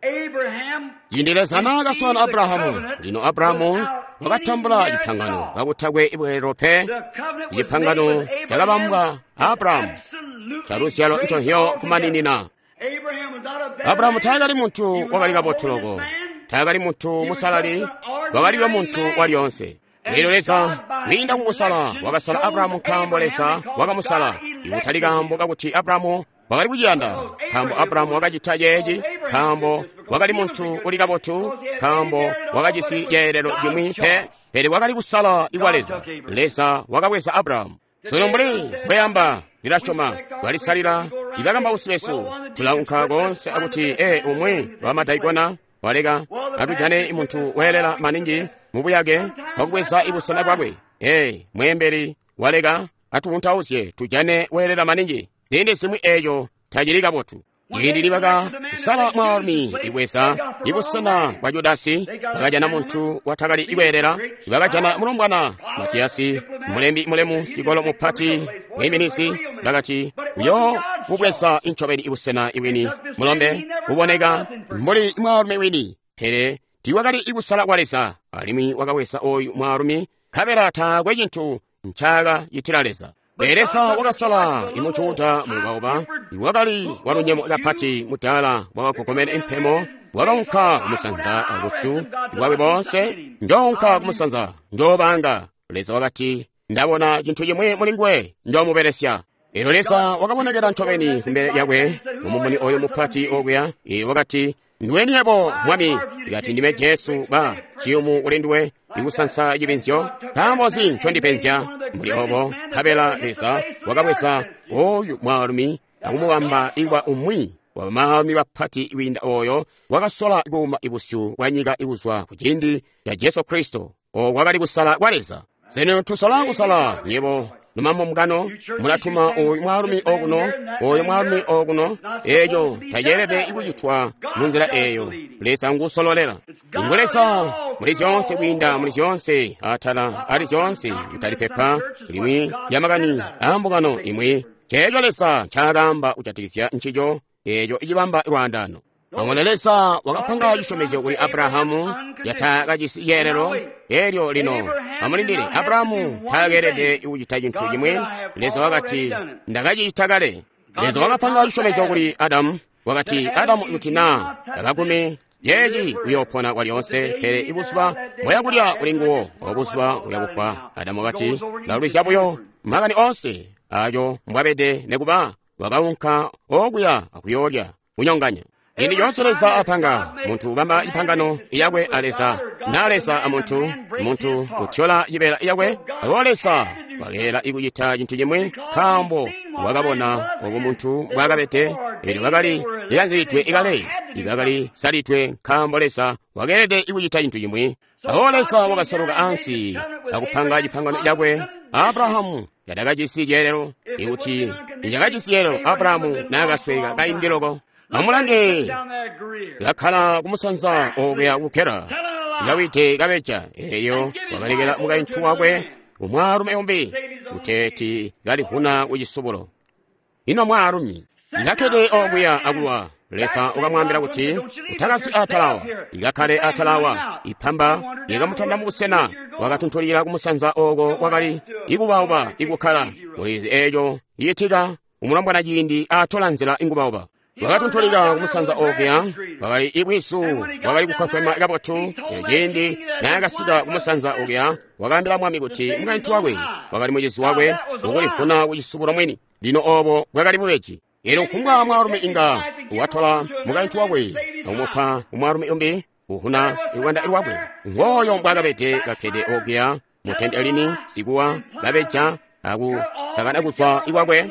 Abraham Ciindi Leza naakaswaana Abrahamu, lino Abrahamu wakatambula cipangano kakutakwe ibweelelo pe. the covenant was made Cipangano with Abraham cakabambwa Abrahamu absolutely caluzyalo grace nconhyo kumaninina. altogether. Abraham was not a better Abrahamu man. taakali He muntu was wakali not a kabotu holiness loko, man. taakali muntu musalali, wakalibe muntu walyoonse. Elyo Leza kwiinda kukusala wakasala Abrahamu nkaambo Leza wakamusala, ikutali kaambo kakuti Abrahamu wakali kuciyanda, nkaambo Abrahamu wakacita ceeci, nkaambo wakali muntu uli kabotu, nkaambo wakajisi ceelelo cimwi pe, pele wakali kusala ikwa Leza. Leza wakabweza Abrahamu. Sunu mbuli bweyamba ndilasyoma balisalila ibakambausi besu tulaunka koonse akuti e umwi wamadaikona waleka atujane muntu weelela maningi mubuyake bwakubweza ibusena bwakwe. E mweembeli waleka atuwuntauzye tujane weelela maningi. Ziindi zimwi eeco tacili kabotu. Ciindi libaka sala mwaalumi ibweza ibusena bwa Judasi, bakajana muntu watakali ikweelela, bakajana mulombwana Matiyasi, mulembi mulemu, cikolo mupati, mwiiminizi, bakati uyo kubweza incobeni ibusena iwini mulombe uboneka mbuli mwaalumi wini, pele tiiwakali ikusala kwa Leza, alimwi wakabweza oyu mwaalumi nkabela taakwe cintu ncaakacitila Leza. Pele Leza wakasala imujuda mubauba iwakali walunyemo kapati mudaala wakagogomene impemo, wakaunka kumusanza abusu bwakwe boonse, njounka kumusanza njoobanga. Leza wakati ndabona cintu cimwi muli nguwe njoomubelesya. Elyo Leza wakabonekela ncobeni kumbele lyakwe mumumuni oyo mupati okuya. Iye wakati ndiweni yebo mwami? Ikati ndime Jesu ba ciyumu kuli nduwe ikusansa cipenzyo. Nkaambo nzi ncondipenzya mbuli obo? Nkabela Leza wakabweza oyu mwaalumi akumubamba ikwa umwi wa bamaalumi bapati kwiinda oyo wakasola kuuma ibusyu bwa nyika ikuzwa ku ciindi ca Jesu Kristo. Oko kwakali kusala kwa Leza. Sino tusola kusala nyebo numamungano mulatuma oyu mwaalumi okuno, oyu mwaalumi okuno. Eeco taceelede kucitwa munzila eeyo. Leza ngusololela. Ngu Leza muli zyoonse kwiinda muli zyoonse atala ali zyoonse, kutali pepa limwi lya makani aambungano imwi. Ceeco Leza ncaakaamba kujatikizya ncico, eeco icibamba lwaandaano. Pamwe Leza wakapanga cisyomezyo kuli Abrahamu yatakajisi yeelelo. Elyo lino amulindile, Abrahamu taakeelede kucita cintu cimwi. Leza wakati ndakacita kale. Leza wakapanga cisyomezyo kuli Adamu, wakati Adamu ikuti naa takagume ceeci uyoopona kwalyoonse, pele ibuzuba bwayakulya kuli nguwo obuzuba uyakufa. Adamu wakati lalwisya buyo makani oonse aco mbwabede, nekuba wakaunka okuya akuyoolya kunyonganya. Ciindi coonse Leza apanga muntu ubamba ipangano yakwe a Leza, na Leza a muntu, muntu utyola cibeela yakwe. Abo Leza wakeela ikucita cintu cimwi nkaambo wakabona obo muntu mbwaakabede. Elyo bakali likanzilidwe ikale, ibakali salidwe nkaambo Leza wakeelede ikucita cintu cimwi. Abo Leza wakasaluka ansi akupanga cipangano cakwe. Abrahamu yatakajisi ceelelo. Ikuti nicakajisi ceelelo, Abrahamu naakasweka kaindi loko. Amulange, kakkala kumusanza okuya ku Gera, kawide kabeja. Eyo wakalekela mukaintu wakwe umwaalumi umbi kuteeti kalivuna kucisubulo. Ino mwaalumi ikakkede okuya akulwa. Leza wakamwaambila kuti utakazwi atalawa, ikakkale atalawa. Ipamba likamutanda mubusena, wakatuntulila kumusanza oko kwakali ikubauba ikukkala. Mulizi eeco icitika umulombwana ciindi atola nzila ingubauba. Wakatuntulika kumusanza okuya, wakali ibwizu bwakali kukwekwema kabotu. Elyo ciindi naakasika kumusanza okuya, wakaambila mwami kuti mukaintu wakwe wakali mucizi wakwe ukulivuna kucisubulo mwini. Lino obo bwakali bubeji. Elyo kufumbwa mwaalumi inga watola mukaintu wakwe akumupa umwaalumi umbi uhuna lwanda lwakwe. Ngooyo mbwaakabede kakkede okuya mutente lini sikuwa kabeja akusakana kuzwa ikwakwe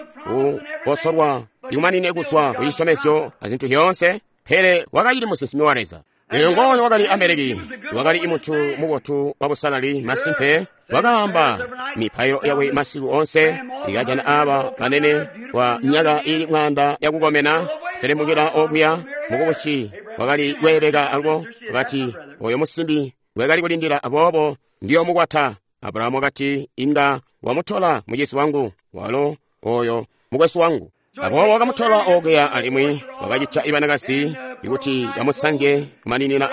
kukosolwa ikumanine kuzwa ku cisyomezyo azintu zyoonse, pele wakacili musinsimi wa Leza. Elyo ngooyo wakali Amaleki, wakali imuntu mubotu wabusalali masimpe, wakaamba mipailo yakwe masiku onse, ikajana aba banene kwa myaka ili mwaanda yakukomena, selemukila okuya mukubushi wakali kweebeka alubo, wakati oyo musimbi Ngwe kali kulindila, aboobo ndiyomukwata. Abrahamu wakati, inga wamutola mucizi wangu, walo oyo mukwesu wangu. Aboobo wakamutola okuya alimwi wakacita ibanakazi ikuti bamusanzye kumaninina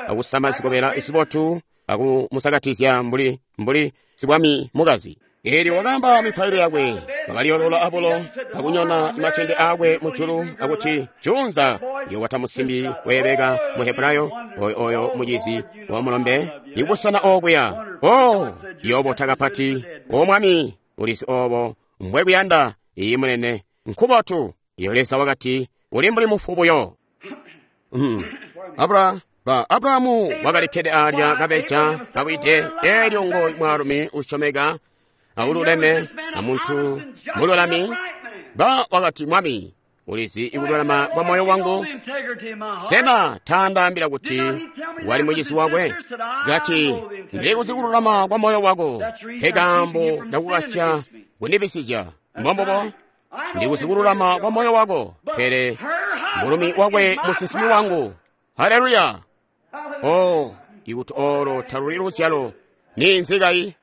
akusama zikobela zibotu akumusakatizya mbuli sibwami mukazi. Eelyo wakaamba mipailo yakwe, wakaliolola abulo akunyona matende aakwe mujulu akuti, junza yokwata musimbi weebeka mu Hebrayo, oyo mucizi wa mulombe ikusana okuya. Oh, yoobota kapati, O Mwami, ulizi oobo mbwekuyanda. Iyi munene, nkubotu. Iyo Leza wakati, uli mbuli mufu buyo. Abrahamu wakalikkede alya kabeja kawide. Eelyo ngo mwaalumi usyomeka aululeme amuntu mululami. Ba wakati, Mwami, ulizi ikululama kwa moyo wangu. Sena taandaambila kuti wali mucizi wakwe? Kati, ndilikuzi kululama kwa moyo wako, nkekaambo ndakukasya kundibisizya. Mbombobo, ndikuzi kululama kwa moyo wako, pele mulumi wakwe musinsimi wangu. Haleluya! Oh, ikuti olo taluli luzyalo, ninzi kayi?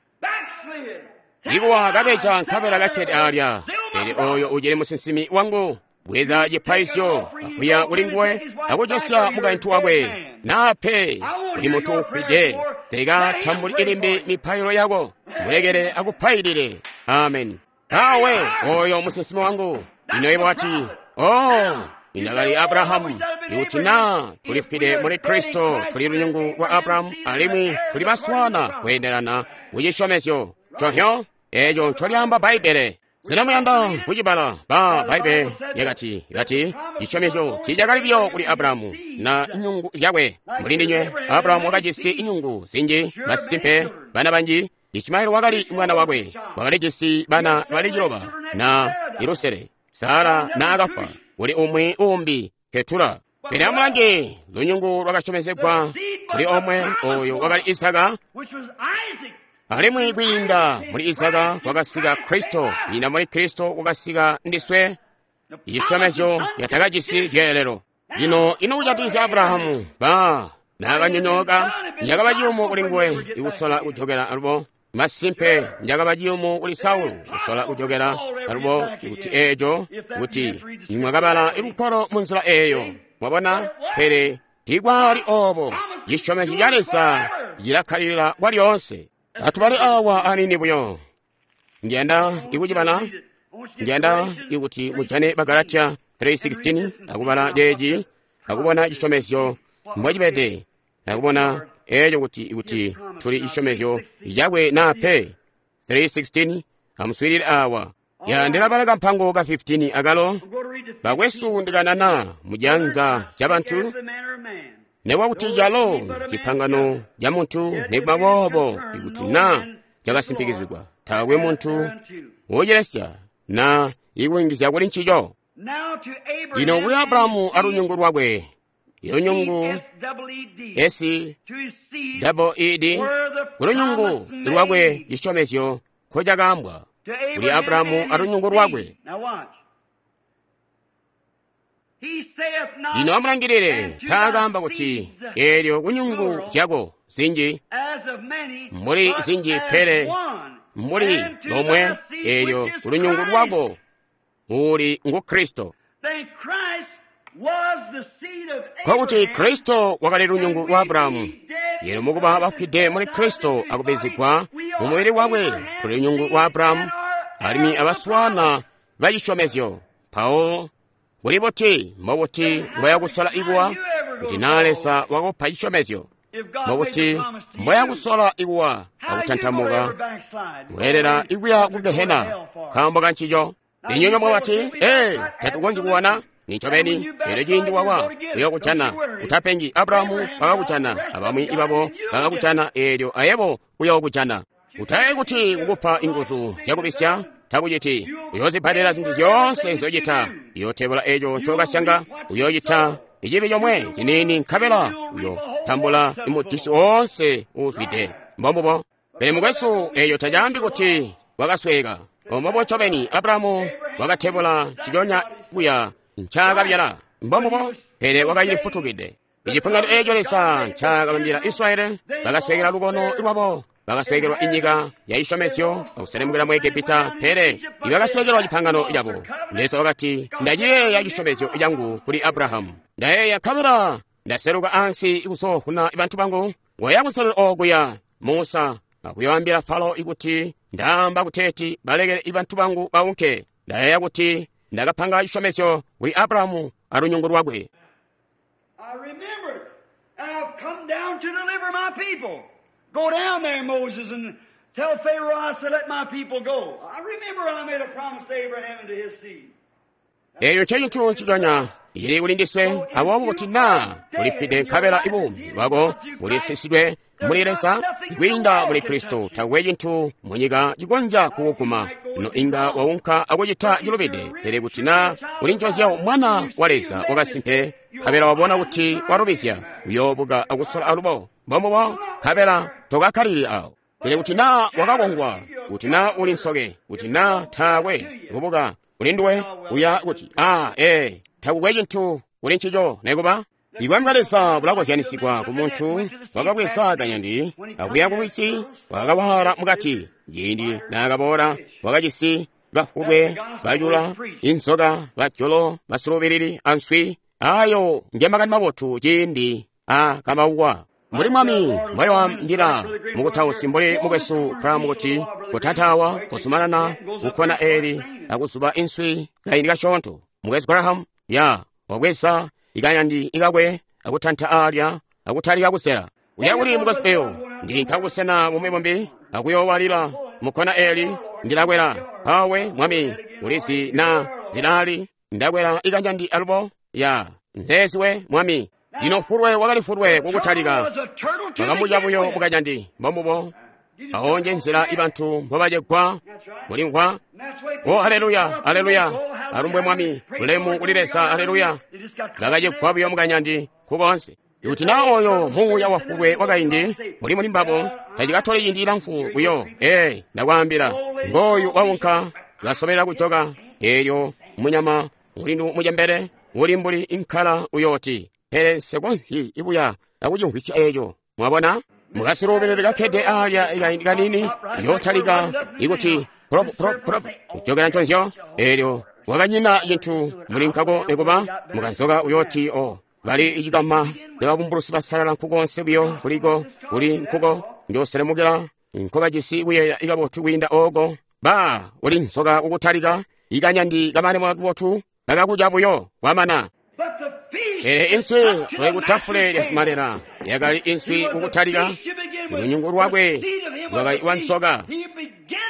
Ikuwa kabeja nkabela kakkede alya, pele oyo ucili musinsimi wangu. Bweza cipaizyo akuya kuli nguwe akujosya mukaintu wakwe, nape kuli mutu ufwide. Teka tambuli ilimbi mipailo yako, mulekele akupailile. Amen. Awe oyo musinsimi wangu. Ino ibo ati, oh, inakali Abrahamu. Ikuti na tulifwide muli Kristo, tuli lunyungu lwa Abrahamu alimwi tuli baswana kweendelana kucisyomezyo conhyo eco ncolyaamba Bbaibbele. Zinamuyanda kucibala ba Bbaibbele yakati cisyomezyo tiicakali biyo kuli Abrahamu na inyungu zyakwe. Muli ndinywe Abrahamu wakajisi inyungu zinji, masimpe bana banji. Ishimaeli wakali mwana wakwe, wakalijisi bana bali 9 na ilusele. Sara naakafwa kuli umwi umbi Ketura. Pele amulange lunyungu lwakasyomezegwa kuli omwe, oyo wakali Isaka. Alimwi kwiinda muli Isaka kwakasika Kristo, kwiinda muli Kristo kwakasika ndiswe. Ichisyomezyo yatakajisi zyeelelo. Lino ino kujatikizya Abrahamu ba naakanyonyooka, njakaba ciyumu kuli nguwe ikusola kujokela alubo. Masimpe njakaba ciyumu kuli Saulu kusola kujokela alubo, kuti eeco kuti nimwakabala lugwalo munzila eeyo. Mwabona? Pele tiikwali oobo. Cisyomezyo ca Leza cilakkalilila kwalyoonse. Atubale awa anini buyo. Ndiyanda ikucibala. Ndiyanda ikuti mujane Bagalatia 3:16 akubala ceeci, akubona cisyomezyo mbocibede, akubona eeco kuti tuli cisyomezyo cakwe naa pe. 3:16 amuswiilile awa. Ya ndilabala kampango ka 15 akalo. Bakwesu ndikanana mujanza ca bantu, nekwakuti calo cipangano ca muntu, nekuba boobo ikuti na cakasimpikizigwa, taakwe muntu wocilesya na ikuyungizya kuli ncico. Lino kuli Abrahamu alunyungu lwakwe, ilunyungu S-E-E-D, kulunyungu lwakwe cisyomezyo nkocakaambwa kuli Abrahamu alunyungu lwakwe. Lino amulangilile, taakaamba kuti eelyo kunyungu zyako zinji, mbuli zinji, pele mbuli lomwe, eelyo kulunyungu lwako uli ngu Kristo. Nkokuti Kristo wakali lunyungu lwa Abrahamu. Yelo mukuba bafwide muli Kristo akubizigwa mu mubili wakwe, tuli lunyungu lwa Abrahamu alimwi abaswana ba cisyomezyo. Mpawo kuli buti mbobuti mbwayakusola ikuwa kuti naa Leza wakupa cisyomezyo? Mbobuti mbwayakusola ikuwa akutantamuka kulelela ikuya ku Gehena nkaambo ka ncico? Inywe mwabati, ee, tatukonzyi kuwana. Nincobeni, elyo ciindi wawa uyokujana. Utapengi, Abrahamu wakakujana, abamwi ibabo bakakujana, eelyo ayebo uyokujana. Utaye kuti kukupa inguzu zyakubisya takuciti. Uyoozibbalila zintu zyoonse nzyocita. Uyootebula eco ncokasyanga, uyoocita icibi comwe ciniini, nkabela uyotambula imudisi woonse uuzwide. Mbombubo. Pele mukwesu, eeyo tacaambi kuti wakasweeka. Ombobo ncobeni, Abrahamu wakatebula ciconya kuya ncaakabyala. Mbombubo, pele wakacilifutukide. Icipangano eco Leza ncaakabambila Israyeli, bakasweekelwa lukono lwabo, bakasweekelwa inyika ya cisyomezyo, akuselemukila mu Egepita, pele ibakasweekelwa cipangano cabo. Leza wakati, ndaciyeeya cisyomezyo cangu kuli Abrahamu. Ndayeeya nkabela ndaseluka ansi kuzoovuna bantu bangu. Waya kunselelo okuya Musa akuyoambila Falo ikuti ndaamba kuteeti balekele bantu bangu baunke. Ndayeeya kuti ndakapanga cisyomezyo kuli Abrahamu alunyungu lwakwe. I remembered, and I've come down to deliver my people. Go down there, Moses, and tell Pharaoh I said, let my people go. I remember I made a promise to Abraham and to his seed. Eyo ncecintu nciconya cili kuli ndiswe, aboobo kuti naa tulifwide nkabela ibuumi bwako bulisisidwe muli Leza kwiinda muli Kristo, takwe cintu munyika cikonzya kukuguma. No inga waunka akucita cilubide, pele kuti naa uli nconzya mwana wa Leza wakasimpe, nkabela wabona kuti walubizya, uyoobuka akusola alubo mbombubo, nkabela tokakkalili awo. Pele kuti naa wakakongwa, kuti naa uli nsoke, kuti naa taakwe kubuka kuli nduwe, uya kuti takukwe cintu kuli ncico nekuba. Ibwami bwa Leza bulakozyanisigwa ku muntu wakabweza kanyandi akuya ku lwizi, wakawala mukati. Ciindi naakaboola wakajisi bafubwe, bacula, inzoka, bajolo, basulubilili answi. Ayo nge makani mabotu ciindi akambaukwa. Mbuli Mwami mbwayoambila mukutausi mbuli mukwesu Graham kuti kutatawa kuzumanana kukhona eli akuzuba inswi kaindi kasyoonto. Mukwesu Graham ya wabweza ikanyandi ikakwe akutanta alya akutalika kusela. Uya kuli mukwesu eyo ndili nkakusena bumwi bumbi akuyoowalila mukhona eli ndilakwela awe Mwami ulizi na zilali ndakwela ikanyandi alubo ya nzeziwe Mwami. Lino fulwe wakali fulwe kukutalika bakamuca buyo mukanyandi mbombubo. Awo nje nzila ibantu mbobacegwa mulimvwa. O haleluya, haleluya, alumbwe Mwami, ulemu kuli Leza, haleluya. Bakacegwa buyo mukanyandi kukonse. Kuti naa oyo muuya wafulwe wakaindi muli muli mbabo, tacikatoli ciindi cilamfu buyo. Ndakwaambila, ngooyu waunka kasobelela kujoka. Eelyo munyama mulindu mucembele uli mbuli inkala uyooti, pele nsikonzyi ibuya akucimvwisya eco. Mwabona? Mukasiluubelele kakkede alya kaindi kanini, yootalika ikuti prop prop prop kujokela nconzyo. Eelyo wakanyina cintu muli nkako nekuba mukanzoka uyooti o bali icikama babumbulusi basalala nkukonse buyo kuliko kuli nkuko njoselemukila nkobajisi kuyeeya ikabotu kwiinda ooko. Ba uli nzoka kukutalika ikanyandi kamane mabotu kakakuca buyo kwamana. Pele inswi twali lya simalela yakali inswi kukutalika. Lunyungu lwakwe lwakali lwa nsoka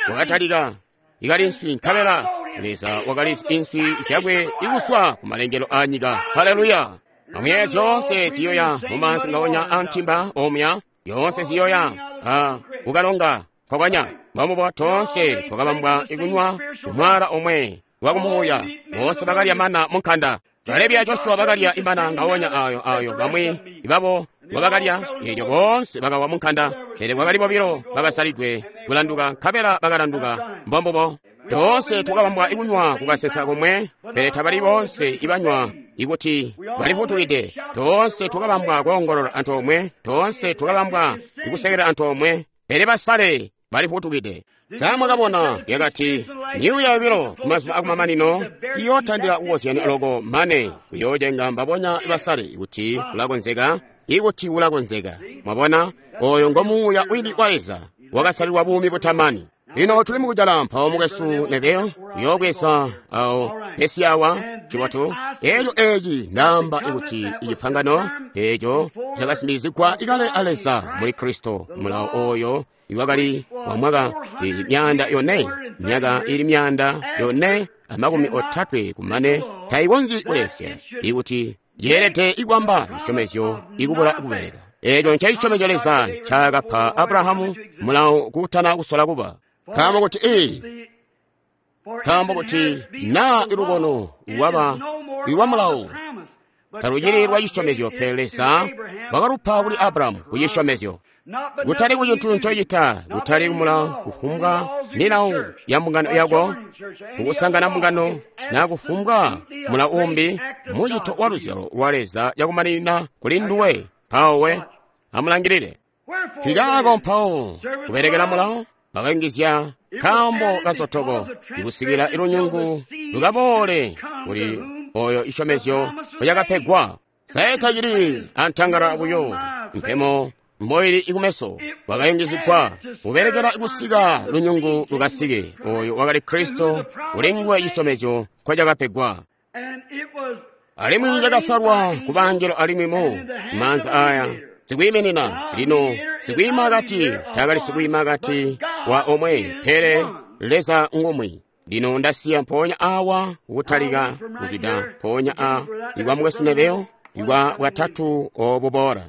wakatalika ikali inswi, nkabela Leza wakali inswi zyakwe ikuswa ku malengelo a nyika. Haleluya! Amuyeeye zyoonse ziyoya mumaanzi ngaonya a ntimba omuya, yoonse ziyoya a kukalonga nkokonya. Mbombubo toonse twakabambwa ikunywa kumwaala omwe wakumuuya. Boonse bakalya mana munkanda. Kalebi a Joshua bakalya imana ngaonya ayo ayo bamwi babo bakalya, eelyo boonse bakawa munkanda. Pele kwakali bobilo bakasalidwe kulanduka, nkabela bakalanduka. Mbombubo toonse twakabambwa ikunywa kukasesa komwe, pele tabali boonse ibanywa ikuti balifutukide. Toonse twakabambwa koongolola antoomwe, toonse twakabambwa ikusekela antoomwe, pele basale balifutukide. Samwakabona yakati myuuya yobilo kumazuba akumamanino iyootandila kukozyanya loko mane kuyoocenga mbabonya basale kuti kulakonzeka, ikuti kulakonzeka. Mwabona, oyo ngo muuya wini wa Leza wakasalilwa buumi butamani. Lino tuli mukujala mpawo mukwesu Neville uyoobweza awo pesi awa cibotu. Eelyo eeci ndaamba ikuti icipangano eeco cakasimbizigwa ikale a Leza muli Kristo, mulawo oyo iwakali wa mwaka 400, myaka ili 430 kumane tayikonzyi kulesya ikuti yeelede ikwamba cisyomezyo ikubula kubeleka. Eeco ncecisyomezo Leza ncaakapa Abrahamu mulawo kutana kusola kuba. Nkaambo kuti naa ilukono lwaba lwa mulawo talucili lwa cisyomezyo, pele Leza wakalupa kuli Abrahamu ku cisyomezyo. Kutali ku cintu ncocita, kutali kumulawo kufumbwa milawo ya mbungano yako, kukusangana mbungano, na kufumbwa mulawo umbi, mucito wa luzyalo lwa Leza yakumaninina kuli nduwe. Mpawo we amulangilile. Kikaako mpawo kubelekela mulawo bakayungizya nkaambo kasotoko ikusikila ilunyungu lukaboole kuli oyo isyomezyo lyakapegwa. Saeta cili antangala buyo mpemo mboili ikumeso wakayungizigwa kubelekela kusika lunyungu lukasike oyo wakali Kristo kuli nguwe cisyomezyo nkolyakapegwa. Alimwi cakasalwa ku bangelo alimwi mu maanza aya sikwiiminina lino sikwiima akati taakali sikwiima akati wa omwe pele Leza ngumwi. Lino ndasiya mpoonya awa kutalika kuzwida mpoonya a ikwa mukwesu Neville ikwa bwatatu obuboola.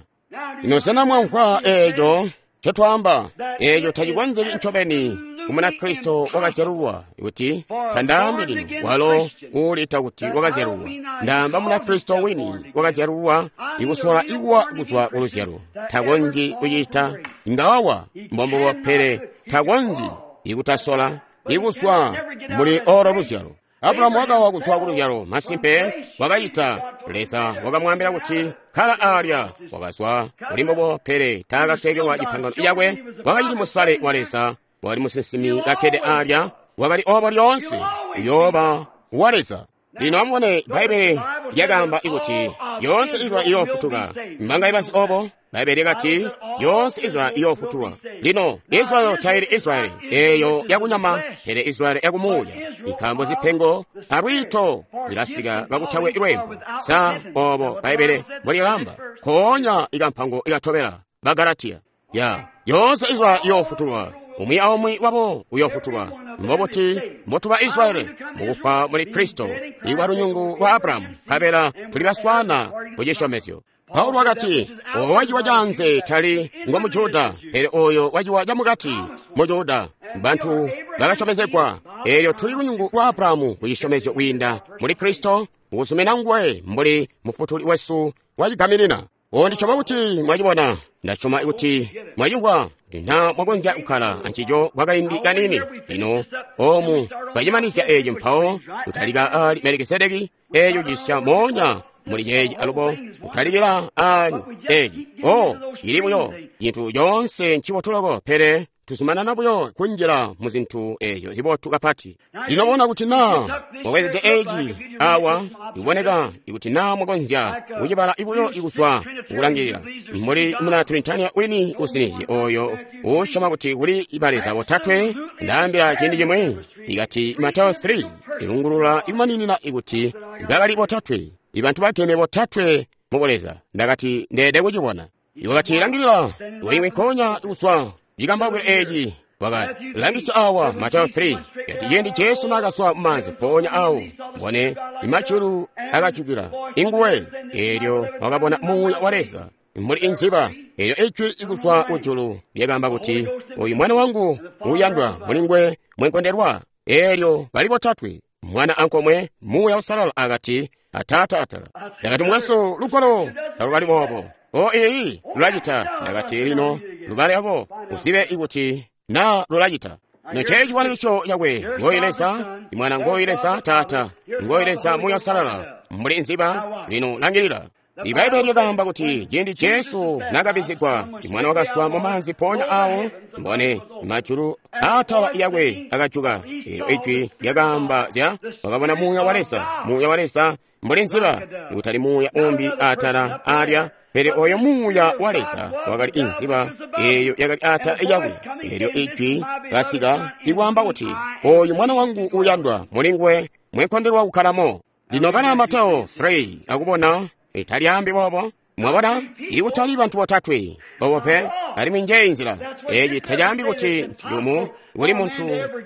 Lino sena mwamvwa eeco ncotwaamba? Eeco tacikonzeki ncobeni ku Munakristo wakazyalulwa kuti tandaambi lino walo uulita kuti wakazyalulwa. Ndaamba Munakristo wini wakazyalulwa ikusola ikuwa kuzwa ku luzyalo. Takonzyi kucita ingawawa mbombubo, pele takonzyi ikutasola ikuzwa muli olo luzyalo. Abulahamu wakawa kuzwa ku luzyalo, masimpe wakacita. Leza wakamwaambila kuti kkala alya, wakazwa kuli mbubo, pele taakasweekelwa cipangano cakwe. Wakacili musale wa Leza, wakali musinsimi kakkede alya, wakali obo lyoonse uyooba wa Leza. Lino amubone Bbaibbele lyakaamba kuti yoonse Israyeli iyoofutuka. Mbanga ibasi obo? Bbaibbele lyakati yoonse Israyeli iyoofutulwa. Lino Israyeli taili Israyeli eeyo yakunyama, pele Israyeli yakumuuya, nkaambo zipengo alwiito zilasika kakutakwe lweembo. Sa obo Bbaibbele mbolyakaamba? Nkoonya ikampango ikatobela Bagalatiya. Ya yoonse Israyeli iyoofutulwa, umwi aumwi wabo uyoofutulwa. Mbobuti mbotuba Israyeli? Mukufwa muli Kristo, ikwa lunyungu lwa Abrahamu, nkabela tuli baswana ku cisyomezyo. Paulo wakati, oyo waciwa canze tali ngo Mujuda, pele oyo waciwa camukati Mujuda. Bantu bakasyomezegwa. Eelyo tuli lunyungu lwa Abrahamu ku cisyomezyo kwiinda muli Kristo, mukuzumina nguwe mbuli mufutuli wesu wacigaminina. Ndisyoma kuti mwacibona, ndasyoma kuti mwacimvwa, na mwakonzya kukkala ancico kwakaindi kaniini. Lino omu twacimanizya eeci mpawo kutalika ali Melikisedeki, eeco cisya moonya muli ceeci alubo kutalikila ali eeci. O ili buyo cintu coonse ncibotu loko, pele tuzumanana buyo kunjila mu zintu eeco zibotu kapati. Lino bona kuti naa mwabwezede eeci awa ikuboneka ikuti naa mwakonzya kucibala buyo ikuzwa kukulangilila mbuli muna Trinitarian wini usinizye oyo uusyoma kuti kuli baleza botatwe. Ndaambila ciindi cimwe ikati Mateo 3 ilungulula ikumaninina ikuti bakali botatwe, ibantu bageme botatwe mu buleza. Ndakati ndeede kucibona. Iwakati langilila iwe nkoonya kuzwa cikambawukilo eeci. Wakati langisya awa Mateo 3 yati ciindi Jesu naakazwa mumaanzi mpoonya awo mbone imajulu akajukila inguwe, eelyo wakabona Muuya wa Leza mbuli inziba, eelyo ijwi ikuzwa kujulu lyakaamba kuti, oyu mwana wangu uuyandwa, muli nguwe mwenkondelwa. Eelyo bali botatwe, mwana ankomwe, Muuya Usalala akati ataata atala. Ndakati mukwesu, lugwalo talukali boobo. O iiyi lulacita. Ndakati lino lubale abo uzibe ikuti na lulacita. Noche chifanikiso chakwe ngoyi Leza Mwana, ngoyi Leza Tata, ngoyi Leza Muuya Usalala mbuli nziba. Lino langilila. Ibaibbele lyakaamba kuti ciindi Jesu naakabizigwa, mwana wakazwa mumaanzi mpoonya awo mbone majulu aatala yakwe akajuka. Eelyo ijwi lyakaamba zya wakabona Muuya wa Leza, Muuya wa Leza mbuli nziba, kutali muuya umbi aatala alya, pele oyo Muuya wa Leza wakali inziba eeyo yakali aatala yakwe. Eelyo ijwi kasika ikwaamba kuti, oyu mwana wangu uyandwa, muli nguwe mwenkondelwa kukhalamo. Lino bana Mateo 3 akubona talyaambi boobo. Mwabona, ikutali bantu botatwe bobo pe, alimwi njeyi nzila. Eeci tacaambi kuti nciyumu kuli muntu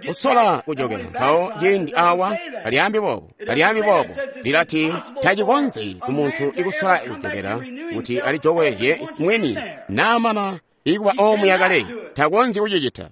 kusola kujokela mpawo ciindi awa. Talyaambi boobo, talyaambi boobo. Lilati tacikonzyi ku muntu ikusola kujokela kuti alijokwezye mwini naamana ikuba omuya kale, takonzyi kucicita.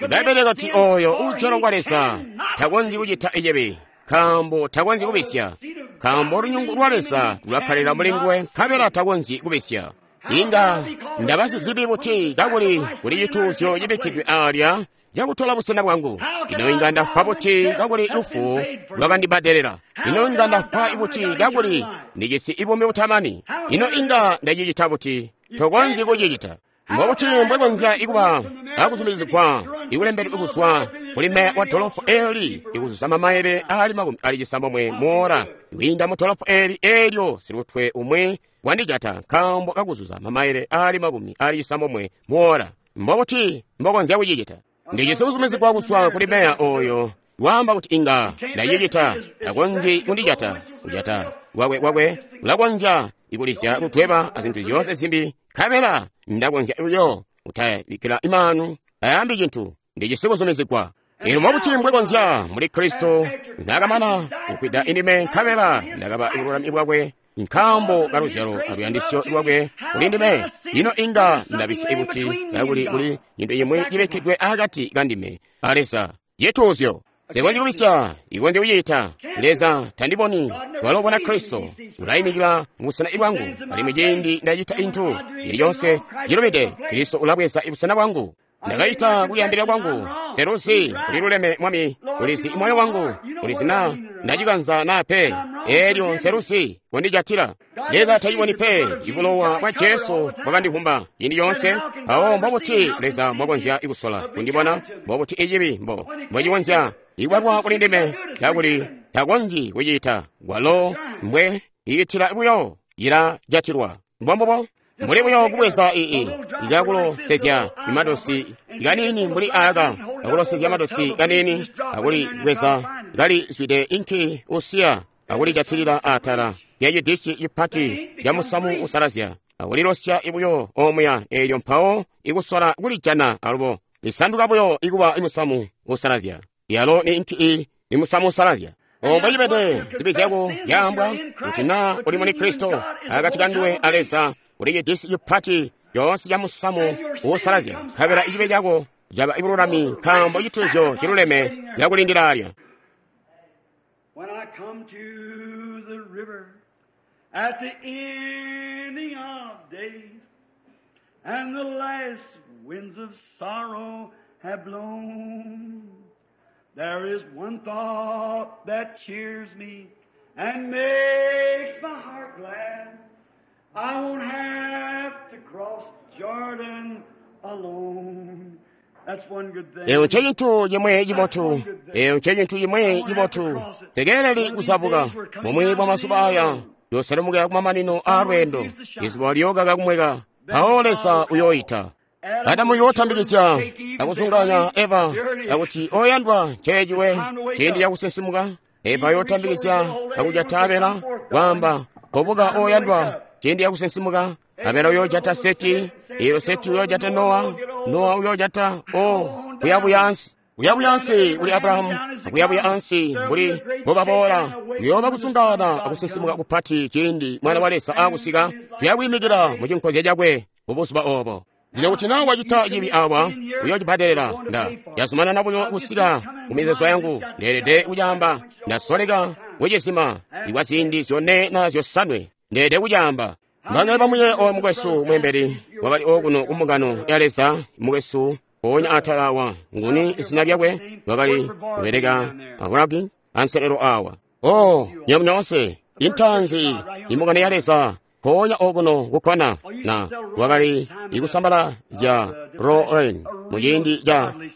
Ibaibbele kati oyo uuzyalwa kwa Leza takonzyi kucita cibi, nkaambo takonzyi kubisya. Nkaambo lunyungu lwa Leza lulakkalira mulinguwe, nkabela takonzyi kubisya. Inga ndaba sizibi buti kakuli kuli cituuzyo cibikkidwe aalya cakutola busena bwangu? Ino inga ndafwa buti kakuli lufu lwakandibbadelela? Ino inga ndafwa buti kakuli ndijisi buumi butamani? Ino inga ndacicita buti? Tokonzyi kucicita. Mbobuti mbwekonzya ikuba akuzumizigwa ikulembedwe kuzwa kuli meya wa dolopo eli ikuzuza mamaele ali 96 muora kwiinda mu dolopo eli elyo silutwe umwi wandijata nkaambo kakuzuza mamaele ali 96 muora? Mbobuti mbokonzya kucicita? Ndijisi kuzumizigwa kuzwa kuli meya oyo waamba kuti inga ndacicita. Takonzyi kundijata. Kujata kwakwe ulakonzya ikulizya ludweba azintu zyoonse zimbi, nkabela ndakonzya buyo kutabikkila imanu ayambi cintu. Ndijisi kuzumizigwa. Ino mbobuti mbwekonzya muli Kristo nakamana kukwida indime, nkabela ndakaba bululami bwakwe nkaambo kaluzyalo aluyandisyo lwakwe kuli ndime? Ino inga ndabisya buti kakuli kuli cintu cimwi cibikkidwe akati kandime a Leza? Cituuzyo. Nsikonzyi kubisya, ikonzyi kucita. Leza tandiboni, walo ubona Kristo. Ulayimikila mubusena bwangu, alimwi ciindi ndacita intu ili lyonse cilubide, Kristo ulabweza busena bwangu. Ndakacita kulyaambilila kwangu, nseluzi kuliluleme Mwami, ulizi moyo wangu, ulizi naa ndacikanza naa pe, eelyo nseluzi kundijatila. Leza taciboni pe, ibulowa bwa Jesu bwakandivumba ciindi coonse. Mpawo mbobuti Leza mbwakonzya kusola kundibona? Mbobuti icibi mbocikonzya ikubalwa kuli ndime kakuli takonzyi kucita? Walo mbwe icitila buyo cilajatilwa. Mbombubo. Mbuli buyo kubweza ikakulosezya imadosi kanini mbuli aka, akulosezya madosi kanini, akulibweza kalizwide inki usiya, akulijatilila atala lya cidishi cipati ca musamu usalazya, akulilosya buyo omuya eelyo, mpawo ikusola kulijana alubo lisanduka buyo ikuba imusamu usalazya. Yalo ni inki ni musamu usalazya. Ombo cibede zibi zyako zyaambwa kuti naa uli muli Kristo, akati kanduwe a Leza kuli cidisi cipati coonse ca musamu uusalazya, nkabela icibe cako caba ibululami nkaambo cituuzyo ciluleme cakulindila alya. When I come to the river at the ending of days, and the last winds of sorrow have blown, there is one thought that cheers me and makes my heart glad. I won't have to cross Jordan alone. That's one good thing. Eyo ncecintu chimwe chibotu. Eyo ncecintu chimwe chibotu. Sekeleli kuzabuka momwe bwa masuba aya yoselemukira kumamanino a lwendo, izuba lyokaka kumweka, mpawo Leza uyoyita. Adamu yootambikizya akuzunganya Eva akuti, oyandwa, nceeciwe ciindi cakusinsimuka. Eva yootambikizya akujata Abela kwaamba, kobuka oyandwa, ciindi cakusinsimuka. Abela uyoojata Seti, eelyo Seti uyoojata Nowa, Nowa uyoojata kuyabuya ansi. Kuyabuya ansi kuli Abrahamu, akuyabuya ansi mbuli mbobaboola. Kuyooba kusungana akusinsimuka kupati ciindi Mwana wa Leza aakusika, tuyakwiimikila mu cinkozya cakwe mubuzuba oobo. Lino kuti naa wacita cibi awa, uyoocibbadelela. Nda yazumanana buyo kusika ku mizeezo yangu, ndeelede kucaamba. Ndasoleka kucizima ikwa ziindi zyone na zyosanwe, ndeelede kucaamba. Mbangale bamuye oyo mukwesu mwembeli wakali okuno kumbungano ya Leza, mukwesu mpoonya atala awa, nguni izina lyakwe, wakali kubeleka akulaki anselelo awa. Oh, nywebo nyoonse, intanzi imbungano ya Leza mpoonya okuno kukkona na wakali ikusambala zya Roen muciindi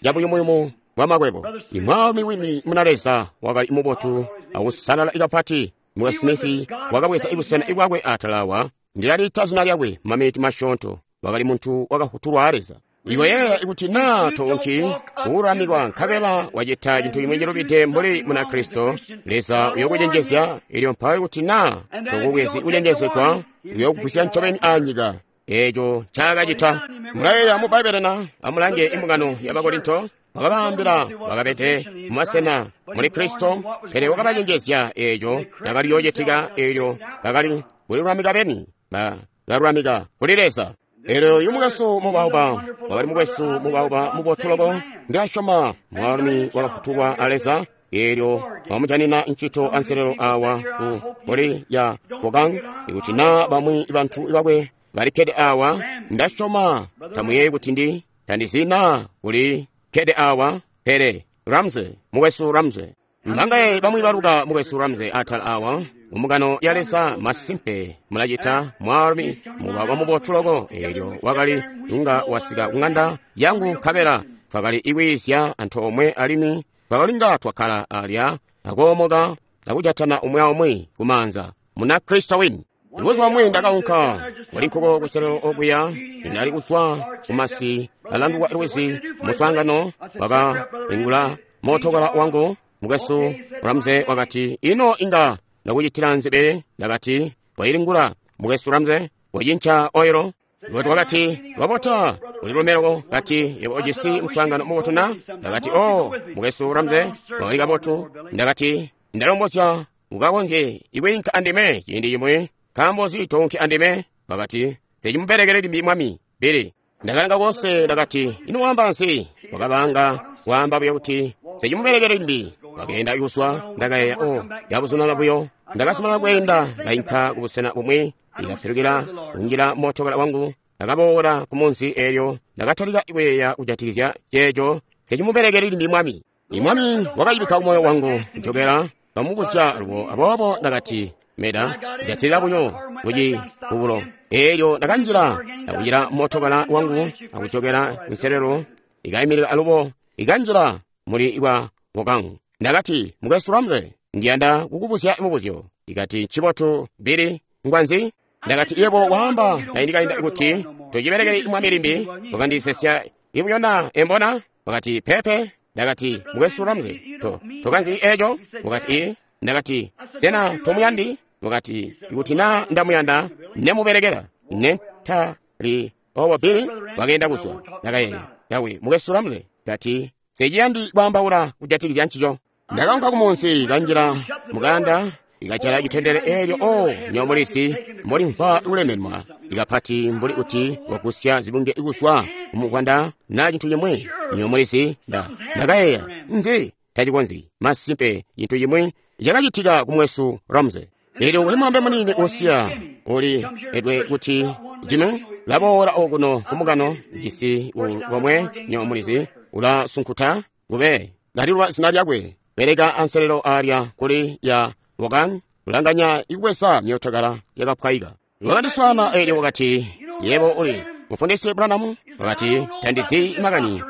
ca buyumuyumu bwa makwebo. Imwaalumi wini muna Leza wakali mubotu akusalala kapati. Mukwesu Smith wakabweza ibusena bwakwe atala awa. Ndilaliita zina lyakwe maminiti masyoonto. Wakali muntu wakafutulwa a Leza. Iwe yeeya ikuti naa toonki kuulamikwa nkabela wacita cintu cimwi cilubide mbuli muna Kristo, Leza uyokucenjezya. Elyo mpawo ikuti naa tokubwezi kucenjezegwa, uyokugwisya ncobeni anyika. Eeco ncaakacita. Mulayeeya mu Bbaibbele na? Amulange imbungano ya Bakorinto. Wakabaambila bakabede mumasena muli Kristo, pele wakabacenjezya eeco cakali yoocitika eelyo bakali kulilulamika beni, bakalulamika kuli Leza. Eelyo uyu mukwesu mubauba wakali mukwesu mubauba mubotu loko, ndilasyoma mwaalumi wakafutulwa a Leza. Eelyo wamujanina ncito anselelo awa ku poli ya Bokang. Ikuti na bamwi bantu bakwe balikkede awa, ndasyoma tamuyeeyi kuti ndi tandizina kuli kkede awa, pele Ramsey, mukwesu Ramsey. Mbangaye bamwi baluka mukwesu Ramsey atala awa mumugano ya Leza masimpe mulacita mwaalumi muba wamubotu loko. Eelyo wakali inga wasika kung'anda yangu nkabela twakali ikwiizya antoomwe alimwi twakalinga twakkala alya akoomoka akujatana umwi aumwi kumaanza muna Kristo wini. Buzuba bumwi ndakaunka kuli nkuko kuselelo okuya, ndali kuzwa kumasi alanduka lwizi muswaangano wakalingula mootokala wangu. Mukwesu Ramsey wakati, ino inga ndakucitila nzibe? Ndakati, wayilingula mukwesu Ramsey, wacinca oilo. Kuti wakati, wabota ulilumelo. Kati, yebo ujisi muswaangano mubotu na? Ndakati, o mukwesu Ramsey, wakali kabotu. Ndakati, ndalombozya ukakonzye ikwiinka andime ciindi cimwi. Nkaambo nzi tounki andime? Wakati, secimubelekele limbi mwami Bili. Ndakalanga konse, ndakati, ino wamba nzi? Wakabanga waamba buyo kuti secimubelekele limbi. Wakeenda kuzwa, ndakayeeya, o yabuzumana buyo. Ndakasumana kweenda, ndainka kubusena bumwi, ikapilukila kunjila mootokala wangu. Ndakaboola ku munzi eelyo ndakatalika kuyeeya kujatikizya ceeco secimubelekele limbi mwami. Imwami wakayibikka kumoyo wangu njokela kamubuzya lubo, aboobo ndakati, meda jatilila buyo kuci kubulo. Eelyo ndakanjila ndakunjila mootokala wangu akujokela nselelo ikayimirira alubo ikanjila muli bwa Wokangu. Ndakati, mukwesu Ramsey, ndiyanda kukubuzya mubuzyo. Ikati, ncibotu Bili, ngwanzi? Ndakati, yebo waamba kaindikainda kuti tocibelekele mwami limbi, wakandisesya ibuyo na embona? Wakati, pepe. Ndakati, mukwesu Ramsey, tokanzi eeco? Wakati, i. Ndakati, sena tomuyandi? Wakati, ikuti na ndamuyanda nemubelekela. Ne tali obo Bili wakeenda kuzwa. Ndakayeeya, yawe mukwesu Ramsey, ndati seciyandi kwaambaula kujatikizya ncico. Ndakaunka kumunsi kanjila mukanda ikajala citendele eelyo o nyomulisi mbolimvwa kulemenwa ikapati mbuli kuti wagusya zibunge kuzwa kumukwanda na cintu cimwi. Nyomulisi ndakayeeya nzi tacikonzyi masimpe cintu cimwi cakacitika kumwesu Ramsey. Eelyo kuli mwambe munini usiya uli edwe kuti Jimmy laboola okuno kumukano jisi komwe nyomulizi ulasunkuta kube lalilwa zina lyakwe beleka anselelo alya kuli ya Wokan kulanganya ikubweza myootokala yakapwayika. Wakandiswaana eelyo wakati, yebo uli mufundisi Branham? Wakati, tandizi makani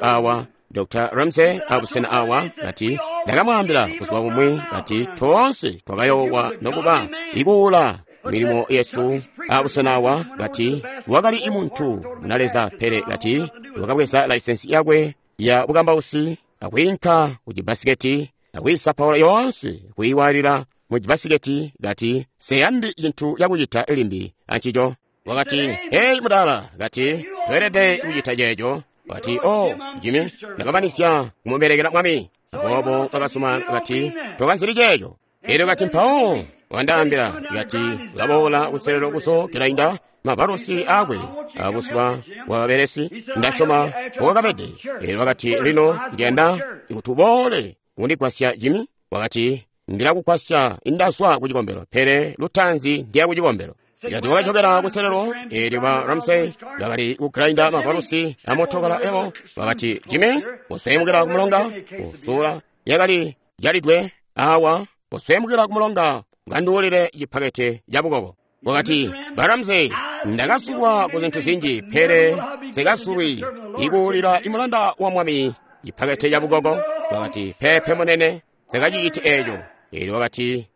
awa Dr. Ramsey abusena awa. Kati ndakamwaambila buzuba bumwi, kati toonse twakayowa nokuba ikuula milimo yesu abusena awa. Kati wakali imuntu munaleza, pele kati wakabweza laisensi yakwe ya bukambausi akwiinka ku cibasiketi akwiisapaula yoonse kuiwalila mu cibasiketi. Kati seyandi cintu cakucita limbi ancico. Wakati, hey mudala, kati tweelede kucita ceeco. Wakati, o Jimmy, ndakabanisya kumubelekela mwami. Aboobo wakasuma kati tokanzili ceeco. Eelyo kati mpawo wandaambila kati ulaboola kuselelo kuso kilainda mavalusi akwe abusuba bwa babelesi ndasyoma mbowakabede. Eelyo wakati, lino ndiyanda kuti uboole kundigwasya Jimmy. Wakati, ndilakugwasya indazwa ku cikombelo, pele lutanzi ndiya ku cikombelo. Kati wakachokera kuselelo eelyo ba Ramsey bakali kugrainda mavalusi amootokala ewo. Wakati, Jimmy, uswemukira kumulonga usula yakali jalidwe awa, uswemukira kumulonga ngandiwulire cipakete ca bukoko. Wakati, ba Ramsey, ndakasulwa ku zintu zinji, pele sikasulwi ikuwulira imulanda wa mwami cipakete ca bukoko. Wakati, pepe munene, sikaciciti eeco. Eelyo wakati,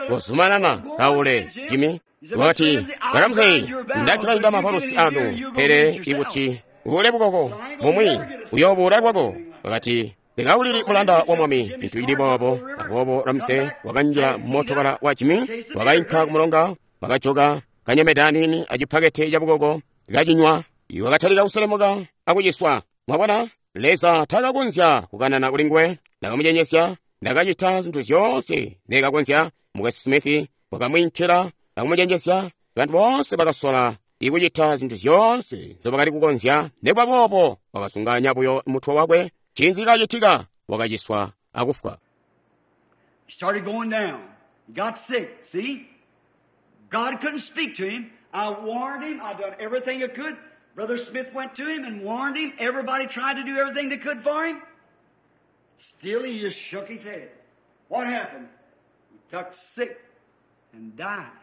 kozumanana kaule Jimmy. Wakati, ba Ramsey, ndakilainda mavalusi anu, pele ikuti uule bukoko mumwi uyoobuula lwako. Wakati, ndikawulili mulanda wa mwami cintu cili boobo. Aboobo Ramsey wakanjila mootokala wa Jimmy, wakainka kumulonga, wakajoka kanyemede aniini acipakete ca bukoko kacinywa. Wakatalika kuselemuka akuciswa. Mwabona, Leza takakonzya kukanana kuli nguwe. Ndakamucenjesya, ndakacita zintu zyoonse nzekakonzya. Mukwesu Smith wakamwiinkila akumucenjesya. Bantu boonse bakasola ikucita zintu zyoonse nzobakali kukonzya. Nekuba boobo wakasunganya buyo mutwe wakwe. Ncinzi kacitika? Wakaciswa akufwa. He started going down. He got sick, see? God couldn't speak to him. I warned him. I done everything I could. Brother Smith went to him and warned him. Everybody tried to do everything they could for him. Still, he just shook his head. What happened? He got sick and died.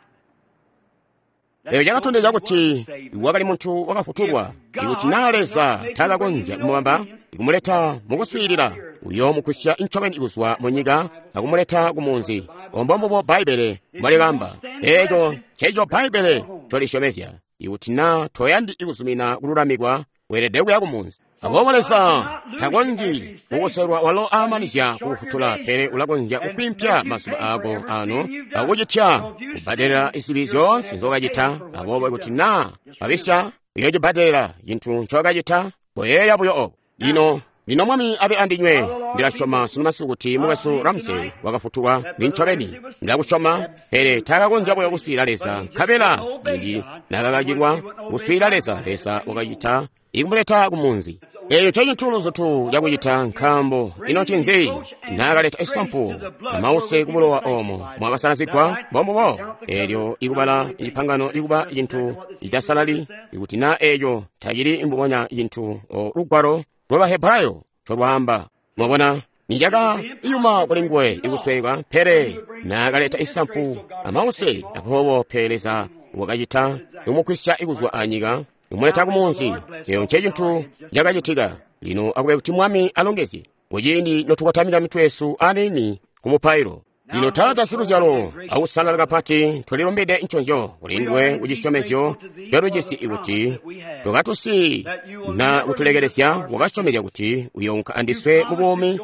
Eyo cakatondezya kuti wakali muntu wakafutulwa. Ikuti naa Leza taakakonzya kumubamba ikumuleta mukuswiilila, uyoomugwisya ncobeni kuzwa mu nyika akumuleta ku munzi. Obo mbubo Bbaibbele mbwalikaamba. Eeco nceeco Bbaibbele ncolisyomezya. Ikuti naa toyandi kuzumina kululamikwa, weelede kuya ku munzi. Aboobo Leza takonzyi kukoselwa walo aamanizya kukufutula, pele ulakonzya kukwiimpya mazuba aako ano akucitya kubbadelela zibi zyoonse nzokacita. Aboobo ikuti naa wabisya, uyoocibbadelela cintu ncokacita. Koyeeya buyo obo. Lino lino Mwami abe andinywe. Ndilasyoma sunu masiku kuti mukwesu Ramsey wakafutulwa nincobeni. Ndilakusyoma, pele taakakonzya buyo kuswiilila Leza. Nkabela ciindi naakakakilwa kuswiilila Leza, Leza wakacita ikumuleta ku munzi. Eeyo ncecintu luzutu cakucita, nkaambo ino ncinzi naakaleta isampu amause kubulowa oomo mwakasalazigwa mbombubo. Eelyo ikubala cipangano ikuba cintu citasalali, ikuti naa eeco tacili mbubonya cintu lugwalo lwa Bahebrayo ncolwaamba. Mwabona, nicakayuma kulinguwe ikusweka, pele naakaleta isampu amause. Aboobo pe Leza wakacita ikumugwisya ikuzwa anyika kumuleta ku munzi. Eyo ncecintu cakacitika. Lino akube kuti Mwami alongezye kuciindi notukotamika mitwe yesu aniini ku mupailo. Lino Taata siluzyalo akusalala kapati, tulilumbide nconzyo kulinduwe kucisyomezyo ncotujisi ikuti tokatusi na kutulekelezya. Wakasyomezya kuti uyounka andiswe mu buumi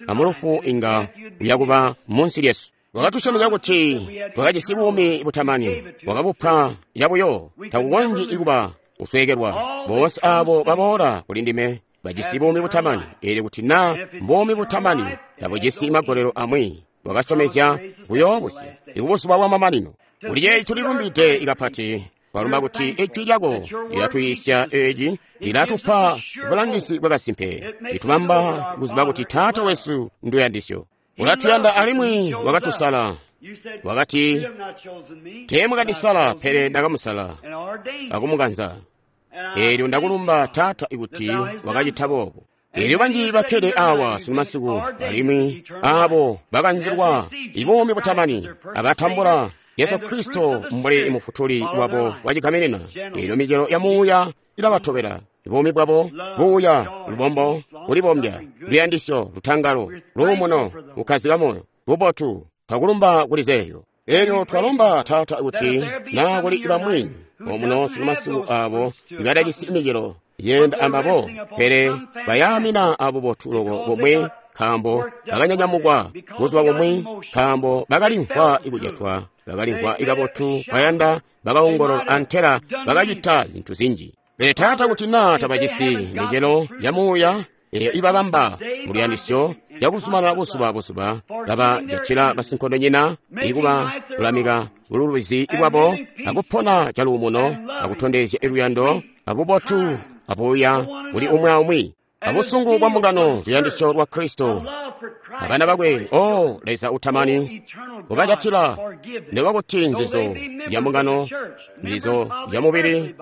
amulufu inga uyakuba munsi lyesu. Wakatusyomezya kuti twakajisi buumi butamani, wakabupa cabuyo, takukonzyi kuba kusweekelwa. Boonse aabo baboola kuli ndime bajisi buumi butamani. Eelyo kuti naa mbuumi butamani tabujisi magolelo amwi, wakasyomezya buyoobusya ikubuzuba bwamamanino. Kuli ceeci tulilumbide kapati. Twalumba kuti ijwi lyako lilatuyiisya eeci, lilatupa bulangizi bwakasimpe, litubamba kuziba kuti Taata wesu nduyandisyo. Ulatuyanda alimwi wakatusala. Wakati, teemwakandisala, pele ndakamusala akumukanza. Eelyo ndakulumba Taata ikuti wakacita boobo. Eelyo banji bakkede awa sunu masiku, alimwi aabo bakanzilwa ibuumi butamani abatambula Yesu Kristo mbuli mufutuli wabo wacigaminina. Eelyo micelo ya muuya ilabatobela. Buumi bwabo buuya, lubombo, kulibombya, luyandisyo, lutangalo, luumuno, kukkazika moyo, bubotu, twakulumba kuli zeeyo. Eelyo twalomba Taata kuti naa kuli bamwi omuno sunu masiku aabo ibadajisi micelo yenda ambabo, pele bayaamina abubotu loko bomwe, nkaambo bakanyanyamukwa buzuba bumwi, nkaambo bakalimvwa ikujetwa, bakalimvwa ikabotu kwayanda, bakaongolola antela bakacita zintu zinji. Pele Taata kuti naa tabajisi micelo ya muuya eyo ibabamba muluyandisyo yakuzumanana buzuba buzuba kabajatila basinkondonyina, ikuba lulamika bululubizi bwabo akupona caluumuno akutondezya luyando abubotu abuuya kuli umwi aumwi abusungu bwa mbungano, luyandisyo lwa Kristo abana bakwe. O Leza utamani, kubajatila nekuba nzizo ya mbungano, nzizo ya mubili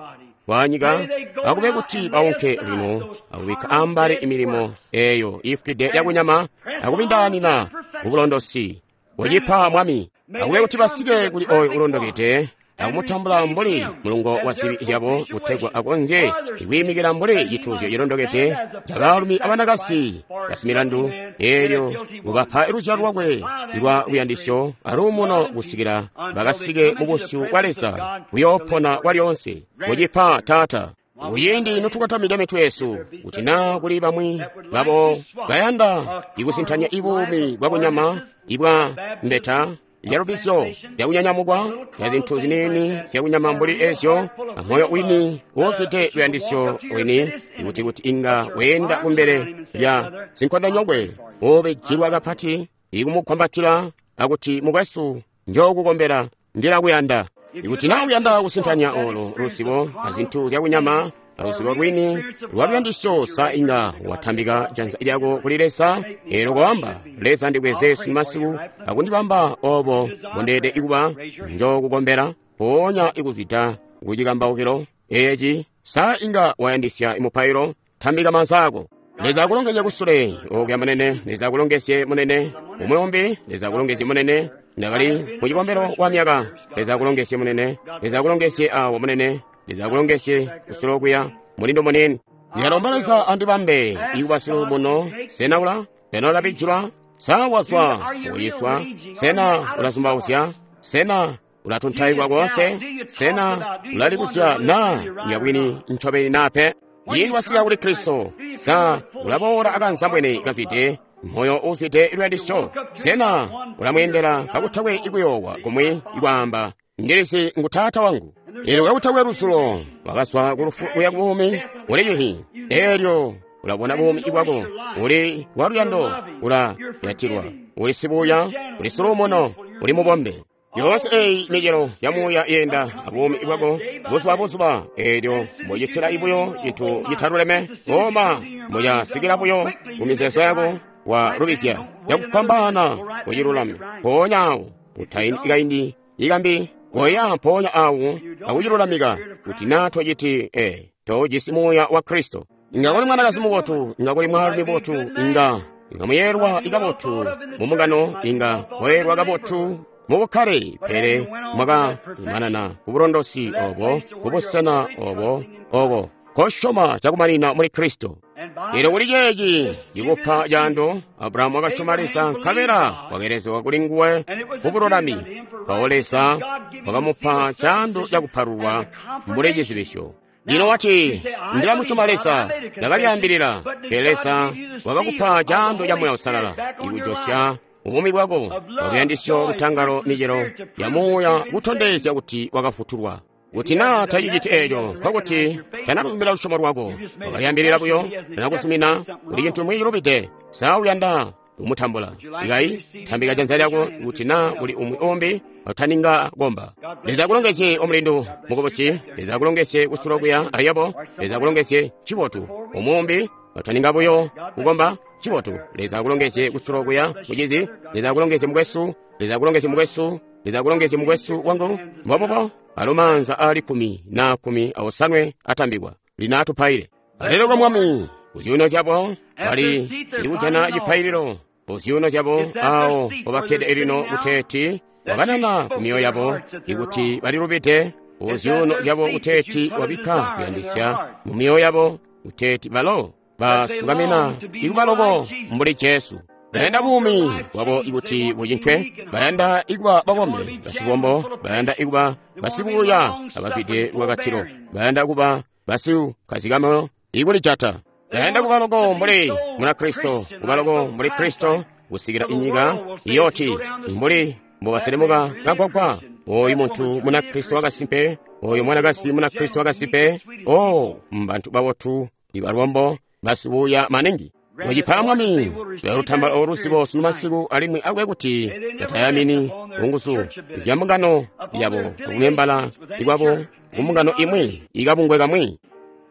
wanyika, akube kuti baunke lino akubikka ambali imilimo eyo ifwide yakunyama akubindaanina kubulondosi kucipa Mwami. Akube kuti basike kuli oyo ulondokede akumutambula mbuli mulungo wa zibi zyabo, kutegwa akonzye kwiimikila mbuli cituuzyo cilondokede ca baalumi abanakasi basimilandu. Eelyo ubapa luzyalo lwakwe lwa luyandisyo aluumuno kusikila bakasike mu busyu bwa Leza kuyoopona kwalyoonse. Kucipa Taata. Kuciindi notukotamide mitwe yesu, kuti naa kuli bamwi babo bayanda ikusintanya ibuumi bwakunyama ibwa mbeta zyalubisyo zyakunyanyamukwa na zintu ziniini zyakunyama mbuli ezyo, amoyo wini uuzwide luyandisyo lwini, ikuti kuti inga weenda kumbele lya sinkondonyokwe ubijilwa kapati ikumugwambatila akuti, mukwesu, njookukombela, ndilakuyanda. Ikuti naa uyanda kusintanya olo luzibo azintu zyakunyama Aluzibo lwini lwa luyandisyo, sa inga watambika janza lyako kuli Leza eelyo koamba, Leza ndibweze sunumasiku akundibamba obo mbondeelede ikuba, njokukombela mpoonya ikuzwida kucikambaukilo eeci. Sa inga wayandisya mupailo? Tambika maanza ako. Leza akulongezye kusule okuya munene. Leza akulongezye munene. Umwi umbi, Leza akulongezye munene. Ndakali ku cikombelo kwa myaka. Leza akulongezye munene. Leza akulongezye awo munene. Leza akulongezye kusule okuya mulindo munene. Ndiyalomba Leza andibambe ikuba siluumuno. Sena ula? Sena ulabijilwa? Sa wazwa kuciswa? Sena ulazumbauzya? Sena ulatuntaikwa koonse? Sena ulalibuzya naa yabwini ncobeni naa pe? Ciindi wasika kuli Kristo, sa ulaboola akanzambwene kazwide moyo uuzwide luyandisyo? Sena ulamweendela kakutakwe ikuyoowa kumwi ikwaamba, ndilisi ngu Taata wangu? Eelyo kakutakwe lusulo wakazwa kulufu kuya kubuumi, uli cihi. Eelyo ulabona buumi bwako, uli waluyando, ulayatilwa, uli sibuuya, uli siluumuno, uli mubombe. Yoonse eyi micelo ya muuya yenda abuumi bwako buzuba buzuba. Eelyo mbocitila buyo cintu citaluleme, koma mbocasikila buyo mumizeezo yako, walubizya cakufwambaana kucilulame. Mpoonya awo utaindi kaindi ikambi koya mpoonya awo akucilulamika. Kuti naa tociti tojisi muuya wa Kristo. Inga kuli mwanakazi mubotu, inga kuli mwaalumi mubotu, inga muyeelwa kabotu mumbungano, inga mweelwa kabotu mubukkale, pele mwakamanana kubulondosi obo, kubusena obo, obo kosyoma cakumanina muli Kristo. Eelyo kuli ceeci cikupa caando, Abrahamu wakasyoma Leza, nkabela wakelezegwa kuli nguwe kubululami. Mpawo Leza wakamupa caando cakupalulwa mbuli cizibisyo. Lino wati, ndilamusyoma Leza, ndakalyaambilila. Pele Leza wakakupa caando ca Muuya Uusalala ikujosya ubuumi bwako luyandisyo, lutangalo, micelo ya muuya kutondezya kuti wakafutulwa. Kuti naa taciciti eeco, nkokuti tanaluzumila lusyomo lwako, wakalyaambilila buyo, tanakuzumina kuli cintu cimwi cilubide. Sa uyanda kumutambula? Ikayi tambika janza lyako kuti naa kuli umwi umbi utaninga komba. Leza akulongezye omulindu mukubusi. Leza akulongezye kusula kuya ayabo. Leza akulongezye cibotu. Umwi utaninga buyo kukomba cibotu. Leza akulongezye kusula kuya mucizi. Leza akulongezye mukwesu. Leza akulongezye mukwesu. Leza akulongezye mukwesu wangu. Mbobubo alo maanza aali 10 na 17 atambikwa. Lino atupaile. Alelo kwa Mwami kuzyuuno zyabo bali ikujana cipaililo kuzyuuno zyabo awo mpobakkede elino kuteeti wakanana ku myoyo yabo ikuti balilubide kuzyuuno zyabo kuteeti wabikka kuyandisya mu myoyo yabo kuteeti balo basukamina ikubaloko mbuli Jesu. Bayanda buumi bwabo ikuti bucincwe, bayanda ikuba babombe basibombo, bayanda ikuba basibuuya abazwide lwakatilo, bayanda kuba basikukazikamo ikulijata, bayanda kuba loko mbuli Munakristo, kuba loko mbuli Kristo kusikila inyika iyoti mbuli mbobaselemuka kagwagwa. Oyu muntu Munakristo wakasimpe, oyu mwanakazi Munakristo wakasimpe. O mbantu babotu ibalombo basibuuya maningi. Mucipa Mwami lutambala oluzibo sunu masiku, alimwi akwe kuti batayamini kunguzu zya mbungano yabo akumembala ikwabo kumbungano imwi ikabungwe kamwi,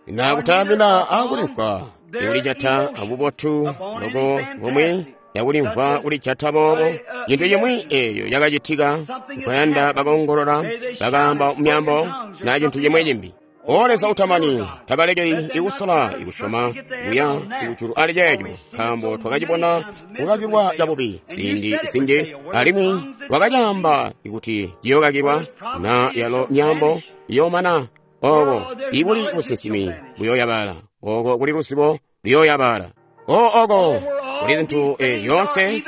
na kutayamina akulimvwa ikulijata abubotu loko bumwi yakulimvwa kulijata boobo. Cintu cimwi eeyo yakacitika nkuyanda bakaongolola bakaamba mumyaambo na cintu cimwi cimbi. O Leza utamani, tabalekeli ikusola ikusyoma kuya kujulu ali ceeco, nkaambo twakacibona kukakilwa cabubi ziindi zinji, alimwi wakacaamba ikuti ciyokakilwa na yalo myaambo iyoomana. Oko ikuli businsimi buyoyabala, oko kuli luzibo luyoyabala. O oko kuli zintu yoonse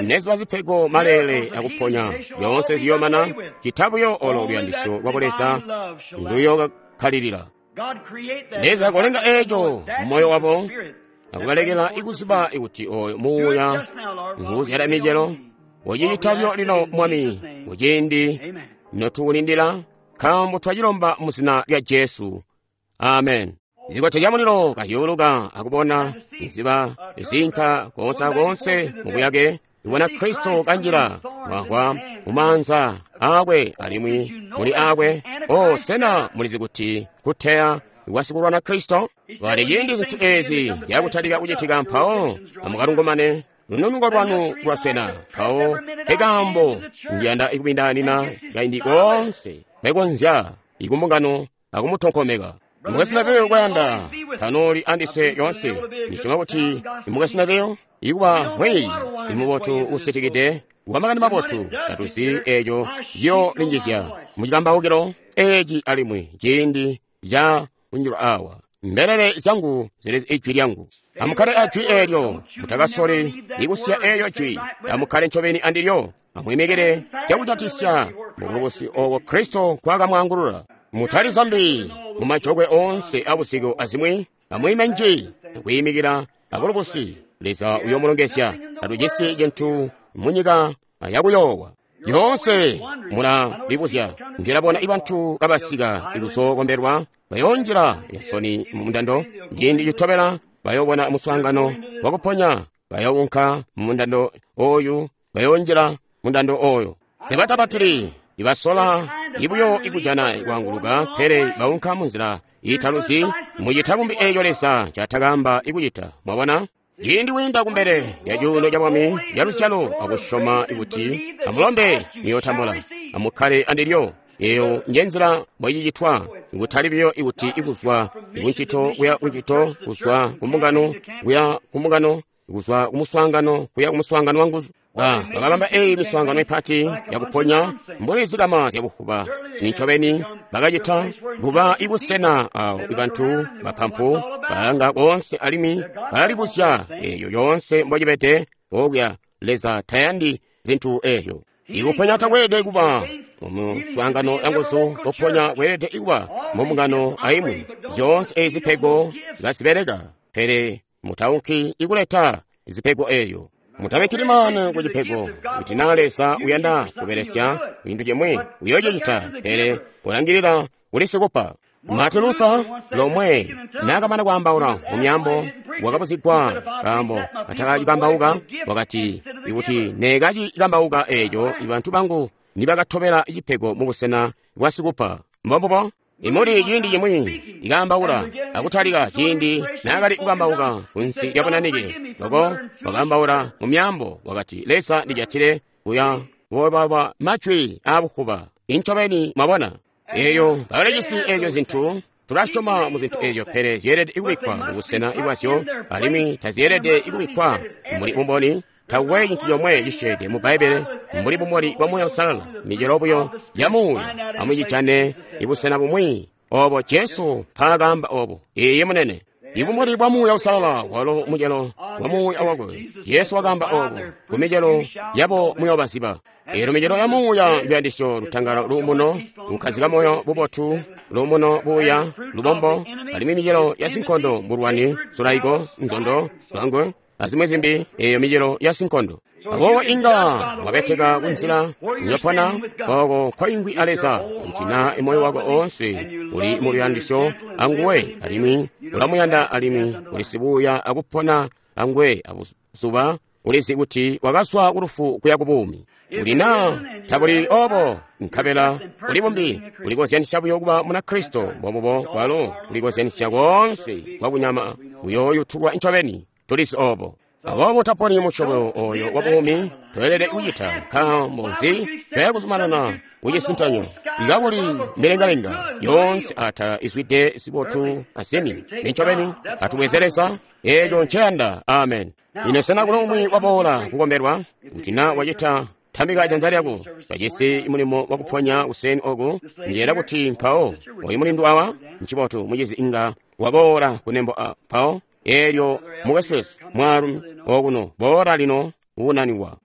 neziba zipego maleele akuponya yoonse ziyomana, cita buyo olo luyandisyo lwa Buleza nduyokakkalilila. Leza kolenga eeco mumoyo wabo akubalekela ikuziba ikuti oyo muuya nguuzyala micelo. Ucicita buyo lino Mwami, kuciindi notukulindila, nkaambo twacilomba mu zina lya Jesu. Amen. Zikote zya mulilo kazyuuluka akubona nziba zinka koonse akoonse mubuyake, ibona Kristo kanjila mwahwa mumaanza aakwe alimwi muli aakwe. O sena mulizi kuti kuteya wasikulwana Kristo? Kati ciindi zintu ezi zyakutalika kucitika mpawo amukalungumane lununuko lwanu lwaswena. Mpawo nkekaambo ndiyanda ikubindaanina kaindi koonse mwekonzya ikumbungano akumutonkomeka. Mukwesu Neville kwayanda tanoli andiswe yoonse. Ndisyoma kuti mukwesu Neville ikuba mwiiyi imubotu usitikide wamakani mabotu tatuzi eeco ciyolinjizya mucikambaukilo eeci alimwi ciindi ca kunjilwa awa. Mbelele zyangu zilizi ijwi lyangu. Amukkale ajwi eelyo, mutakasoli ikusiya eelyo jwi. Amukkale ncobeni andilyo, amwiimikile cakujatisya mubulubusi obo Kristo nkwakamwaangulula. Mutali zambi mumajokwe oonse abusiku azimwi, amwiime nji kwiimikila abulubusi. Leza uyoomulongezya. Tatujisi cintu munyika yakuyoowa. Yoonse mulalibuzya. Ndilabona ibantu kabasika ikuzookombelwa bayoonjila yansoni mumundando. Ciindi citobela bayoobona muswaangano wakuponya, bayoowunka mumundando ooyu, bayoonjila mundando ooyo. Sebatabatili ibasola ibuyo ikujana kwaanguluka, pele baunka munzila iitaluzi mucita kumbi eeco Leza ncaatakaamba ikucita. Mwabona? Ciindi wiinda kumbele lya cuuno cabwami lyaluzyalo akusyoma kuti amulombe muyootambula, amukkale andilyo. Eeyo njenzila mbocicitwa, kutali buyo ikuti ikuzwa kuncito kuya kuncito, kuzwa kumbungano kuya kumbungano, kuzwa kumuswaangano kuya kumuswaangano wanguzu. Bakabamba eyi miswaangano mipati yakuponya mbuli zikama zyakufuba. Nincobeni bakacita kuba ibusena awo ibantu bapampu balanga koonse alimwi balalibuzya eeyo yoonse mbocibede okuya. Leza tayandi zintu eezyo. Ikuponya takweelede kuba mumuswaangano yanguzu, kuponya kweelede kuba mumbungano aimwi. Zyoonse ezi zipego kazibeleka, pele mutaunki ikuleta zipego eezyo. Mutabikkili maanu ku cipego. Kuti naa Leza uyanda kubelesya cintu cimwi, uyoocicita, pele ulangilila kuli sikupa. Martin Luther lomwe naakamana kwaambaula mumyaambo wakabuzigwa kaambo atakacikambauka, wakati ikuti neekacikambauka eeco ibantu bangu nibakatobela cipego mubusena bwa sikupa. Mbombubo? Imuli ciindi cimwi ikaambaula akutalika ciindi naakali kukambauka kunsi lya bunanike loko wakaambaula mu myaambo wakati Leza ndijatile kuya wobawa majwi aabukuba. Incobeni mwabona eeyo bakalijisi eezyo zintu. Tulasyoma mu zintu eezyo, pele zyeelede kubikkwa mubusena bwazyo alimwi tazyeelede kubikkwa mbuli bumboni. Takukwe cintu comwe cisyeede mu Bbaibbele mbuli bumboni bwa Muuya Uusalala, micelo buyo ya Muuya. Amucijane ibusena bumwi obo Jesu mpaakaamba obo. Iiyi munene. Ibumboni bwa Muuya Uusalala walo mucelo wa Muuya wakwe. Jesu wakaamba obo, ku micelo yabo muyoobaziba. Eelyo micelo ya Muuya nduyandisyo, lutangalo, luumuno, kukkazika moyo, bubotu, luumuno, buuya, lubombo, alimwi micelo ya sinkondo mbulwani, sulaiko, nzondo, lwangwe, azimwi zimbi. Eeyo micelo ya sinkondo. Aboobo inga mwabeteka kunzila nyopona oko koingwi a Leza kuti naa moyo wako oonse uli mu luyandisyo anguwe alimwi ulamuyanda alimwi uli sibuuya akupona anguwe abuzuba ulizi kuti wakazwa kulufu kuya kubuumi. Uli naa tabuli obo, nkabela uli bumbi ulikozyanisya buyo kuba muna Kristo. Mbobubo bwalo ulikozyanisya koonse kwakunyama uyooyutulwa ncobeni. Tulizi obo. Aboobo taponi musyobo oyo wa buumi toyelede kucita. Nkaambo nzi toya kuzumanana kucisintanyo ikakuli milengalenga yoonse atala izwide zibotu azini? Nincobeni atubweze Leza eeco nceyanda. Amen. Ino sena kuli umwi waboola kukombelwa? Kuti naa wacita, tambika janza lyako. Bajisi mulimo wakuponya kuseni oku. Ndiyela kuti mpawo oyu mulindu awa ncibotu mucizi inga waboola kunembo mpawo eelyo mukwesu mwaalumi okuno boola lino uunaniwa.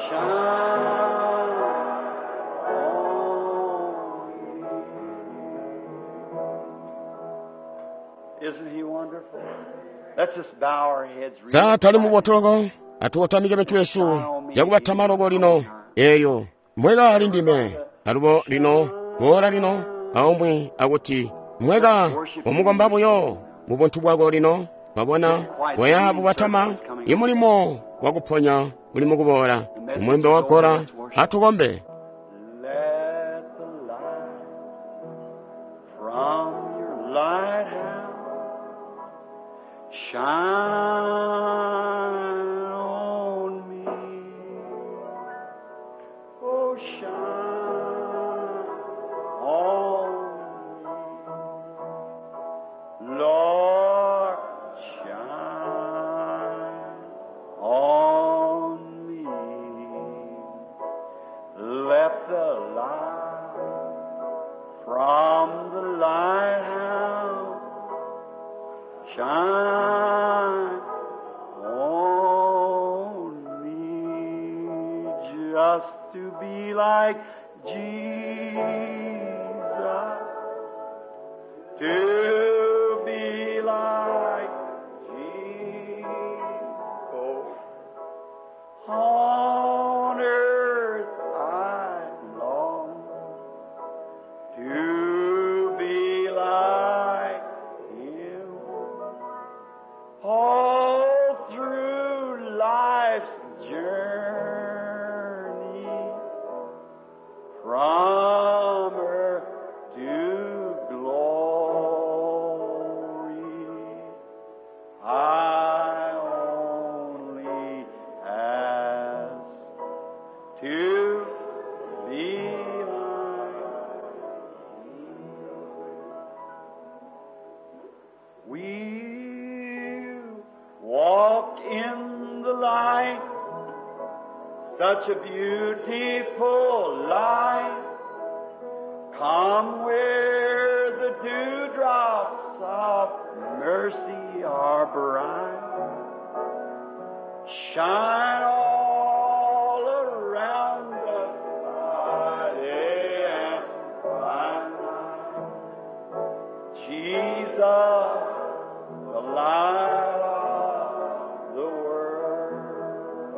Shine on. Isn't he wonderful? Let's just bow our heads real Sa tali quiet. mubotoloko atukotamike mitu yesu yakubatama loko lino elyo mweka ali ndime alubo lino boola lino aumwi akuti mweka umukomba buyo mu buntu bwako lino mwabona bweya bubatama imulimo wakuponya uli mukuboola imulumbe wagola atukombe. Let the light from your lighthouse shine on me. Oh, shine on me. Lord, shine on me. Let the light from the lighthouse shine on me, just to be like Jesus, to be like Jesus. On earth I long to be like Him. All through life's journey, from earth to glory, I only ask to be like We walk in the light, such a beautiful light. Come where the dewdrops of mercy are bright. Shine all around us by day and by night. Jesus, the light of the world.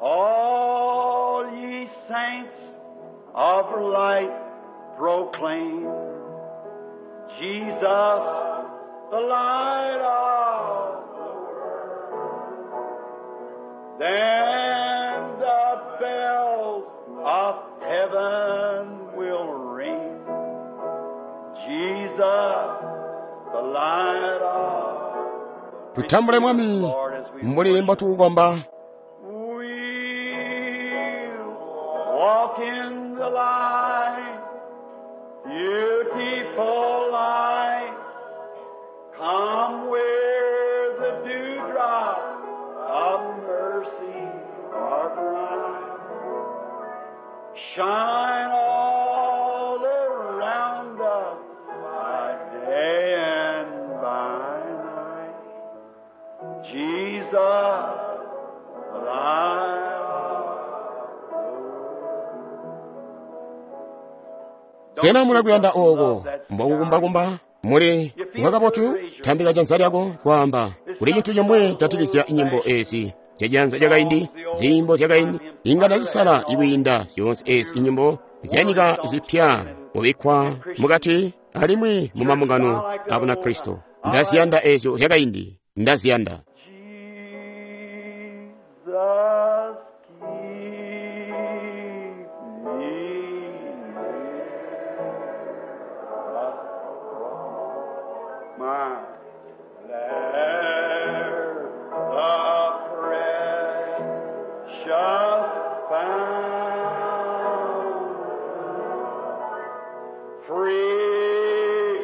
All ye saints of light proclaim Jesus, the light of the world. Then the bells of heaven will ring. Jesus, the light of Tutambule mwami Lord, as we mbuli mbotukukomba. We walk in the light, beautiful light. Come where the dewdrops of mercy are bright. Shine all around us by day and by night. Jesus, the light of the world. Sena mulakuyanda oko mbokukumbakumba muli mwakabotu tambika janza lyako kwaamba kuli cinthu chomwe chatikizya nyimbo ezi zyajanza lyakaindi ziyimbo zyakaindi inga ndazisala ikwiinda zyoonse ezi inyimbo zyanyika zipya mubikkwa mukati alimwi mu mambungano a Bunakristo. Ndaziyanda ezyo zyakaindi, ndaziyanda. Jesus, keep me near my there the precious fountain, free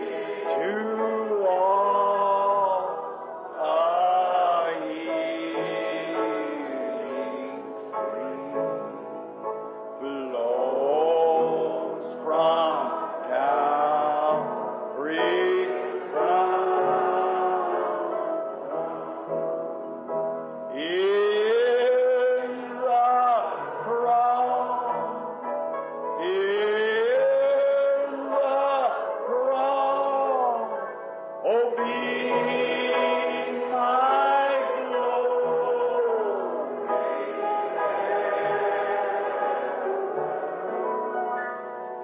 to all a healing stream flows from Calvary's fountain. In the cross, in the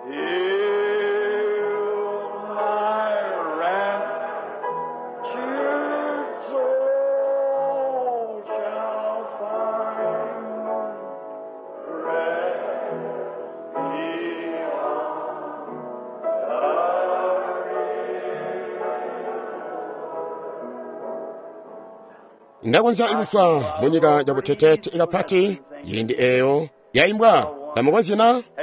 Till my raptured soul shall find rest beyond the Ndakonzya ikuswa munyika yabuteteete ikapati ciindi eeyo yaimbwa tamukonzyi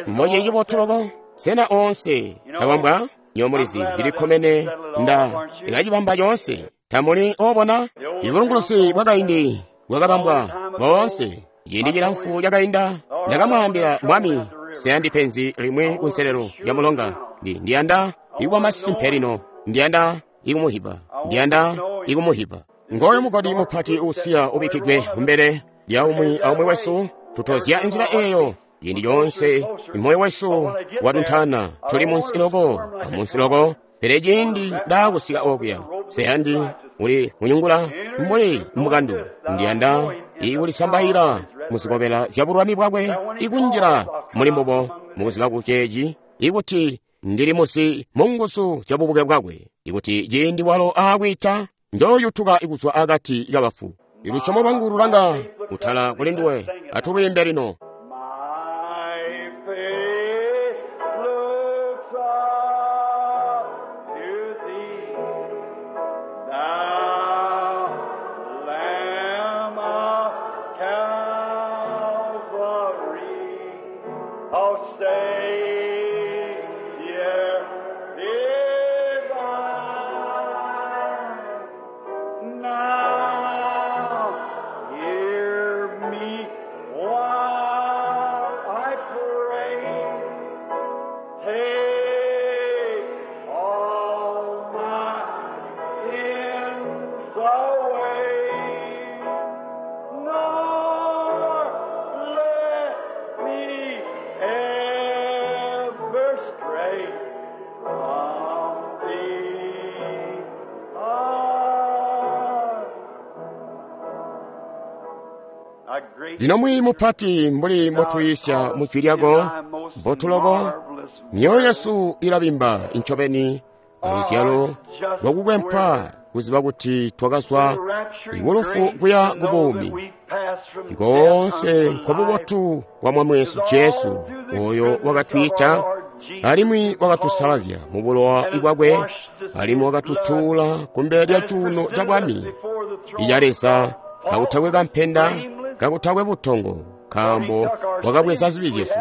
mmocili cibotu loko sena oonse abambwa nyomulizi ndilikkomene nda ikacibamba coonse tamuli obona ibulungulusi bwakaindi bwakabambwa boonse ciindi cilamfu cakainda ndakamwaambila mwami sena penzi limwi kunselelo lya mulonga ndiyanda ikuba masimpe lino ndiyanda ikumuhiba ndiyanda ikumuhiba ngoyo mugodi mupati uusiya ubikkidwe kumbele lya umwi aumwi wesu tutozya inzila eeyo ciindi coonse moyo wesu watuntana tuli munsi loko amunsi loko pele ciindi ndaakusika okuya seyandi uli kunyungula mbuli mukandu ndiyanda ikulisambaila muzikobela zya bulwami bwakwe ikunjila muli mbubo mukuziba kuceeci ikuti ndili musi munguzu zya bubuke bwakwe ikuti ciindi walo aakwiita njoyutuka ikuzwa akati kabafu ilusyomo lwangu lulanga kutala kuli nduwe atulwiimbe lino My faith looks up to thee, thou Lamb of Calvary, O Savior divine. Now hear me while I pray. Take all my sins away. Nor let me ever stray from thee. Ah. A great lino mwiyi mupati mbuli mbotuyisya mu jwi lyako mbotuloko myoyo yesu ilabimba incobeni aluzyalo lwakukwempwa kuziba kuti twakazwa ikulufu kuya ku buumi ikoonse nkobubotu bwa mwami wesu Jesu oyo wakatwiita alimwi wakatusalazya mu bulowa bwakwe alimwi wakatutuula kumbele lya cuuno ca bwami iya Leza kakutakwe kampenda kakutakwe butongo nkaambo wakabweza zibi zyesu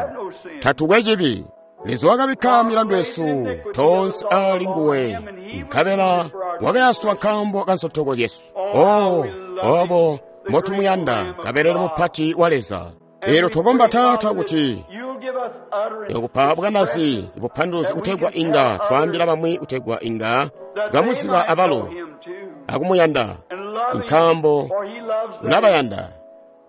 tatukwe cibi Leza wakabikka milandu yesu tonse ali nguwe nkabela wakayaswa nkaambo ka nsotoko zyesu o obo mbotumuyanda kabelele mupati wa Leza elo twakomba Taata kuti You'll give us utterance yokupa bwanazi bupanduluzi kutegwa inga twaambila bamwi kutegwa inga that they bamuziba might know abalo him too, akumuyanda and love him, nkaambo for he loves them. ulabayanda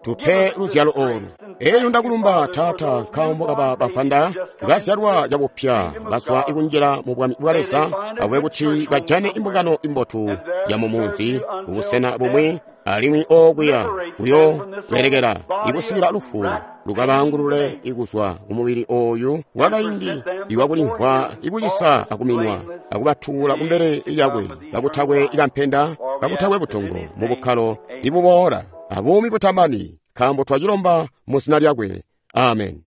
tupe luzyalo olu elyo ndakulumba Taata nkaambo kaba bapanda bazyalwa cabupya bazwa ikunjila mu bwami bwa Leza awe kuti bajane imbungano imbotu ya mumunzi kubusena bumwi alimwi okuya kuyo belekela ikusikila lufu lukabangulule ikuzwa kumubili oyu wakaindi iwakulimvwa ikucisa akuminwa akubatuula kumbele lyakwe kakutakwe ikampenda kakutakwe butongo mu bukkalo ibuboola abuumi butamani nkaambo twacilomba mu zina lyakwe amen.